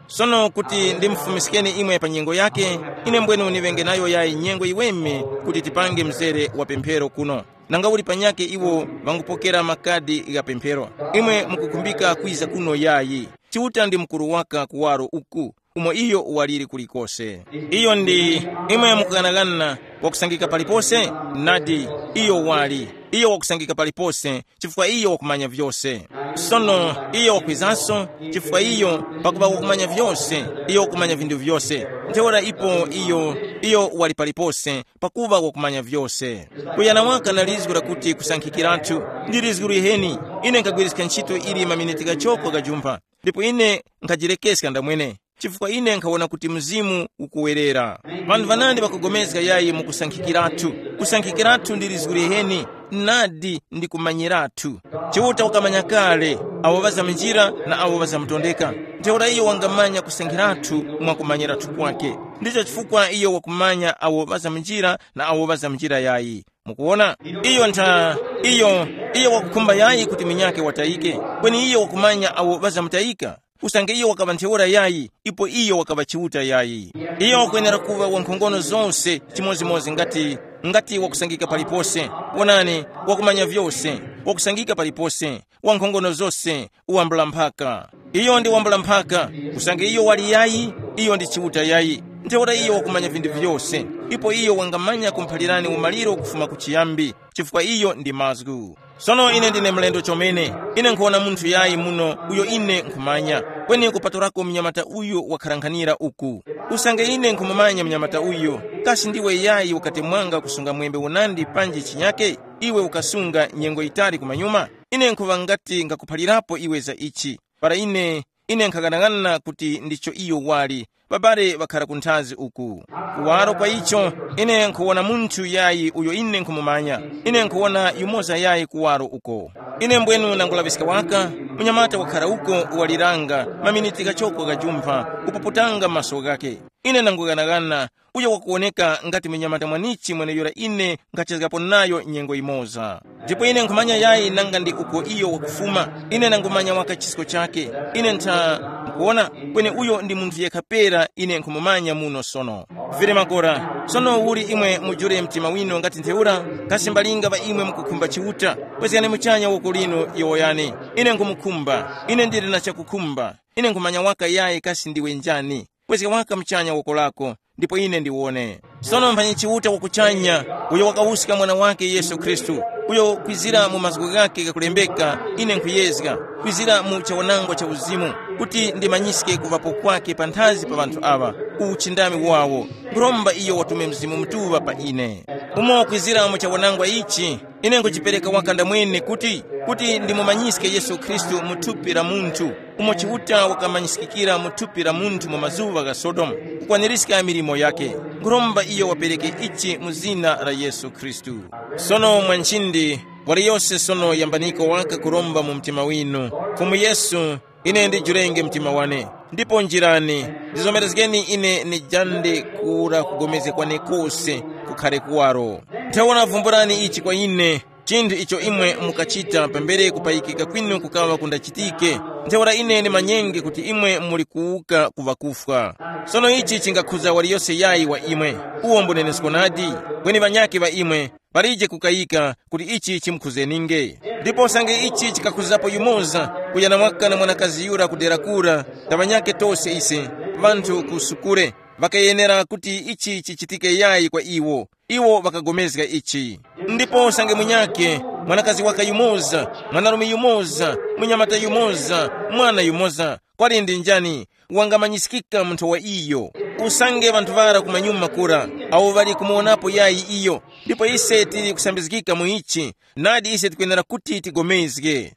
Sono kuti ndimufumiskeni imwe pa nyengo yake, ine mbwenu niŵenge nayo yayi nyengo yiweme kuti tipange mzere wa pemphero kuno. Nanga uli panyakhe iwo ŵangupokera makadi gha pemphero, imwe mukukhumbika kwiza kuno yayi. Chiuta ndi mukuru waka kuwaro uku. umo iyo waliri kulikose. Iyo ndi, imwe mukughanaghana wakusangika palipose? Nadi, iyo wali. Iyo wakusangika palipose, chifukwa iyo wakumanya vyose. Sono iyo wakwizanso, chifukwa iyo pakuŵa wakumanya vyose, iyo wakumanya vinthu vyose. Ntheura ipo iyo, iyo wali palipose, pakuŵa wakumanya vyose. Kuyana waka na lizgu lakuti kusankhikiratu, ndi lizgu liheni. Ine nkhagwiriska ntchito ili maminiti ghachoko ghajumpha, ndipo ine nkhajirekeska ndamwene, chifukwa ine nkhawona kuti Mzimu ukuwerera. Ŵanthu ŵanandi ŵakugomezga yayi mu kusankhikiratu. Kusankhikiratu ndi lizgu liheni, nadi ndi kumanyiratu. Chiuta wakamanya kale awo ŵazamunjira na awo ŵazamutondeka. Ntheura iyo wangamanya kusankhiratu mwa kumanyiratu kwake. Ndicho chifukwa iyo wakumanya awo ŵazamunjira na awo ŵazamunjira yayi. Mukuwona? Iyo ntha, iyo, iyo wakukhumba yayi kuti munyakhe watayike, kweni iyo wakumanya awo ŵazamutayika. Usange iyo wakaŵa ntheura yayi, ipo iyo wakaŵa Chiuta yayi. Iyo wakwenera kuŵa wankhongono zose chimodzimodzi ngati, ngati wakusangika palipose. Wonani, wakumanya vyose, wakusangika palipose, wankhongono zose, uwambula mphaka. Iyo ndi wambula mphaka, usange iyo wali yayi, iyo ndi Chiuta yayi. Ntheura iyo wakumanya vinthu vyose, ipo iyo wangamanya kumphalirani umaliro kufuma ku chiyambi, chifukwa iyo ndi mazgu. Sono ine ndine mlendo chomene, ine nkhuwona munthu yayi muno uyo ine nkhumanya, kweni kupatulako mnyamata uyu wakharankhanira uku. Usange ine nkhumumanya mnyamata uyu, kasi ndiwe yayi ukatemwanga kusunga mwembe unandi panji chinyake, iwe ukasunga nyengo yitali kumanyuma? Ine nkhuŵa ngati ngakuphalirapo iwe za ichi. Para ine, ine nkhaghanaghana kuti ndicho iyo wali, ŵabale ŵakhara kunthazi uku. Kuwaro kwa icho, ine nkhuwona munthu yayi uyo ine nkhumumanya. Ine nkhuwona yumoza yayi kuwaro uko. Ine mbwenu nangulaŵiska waka, munyamata wakhara uko waliranga, maminiti ghachoko ghajumpha, kupuputanga maso ghakhe. Ine nangughanagana, uyo wakuwoneka ngati munyamata mwanichi mweneyura ine nkhachezgapo nayo nyengo yimoza. Ndipo ine nkhumanya yayi nanga ndi uko iyo wakufuma. Ine nangumanya waka chisko chakhe. Ine ntha nkuwona, kweni uyo ndi munthu yekha pera ine nkhumumanya muno sono. Vili makora, sono uli imwe mujule mtima winu ngati ntheura? Kasi mbalinga ŵa imwe mukukhumba Chiuta? Kwezgani muchanya woko linu yowoyani. Ine nkhumukhumba. Ine ndili na chakukhumba. Ine nkhumanya waka yayi kasi ndiwe njani. Kwezga waka muchanya woko lako, ndipo ine ndiwone. Sono mphanyi Chiuta wa kuchanya, uyo wakawuska Mwana wake Yesu Khristu, uyo kwizira mu mazgu ghake ghakulembeka, ine nkhuyezga, kwizira mu chawanangwa cha uzimu, kuti ndimanyiske kuŵapo kwake panthazi pa ŵanthu aŵa, uchindami wawo, nkhuromba iyo watume Mzimu Mutuŵa pa ine. Umo kwizira mu chawanangwa ichi, ine nkujipereka waka ndamwene kuti, kuti ndimumanyiske Yesu Khristu mu thupi la munthu, umo Chiuta wakamanyiskikira mu thupi la munthu mu mazuŵa gha Sodomu, kukwanirizga milimo yakhe. Nkhuromba iyo wapereke ichi mu zina la Yesu Khristu. Sono mwa nchindi, waliyose sono yambaniko waka kuromba mu mtima winu, Fumu Yesu, ine ndijurenge mtima wane, ndipo njirani, ndizomerezgeni ine nijande kura kugomezga kwane kose kukhare kuwaro. Ntheura vumbulani ichi kwa ine, chinthu icho imwe mukachita pambere kupayikika kwinu kukaŵa kundachitike. Ntheura ine ndimanyenge kuti imwe muli kuwuka ku ŵakufwa. Sono ichi chingakhuza waliyose yayi wa imwe, uwo mbunenesko nadi, kweni ŵanyakhe ŵa imwe, palije kukayika kuti ichi chimukhuzeninge. Ndipo usange ichi chikakhuzapo yumoza, kuyana waka na mwanakazi yura kudera kura, ta ŵanyakhe tose ise, ŵanthu ku sukure, ŵakayenera kuti ichi chichitike yayi kwa iwo. Iwo ŵakagomezga ichi. Ndipo usange munyakhe, mwanakazi waka yumoza, mwanarume yumoza, munyamata yumoza, mwana yumoza, kwali ndi njani, wangamanyiskika munthu wa iyo. Usange ŵanthu ŵara kumanyuma kura, awo ŵali kumuwonapo yayi iyo, ndipo ise tili kusambizgika mu ichi, nadi ise tikwenera kuti tigomezge.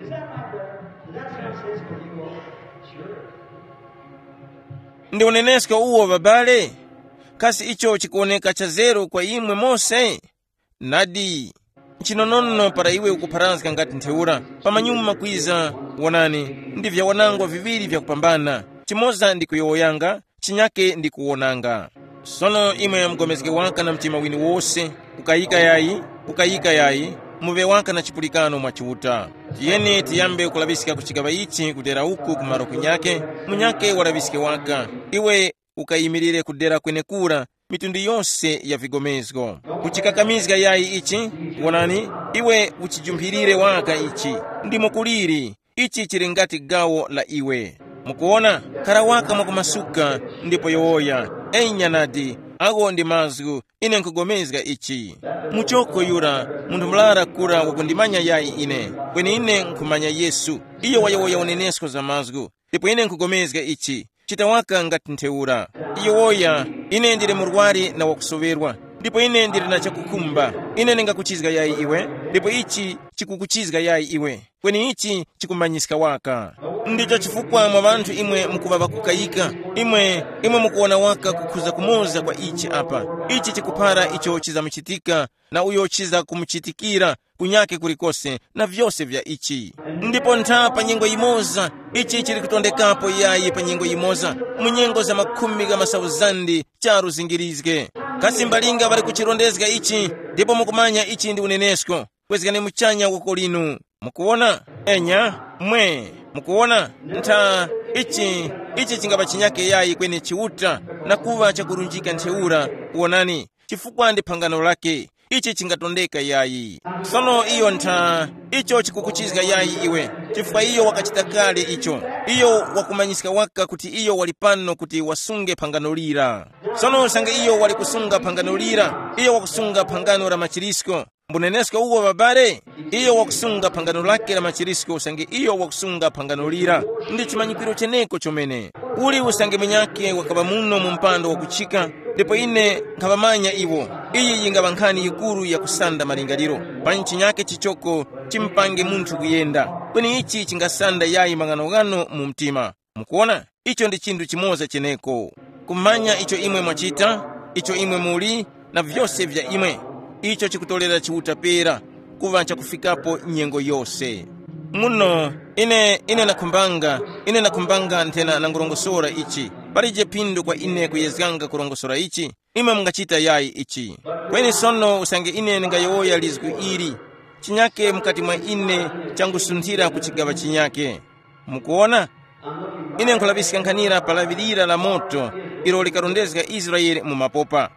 Ndi unenesko uwo, babale? Kasi icho chikuwoneka chazeru kwa imwe mose? Nadi, nchinonono para iwe ukupharazga ngati ntheura, pamanyuma kwiza, wonani, ndi vyawanangwa viŵiri vyakupambana, chimoza ndi kuyowoyanga, chinyake ndi kuwonanga. Sono imwe mugomezge waka na mtima winu wose, ukayika yayi, ukayika yayi, muŵe waka na chipulikano mwa Chiuta. Tiyeni tiyambe kulaŵiska ku chigaŵa ichi kudera uku ku malo kunyake, munyake walaŵiske waka. Iwe ukayimirire kudera kwenekura, mitundu yose ya vigomezgo. Kuchikakamizga yayi ichi, wonani, iwe uchijumphirire waka ichi, ndimo kuliri, ichi chili ngati gawo la iwe. Mukuwona, khara waka mwakumasuka, ndipo yowoya, enya nadi, agho ndi mazgu, ine nkhugomezga ichi. Muchoko yura, munthu murara kura wakundimanya yayi ine, kweni ine nkhumanya Yesu, iyo wayowoya unenesko za mazgu, ndipo ine nkhugomezga ichi. Chita waka ngati ntheura. Yowoya, ine ndili murwari na wakusoŵerwa, ndipo ine ndili na chakukhumba. Ine ndingakuchizga yayi iwe, ndipo ichi chikukuchizga yayi iwe, kweni ichi chikumanyiska waka. Ndicho chifukwa mwa ŵanthu imwe mukuŵa ŵakukayika, imwe, imwe mukuwona waka kukhuza kumoza kwa ichi apa. Ichi chikuphara icho chizamuchitika na uyo chizakumuchitikira kunyakhe kulikose na vyose vya ichi. Ndipo ntha pa nyengo yimoza, ichi chili kutondekapo yayi pa nyengo yimoza, mu nyengo za makhumi gha masauzandi charu zingirizge. Kasi mbalinga ŵali kuchirondezga ichi, ndipo mukumanya ichi ndi unenesko. Kwezgani muchanya woko linu. Mukuwona? Enya, mwe, mukuwona? Ntha, ichi, ichi chingapa chinyake yayi kweni Chiuta, na kuŵa chakurunjika ntheura, wonani, chifukwa ndi phangano lake, ichi chingatondeka yayi. Sono iyo ntha, icho chikukuchizga yayi iwe, chifukwa iyo wakachita kale icho. Iyo wakumanyiska waka kuti iyo wali pano kuti wasunge phangano lira. Sono usange iyo wali kusunga phangano lira, iyo wakusunga phangano la machirisko. Mbunenesko uwo ŵabale, iyo wakusunga phangano lake la machirisko usange iyo wakusunga phangano lira. Ndi chimanyikiro cheneko chomene. Uli usange munyakhe wakaŵa muno mu mpando wakuchika, ndipo ine nkhaŵamanya iwo. Iyi yingaŵa nkhani yikuru yakusanda malingaliro. Pa nchinyake chichoko, chimupange munthu kuyenda. Kweni ichi chingasanda yayi maghanoghano mu mtima. Mukuwona? Icho ndi chinthu chimoza cheneko. Kumanya icho imwe mwachita, icho imwe muli, na vyose vya imwe. Icho chikutorera Chiuta pera, kuŵa chakufikapo nyengo yose. Muno, ine, ine nakhumbanga, ine nakhumbanga nthena nangurongosora ichi. Palije phindu kwa ine kuyezganga kurongosora ichi, imwe mungachita yayi ichi. Kweni sono usange ine ndingayowoya lizgu ili, chinyake mukati mwa ine changusunthira ku chigaŵa chinyake. Mukuwona? Ine nkhulaŵiska nkhanira pa laŵi lira la moto ilo likarondezga Israele mu mapopa.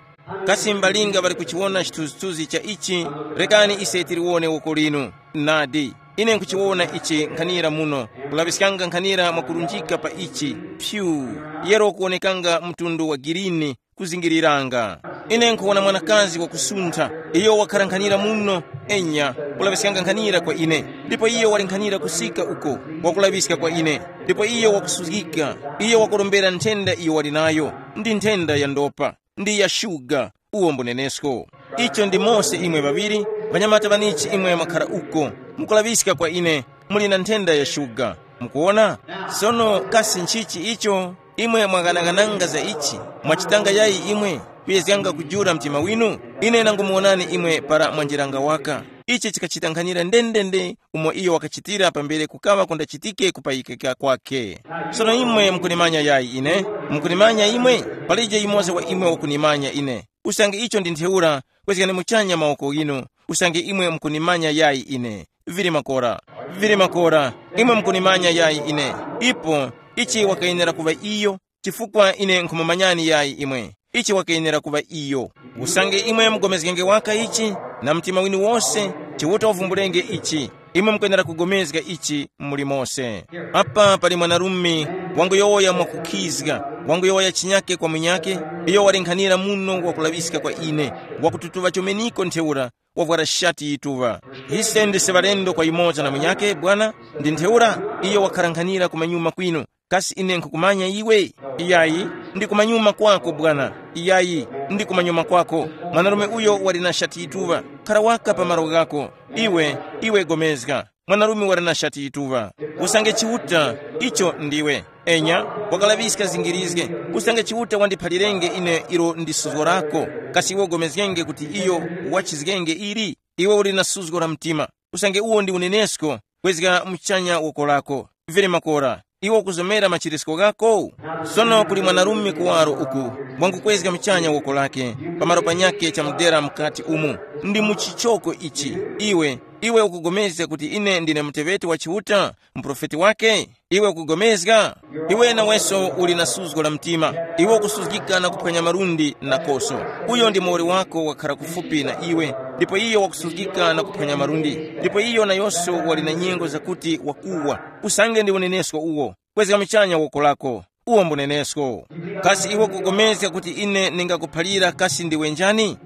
Kasi mbalinga ŵali kuchiwona chithunzithunzi cha ichi? Rekani ise tiliwone woko linu. Nadi, ine nkhuchiwona ichi nkhanira muno, kulaŵiskanga nkhanira mwakurunjika pa ichi. Pyu, yero kuwonekanga mtundu wa girini, kuzingiriranga. Ine nkhuwona mwanakazi wakusuntha, iyo wakhara nkhanira muno, enya, kulaŵiskanga nkhanira kwa ine. Ndipo iyo wali nkhanira kusika uko, wakulaŵiska kwa ine. Ndipo iyo wakusuzgika, iyo wakurombera nthenda iyo wali nayo, ndi nthenda ya ndopa, ndi ya shuga, uwo mbunenesko. Icho ndi mose imwe ŵaŵiri, ŵanyamata ŵanichi imwe mwakhara uko, mukulaŵiska kwa ine, muli na nthenda ya shuga. Mukuwona? Sono kasi nchichi icho? Imwe mwaghanaghananga za ichi, mwachitanga yayi imwe, kuyezganga kujula mtima winu? Ine nangumuwonani imwe para mwanjiranga waka. Ichi chikachita nkhanira ndendende umo iyo wakachitira pambere kukaŵa kundachitike kupayikika kwakhe. Sono imwe mukunimanya yayi ine? Mukunimanya imwe? Palije yumoza wa imwe wakunimanya ine. Usange icho ndi ntheura, kwezgani muchanya mawoko ghinu, usange imwe mukunimanya yayi ine. Vili makora, vili makora, imwe mukunimanya yayi ine. Ipo, ichi wakayenera kuŵa iyo, chifukwa ine nkhumumanyani yayi imwe. Ichi wakayenera kuŵa iyo. Usange imwe mugomezgenge waka ichi, na mtima winu wose, Chiuta wavumbulenge ichi. Imwe mukwenera kugomezga ichi muli mose. Apa pali mwanarume wanguyowoya mwakukhizga, wanguyowoya chinyake kwa munyake, iyo wali nkhanira muno wakulaŵiska kwa ine, wakututuŵa chomeniko ntheura, wavwara shati yituŵa. Ise ndise ŵalendo kwa yumoza na munyake, bwana, ndi ntheura iyo wakhara nkhanira kumanyuma kwinu. Kasi ine nkhukumanya iwe? Iyayi, ndi kumanyuma kwako, bwana. Iyayi, ndi kumanyuma kwako. Mwanarume uyo wali na shati yituŵa. Khara waka pa malo ghako. Iwe, iwe gomezga. Mwanarume wali na shati yituŵa. Usange Chiuta, icho ndiwe. Enya, wakalaŵiska zingirizge. Usange Chiuta wandiphalirenge ine ilo ndi suzgo lako, kasi iwe ugomezgenge kuti iyo wachizgenge ili? Iwe uli na suzgo la mtima. Usange uwo ndi unenesko, kwezga muchanya woko lako. Vere makora. Iwe ukuzomera machirisko ghako? Sono kuli mwanarume kuwaro uku, wangukwezga muchanya woko lake, pamalo panyakhe chamudera mukati umu. Ndi mu chichoko ichi. Iwe, iwe ukugomezga kuti ine ndine muteŵeti wa Chiuta, muprofeti wake? Iwe ukugomezga? Iwe naweso uli na suzgo la mtima. Iwe ukusuzgika na kuphwanya malundi na koso. Uyo ndi muwoli wako wakhara kufupi na iwe, ndipo iyo wakusuzgika na kuphwanya malundi. Ndipo iyo nayonso wali na nyengo zakuti wakuwa. Usange ndi unenesko uwo. Kwezga muchanya woko lako, uwo mbunenesko. Kasi iwe kugomezga kuti ine ningakuphalira kasi ndiwe njani?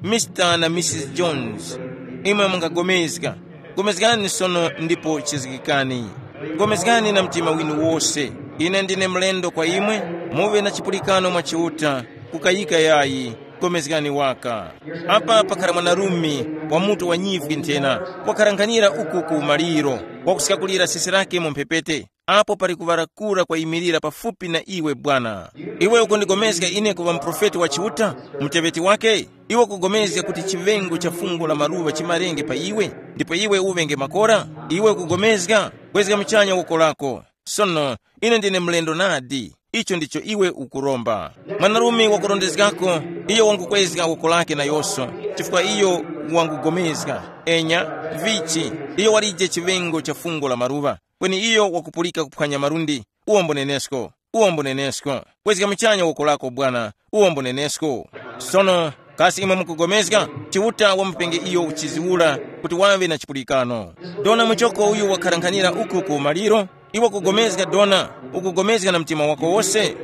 Mister na Missus Jones, imwe mungagomezga. Gomezgani sono ndipo chizgikani. Gomezgani na mtima winu wose. Ine ndine mlendo kwa imwe, muŵe na chipulikano mwa Chiuta, kukayika yayi. Gomezgani waka. Apa pakhala mwanarume wa mutu wa nyifwi nthena, wakharanghanira uku ku maliro, wakusikakulira sisi lake mu mphepete. Apo pali kuŵala kura kwayimirira pafupi na iwe bwana. Iwe ukundigomezga ine kuŵa muprofeti wa Chiuta, muteŵeti wake? Iwe ukugomezga kuti chiŵengo cha fungo la maluŵa chimarenge pa iwe, ndipo iwe uŵenge makora? Iwe ukugomezga? Kwezga muchanya woko lako. Sono, ine ndine mlendo nadi. Icho ndicho iwe ukuromba. Mwanarume wakurondezgako, iyo wangukwezga woko lake nayoso, chifukwa iyo wangugomezga. Enya, vichi, iyo walije chiŵengo cha fungo la maluŵa, kweni iyo wakupulika kuphwanya malundi. Uwo mbunenesko, uwo mbunenesko. Kwezga muchanya woko lako bwana, uwo mbunenesko. Sono, kasi imwe mukugomezga? Chiuta wamupenge iyo uchiziwula kuti waŵe na chipulikano. Dona muchoko uyu wakharankhanira uku ku maliro. Iwe kugomezga dona, ukugomezga na mtima wako wose?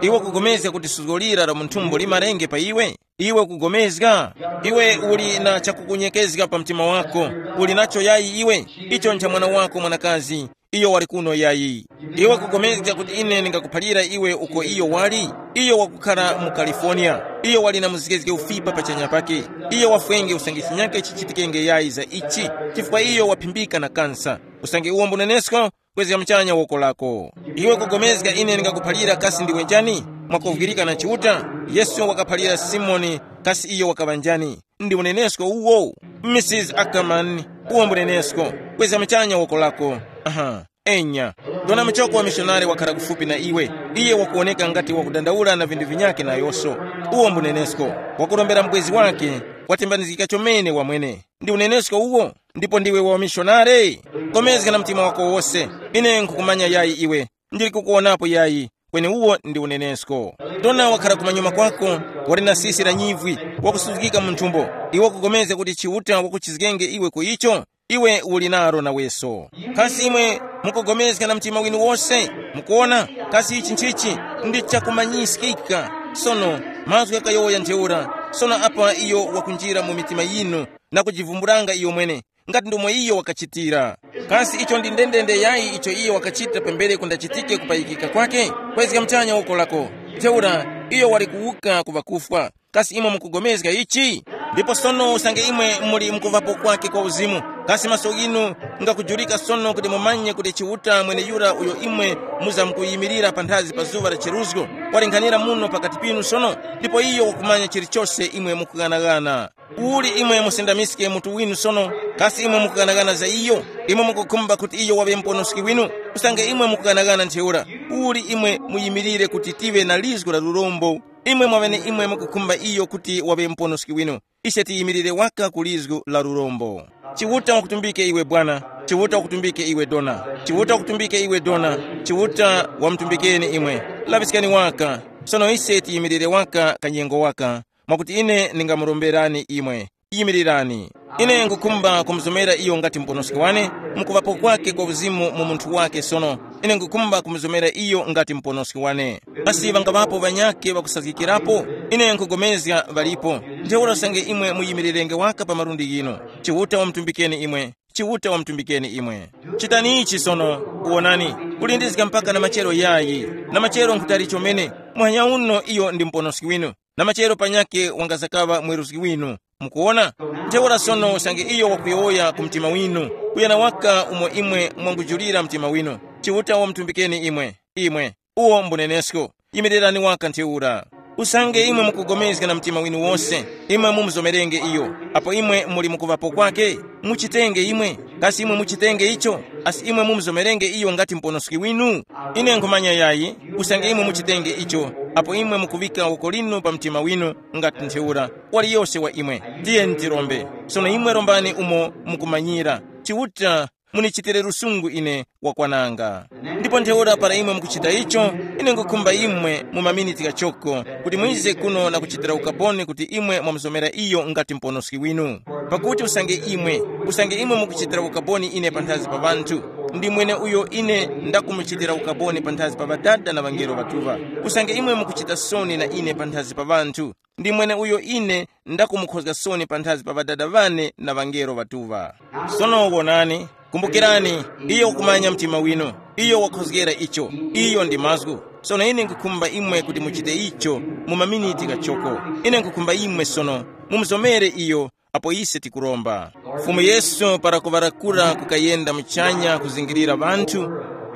Iwe kugomezga kuti suzgo lira la munthumbo limarenge pa iwe? Iwe kugomezga? Iwe uli na chakukunyekezga pa mtima wako. Uli nacho yayi iwe? Icho ncha mwana wako mwanakazi, iyo wali kuno yayi. Iwe kugomezga kuti ine ndingakuphalira iwe uko iyo wali? Iyo wakukhala mu California. Iyo wali na muzgezge ufipa pachanya pake. Iyo wafwenge usange chinyake chichitikenge yayi za ichi, chifukwa iyo waphimbika na kansa. Usange uwo mbunenesko, kwezga muchanya woko lako. Iwe kugomezga ine ndingakuphalira kasi ndiwe njani? Mwakovwirika na Chiuta? Yesu wakaphalira Simoni, kasi iyo wakaŵa njani? Ndi unenesko uwo. Missus Ackerman, uwo mbunenesko. Kwezga muchanya woko lako. Aha. Enya. Dona muchoko wa mishonari wakhala kufupi na iwe. Iye wakuwoneka ngati wakudandaula na vinthu vinyakhe nayoso. Uwo mbunenesko. Wakurombera mubwezi wake. Watembanizgika chomene wamwene. Ndi unenesko uwo? Ndipo ndiwe wa mishonare? Komezga na mtima wako wose. Ine nkhukumanya yayi iwe. Ndili kukuwonapo yayi. Kweni uwo ndi unenesko. Dona wakhala kumanyuma kwako, wali na sisi la nyivwi, wakusuzgika mu nthumbo. Iwe ukupulikana kuti Chiuta wakuchizgenge iwe ku icho? Iwe uli naro naweso. Kasi imwe mukugomezga na mtima winu wose? Mukuona? Kasi ichi nchichi? Ndi chakumanyiskika. Sono, mazgu ghakayowoya ntheura. Sono apa iyo wakunjira mu mitima yinu, na kujivumbulanga iyo mwene, ngati ndomwe iyo wakachitira. Kasi icho ndi ndendende yayi icho iyo wakachita pambere kundachitike kupayikika kwake? Kwezga muchanya woko lako. Ntheura, iyo wali kuwuka ku ŵakufwa. Kasi imwe mukugomezga ichi? Ndipo sono usange imwe muli mukuvapo kwake kwa uzimu, kasi maso ghinu ngakujurika sono kuti mumanye kuti Chiuta mweneyura uyo imwe muzamkuyimirira panthazi pa zuŵa la cheruzgo, walinghanira muno pakati pinu sono, ndipo iyo wakumanya chilichose imwe mukughanaghana. Uli imwe musindamiske mutu winu sono, kasi imwe mukughanaghana za iyo? Imwe mukukhumba kuti iyo waŵe muponoski winu? Usange imwe mukughanaghana ntheura, uli imwe muyimirire kuti tive na lizgu la lurombo. Imwe mwaŵeneimwe mukukhumba iyo kuti waŵe muponoski winu. Ise tiyimirire waka ku lizgu la lurombo. Chiuta wakutumbike iwe bwana. Chiuta wakutumbike iwe dona. Chiuta wakutumbike iwe dona. Chiuta wamutumbikeni imwe. Laŵiskani waka. Sono ise tiyimirire waka kanyengo waka, mwakuti ine ndingamuromberani imwe. Yimirirani. Ine ngukhumba kumuzomera iyo ngati muponoski wane, mukuŵapo kwake kwa uzimu mu munthu wake sono. Ine ngukhumba kumuzomera iyo ngati muponoski wane. Kasi ŵangaŵapo ŵanyakhe ŵakusazgikirapo? Ine nkhugomezga ŵalipo. Ntheura usange imwe muyimirirenge waka pa malundi ghinu. Chiuta wamutumbikeni imwe. Chiuta wamutumbikeni imwe. Chitani ichi sono, wonani, kulindizga mpaka na machero yayi. Na machero nkhutali chomene, muhanya uno iyo ndi muponoski winu. Na machero panyakhe wangazakaŵa mweruzgi winu. Mukuwona? Ntheura sono usange iyo wakuyowoya ku mtima winu, kuyana waka umo imwe mwangujulira mtima winu. Chiuta wamutumbikeni imwe. Imwe. Uwo mbunenesko. Yimirirani waka ntheura. Usange imwe mukugomezga na mtima winu wose, imwe mumuzomerenge iyo. Apo imwe muli mukuŵapo kwake, muchitenge imwe. Kasi imwe muchitenge icho? Asi imwe mumuzomerenge iyo ngati muponoski winu? Ine nkhumanya yayi, usange imwe muchitenge icho, apo imwe mukuŵika woko linu pa mtima winu, ngati ntheura, waliyose wa imwe. Tiyeni tirombe. Sono imwe rombani umo mukumanyira. Chiuta, munichitire lusungu ine wakwananga. Ndipo ntheura para imwe mukuchita icho, ine nkukhumba imwe mu maminiti ghachoko kuti mwize kuno na kuchitira ukaboni kuti imwe mwamuzomera iyo ngati muponoski winu. Pakuti usange imwe, usange imwe mukuchitira ukaboni ine panthazi pa ŵanthu, ndi mwene uyo ine ndakumuchitira ukaboni panthazi pa Ŵadada na ŵangelo ŵatuŵa. Usange imwe mukuchita soni na ine panthazi pa ŵanthu, ndi mwene uyo ine ndakumukhozga soni panthazi pa Ŵadada ŵane na ŵangelo ŵatuŵa. Sono wonani, kumbukirani, iyo wakumanya mtima winu, iyo wakhozgera icho, iyo ndi mazgu. Sono ine nkhukhumba imwe kuti muchite icho mu maminiti ghachoko. Ine nkhukhumba imwe sono mumuzomere iyo, apo ise tikuromba. Fumu Yesu para kuŵarakura kukayenda muchanya kuzingirira ŵanthu,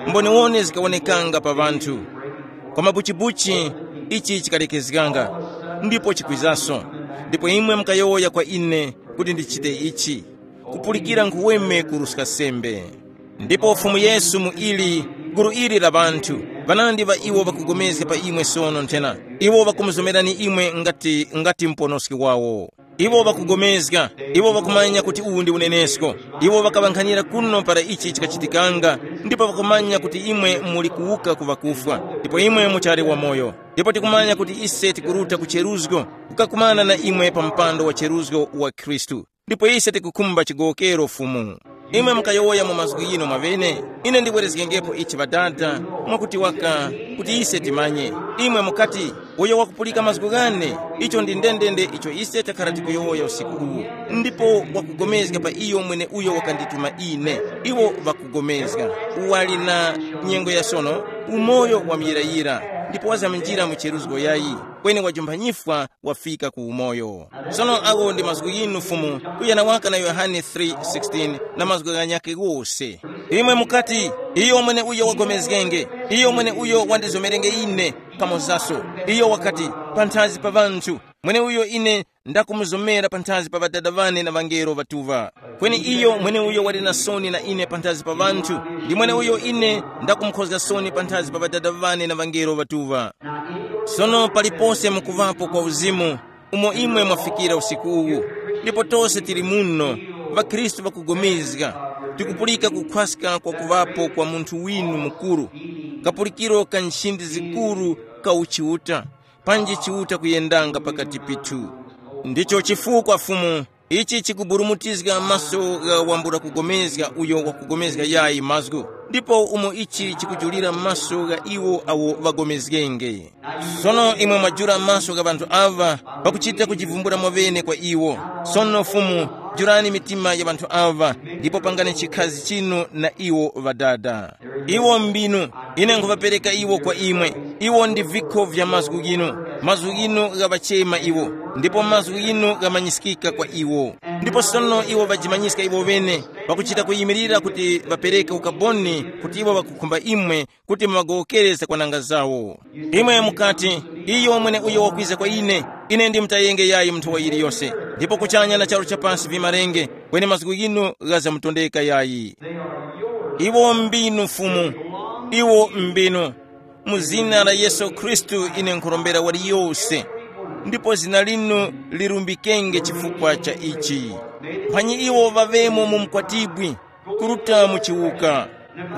mboniwone zikawonekanga pa ŵanthu. Kwa mabuchibuchi, ichi chikalekezganga, ndipo chikwizaso. Ndipo imwe mukayowoya kwa ine kuti ndichite ichi, kupulikira nkhuweme kuruska sembe. Ndipo Fumu Yesu mu ili, gulu ili la ŵanthu, ŵanandi ŵa iwo ŵakugomezga pa imwe sono nthena, iwo ŵakumuzomerani imwe ngati, ngati muponoski wawo. Iwo ŵakugomezga, iwo ŵakumanya kuti uwu ndi unenesko. Iwo ŵakaŵankhanira kuno para ichi chikachitikanga, ndipo ŵakumanya kuti imwe muli kuwuka ku ŵakufwa, ndipo imwe muchali wamoyo. Ndipo tikumanya kuti ise tikuruta ku cheruzgo, kukakumana na imwe pa mpando wa cheruzgo wa Khristu. Ndipo ise tikukhumba chigowokero Fumu. Imwe mukayowoya mu mazgu yino mwaŵene, ine ndibwerezgengepo ichi Ŵadada, mwakuti waka, kuti ise timanye. Imwe mukati, uyo wakupulika mazgu ghane, icho ndi ndendende icho ise takhara tikuyowoya usiku uwu. Ndipo wakugomezga pa iyo mwene uyo wakandituma ine. Iwo ŵakugomezga. Wali na nyengo ya sono, umoyo wa muyirayira, ndipo wazaminjira mu cheruzgo yayi, kweni wajumpha nyifwa wafika ku umoyo. Sono awo ndi mazgu yinu Fumu, kuyana waka na Yohane three sixteen na mazgu ghanyakhe ghose. Imwe mukati, iyo mwene uyo wagomezgenge, iyo mwene uyo wandizomerenge ine, pamozaso, iyo wakati, panthazi pa ŵanthu, mwene uyo ine ndakumuzomera panthazi pa Ŵadada ŵane na ŵangelo ŵatuŵa. Kweni iyo mweneuyo wali na soni na ine panthazi pa ŵanthu, ndi mweneuyo ine ndakumukhozga soni panthazi pa Ŵadada ŵane na ŵangelo ŵatuŵa. Sono palipose mukuŵapo kwa uzimu, umo imwe mwafikira usiku uwu, ndipo tose tili muno, ŵakhristu ŵakugomezga, tikupulika kukhwaska kwa kuŵapo kwa munthu winu mukuru, kapulikiro ka nchindi zikuru ka uchiuta, panji Chiuta kuyendanga pakati pithu. Ndicho chifukwa Fumu, ichi chikuburumutizga maso gha wambula kugomezga uyo wakugomezga yayi mazgu, ndipo umo ichi chikujulira maso gha iwo awo ŵagomezgenge. Sono imwe mwajula maso gha ŵanthu aŵa, pakuchita kujivumbula mwaŵene kwa iwo. Sono Fumu, julani mitima ya ŵanthu aŵa, ndipo pangani chikhazi chinu na iwo Ŵadada. Iwo mbinu, ine nkhuŵapereka iwo kwa imwe. Iwo ndi vikho vya mazgu ghinu. Mazgu ghinu ghaŵachema iwo, ndipo mazgu ghinu ghamanyiskika kwa iwo. Ndipo sono iwo ŵajimanyiska iwo ŵene, pakuchita kuyimirira kuti ŵapereke ukaboni kuti iwo ŵakukhumba imwe kuti muŵagowokere zakwananga zawo. Imwe mukati, iyo mwene uyo wakwiza kwa ine, ine ndimutayenge yayi munthu wa yiliyose, ndipo kuchanya na charu cha pasi vimarenge, kweni mazgu ghinu ghazamutondeka yayi. Iwo mbinu Fumu, iwo mbinu. Mu zina la Yesu Khristu ine nkhurombera waliyose, ndipo zina linu lirumbikenge chifukwa cha ichi. Mphanyi iwo ŵaŵemo mu mkwatibwi, kuruta mu chiwuka.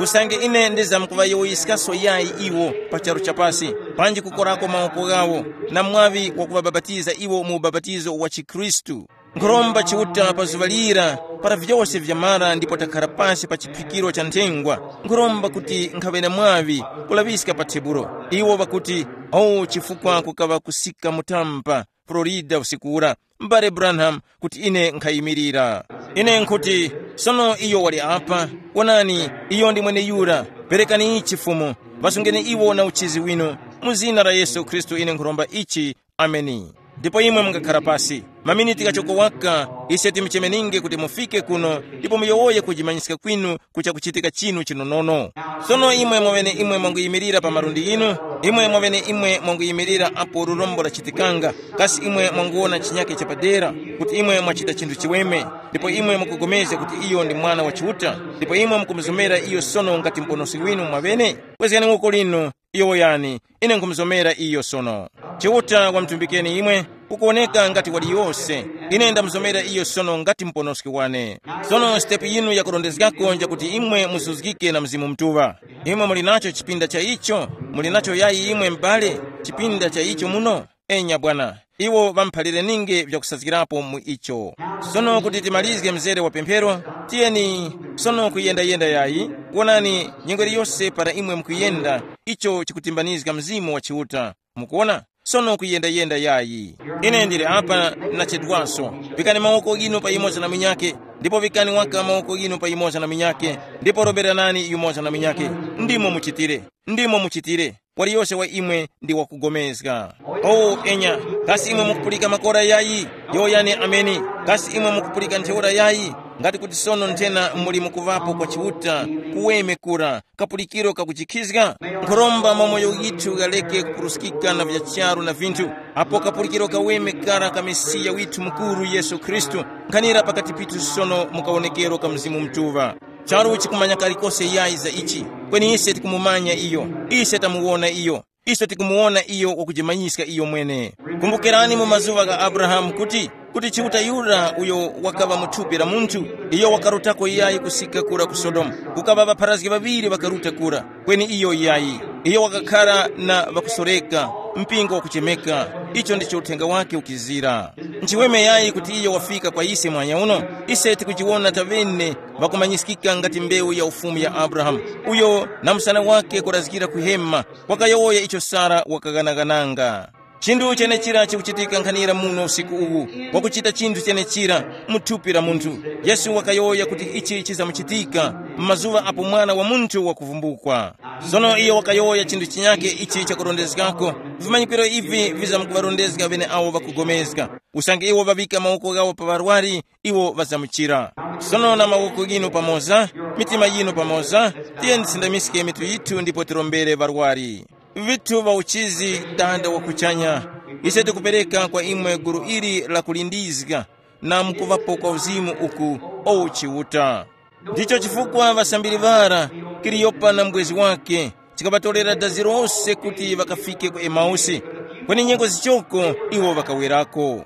Usange ine ndizamkuŵayowoyeskaso yayi iwo pa charu cha pasi, panji kukorako mawoko ghawo, na mwaŵi wakuŵabapatiza iwo mu ubapatizo wa chikhristu. Nkhuromba Chiuta pa zuŵa lira, para vyose vyamara ndipo takhara pasi pa chiphikiro cha nthengwa, nkhuromba kuti nkhaŵe na mwaŵi kulaŵiska pa tebulo. Iwo ŵakuti, “Oh, chifukwa kukaŵa kusika mutampa, Florida usiku ura, m'bale Branham, kuti ine nkhayimirira.” Ine nkhuti, sono iyo wali apa. Wonani, iyo ndi mweneyura. Perekani ichi Fumu, ŵasungeni iwo na uchizi winu. Mu zina la Yesu Khristu ine nkhuromba ichi. Ameni. Ndipo imwe mungakhala pasi maminiti ghachoko waka, ise timuchemeninge kuti mufike kuno ndipo muyowoye kujimanyiska kwinu ku chakuchitika chinu chinonono. Sono imwe mwaŵene imwe mwanguyimirira pa malundi ghinu, imwe mwaŵene imwe mwanguyimirira apo lurombo lachitikanga, kasi imwe mwanguwona chinyake chapadera, kuti imwe mwachita chinthu chiweme, ndipo imwe mukugomezga kuti iyo ndi Mwana wa Chiuta, ndipo imwe mukumuzomera iyo sono ngati Muponoski winu mwaŵene? Kwezgani woko linu, yowoyani, ine nkhumuzomera iyo sono. Chiuta wamutumbikeni imwe, kukuwoneka ngati wali yose. Ine ndamuzomera iyo sono ngati Muponoski wane. Sono sitepu yinu yakurondezgako njakuti imwe muzuzgike na Mzimu Mutuŵa. Imwe muli nacho chipinda cha icho? Muli nacho yayi imwe m'bale, chipinda cha icho muno? Enya bwana, iwo ŵamuphalire ninge vyakusazgirapo mu icho. Sono kuti timalizge mzere wa pemphero, tiyeni sono kuyendayenda yayi. Wonani, nyengo iliyose para imwe mukuyenda, icho chikutimbanizga Mzimu wa Chiuta. Mukuona? Sono kuyendayenda yayi. Ine ndili apa, nachedwaso. Pikani mawoko ghinu pa yumoza na munyakhe, ndipo vikani waka mawoko ghinu pa yumoza na munyakhe, ndipo roberanani yumoza na munyakhe. Ndimo muchitire. Ndimo muchitire. Waliyose wa imwe ndi wakugomezga. O enya, kasi imwe mukupulika makora yayi? Yowoyani ameni. Kasi imwe mukupulika ntheura yayi? Ngati kuti sono nthena muli mukuvapo kwa Chiuta, kuweme kura, kapulikiro kakuchikhizga, nkhoromba mwa moyo withu ghaleke kupuruskika na vya charu na vinthu, apo kapulikiro kaweme kara ka Mesiya withu mukuru Yesu Khristu, nkhanira pakati pithu sono mu kawonekero ka Mzimu Mutuŵa. Charu chikumanya kalikose yayi za ichi, kweni ise tikumumanya iyo, ise tamuwona iyo, ise tikumuwona iyo wakujimanyiska iyo mwene. Kumbukirani mu mazuŵa gha Abrahamu kuti, kuti Chiuta yura uyo wakaŵa mu thupi la munthu, iyo wakarutako yayi kusika kura ku Sodomu, kukaŵa ŵapharazgi ŵaŵiri ŵakaruta kura, kweni iyo yayi, iyo wakakhara na ŵakusoreka, mpingo wakuchemeka. Icho ndicho uthenga wake ukizira. Nchiweme yayi kuti iyo wafika kwa ise mwanya uno, ise tikujiwona taŵene ŵakumanyiskika ngati mbewu ya ufumu ya Abrahamu, uyo na msana wake kurazgira kuhema, wakayowoya icho Sara wakaghanaghananga. Chinthu chenechira chikuchitika nkhanira muno usiku uwu, wakuchita chinthu chenechira mu thupi la munthu. Yesu wakayowoya kuti ichi chizamuchitika m'mazuŵa apo Mwana wa Munthu wakuvumbukwa. Sono iyo wakayowoya chinthu chinyakhe ichi chakurondezgako, vimanyikiro ivi vizamkuŵarondezga ŵeneawo ŵakugomezga. Usange iwo ŵaŵika mawoko ghawo pa ŵarwari, iwo ŵazamuchira. Sono na mawoko ghinu pamoza, mitima yinu pamoza, tiyeni tisindamiske mitu yithu ndipo tirombere ŵarwari. Vithu va uchizi, Tanda wa kuchanya, ise tikupereka kwa imwe gulu ili la kulindizga na mukuvapo kwa uzimu uku, o Chiuta. Ndicho chifukwa ŵasambiri ŵara, Kaliyopa na mbwezi wakhe, chikaŵatorera dazi lose kuti ŵakafike ku Emausi, kweni nyengo zichoko iwo ŵakawerako.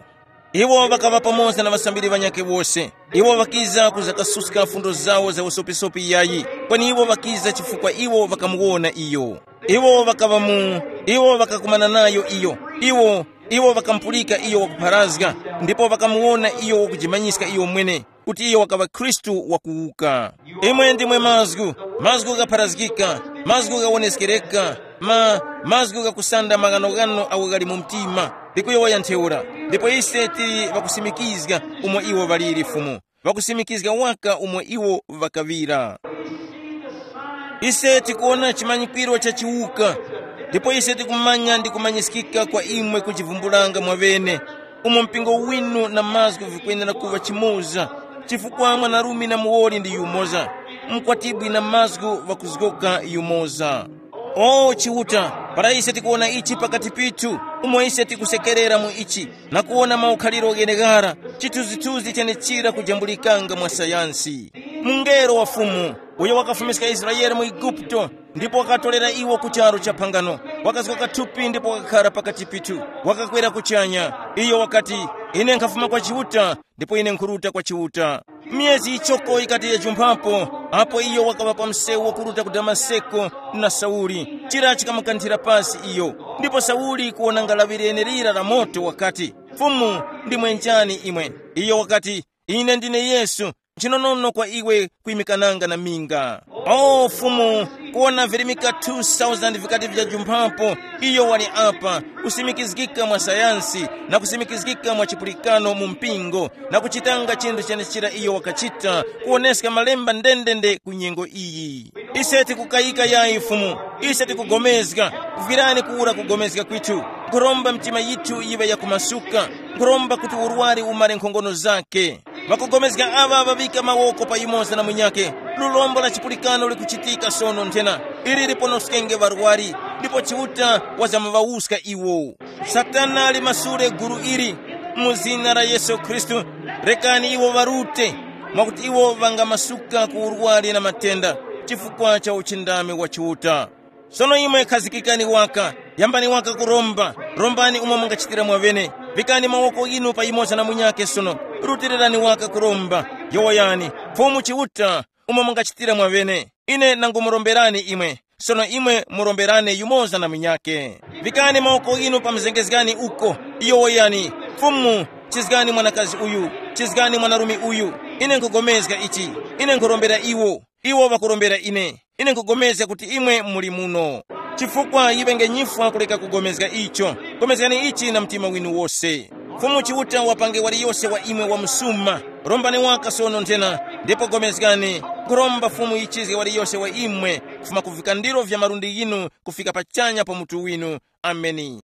Iwo ŵakaŵa pamoza na ŵasambiri ŵanyakhe wose. Iwo ŵakiza kuzakasuska fundo zawo za usopisopi yayi, kweni iwo ŵakiza chifukwa iwo ŵakamuwona iyo. Iwo ŵakaŵa mu, iwo ŵakakumana nayo iyo. Iwo, iwo ŵakamupulika iyo wakupharazga, ndipo ŵakamuwona iyo wakujimanyiska iyo mwene, kuti iyo wakaŵa Khristu wakuwuka. Imwe ndimwe mazgu, mazgu ghapharazgika, mazgu ghawoneskereka, ma, mazgu ghakusanda maghanoghano agho ghali mu mtima, likuyowoya ntheura. Ndipo ise tili ŵakusimikizga umo iwo ŵaliri Fumu, ŵakusimikizga waka umo iwo ŵakaŵira. Ise tikuwona chimanyikwiro cha chiwuka, ndipo ise tikumanya ndi kumanyiskika kwa imwe kuchivumbulanga mwaŵene, umo mpingo winu na mazgu vikwenera kuŵa chimoza, chifukwa mwanarume na muwoli ndi yumoza, mkwatibwi na mazgu ŵakuzgoka yumoza. O Chiuta, para ise tikuwona ichi pakati pithu, umo ise tikusekerera mu ichi, na kuwona maukhaliro gheneghara, chithunzithunzi chenechira kujambulikanga mwa sayansi. Mungelo wa Fumu, uyo wakafumiska Israele mu Eguputo, ndipo wakatorera iwo ku charu cha phangano, wakazgoka thupi ndipo wakakhara pakati pithu, wakakwera kuchanya. Iyo wakati, ine nkhafuma kwa Chiuta, ndipo ine nkhuruta kwa Chiuta. Myezi yichoko yikati yajumphapo, apo iyo wakaŵa pa msewu wakuruta ku Damaseko na Sauli, chira chikamukanthira pasi iyo. Ndipo Sauli kuwona ngalaŵi lenelira la moto wakati, Fumu, ndimwe njani imwe? Iyo wakati, ine ndine Yesu, nchinonono kwa iwe kuyimikananga na minga. O Fumu, kuwona virimika two thousand vikati vyajumphapo, iyo wali apa, kusimikizgika mwa sayansi, na kusimikizgika mwa chipulikano mu mpingo, na kuchitanga chinthu chenechira iyo wakachita, kuwoneska malemba ndendende ku nyengo iyi. Ise tikukayika yayi Fumu, ise tikugomezga, virani kuwura kugomezga kwithu, nkhuromba mitima yithu yiŵe yakumasuka, nkhuromba kuti urwari umare nkhongono zake. Ŵakugomezga aŵa ŵaŵika mawoko pa yumoza na munyakhe. Lurombo la chipulikano likuchitika sono nthena. Ili liponoskenge ŵarwari, ndipo Chiuta wazamuvawuska iwo. Satana limasule gulu ili, mu zina la Yesu Khristu, rekani iwo ŵarute, mwakuti iwo ŵangamasuka ku urwari na matenda, chifukwa cha uchindami wa Chiuta. Sono imwe khazikikani waka, yambani waka kuromba, rombani umo mungachitira mwaŵene, vikani mawoko ghinu pa yumoza na munyakhe sono, rutilirani waka kuromba, yowoyani, Fumu Chiuta, umo mungachitira mwaŵene. Ine nangumuromberani imwe, Sono imwe muromberane yumoza na munyake. Vikani mawoko inu pa mzengezgani uko. Iyo woyani, Fumu, chizgani mwanakazi uyu, chizgani mwanarume uyu. Ine nkhugomezga ichi. Ine nkhurombera iwo. Iwo ŵakurombera ine. Ine nkhugomezga kuti imwe muli muno. Chifukwa yiŵenge nyifwa kuleka kugomezga icho. Gomezgani ichi na mtima winu wose. Fumu Chiuta wapange waliyose wa imwe wamusuma. Rombani waka sono nthena, ndipo gomezgani. Nkhuromba Fumu yichizge waliyose wa imwe, kufuma ku vikandiro vya malundi ghinu kufika pachanya pa mutu winu. Ameni.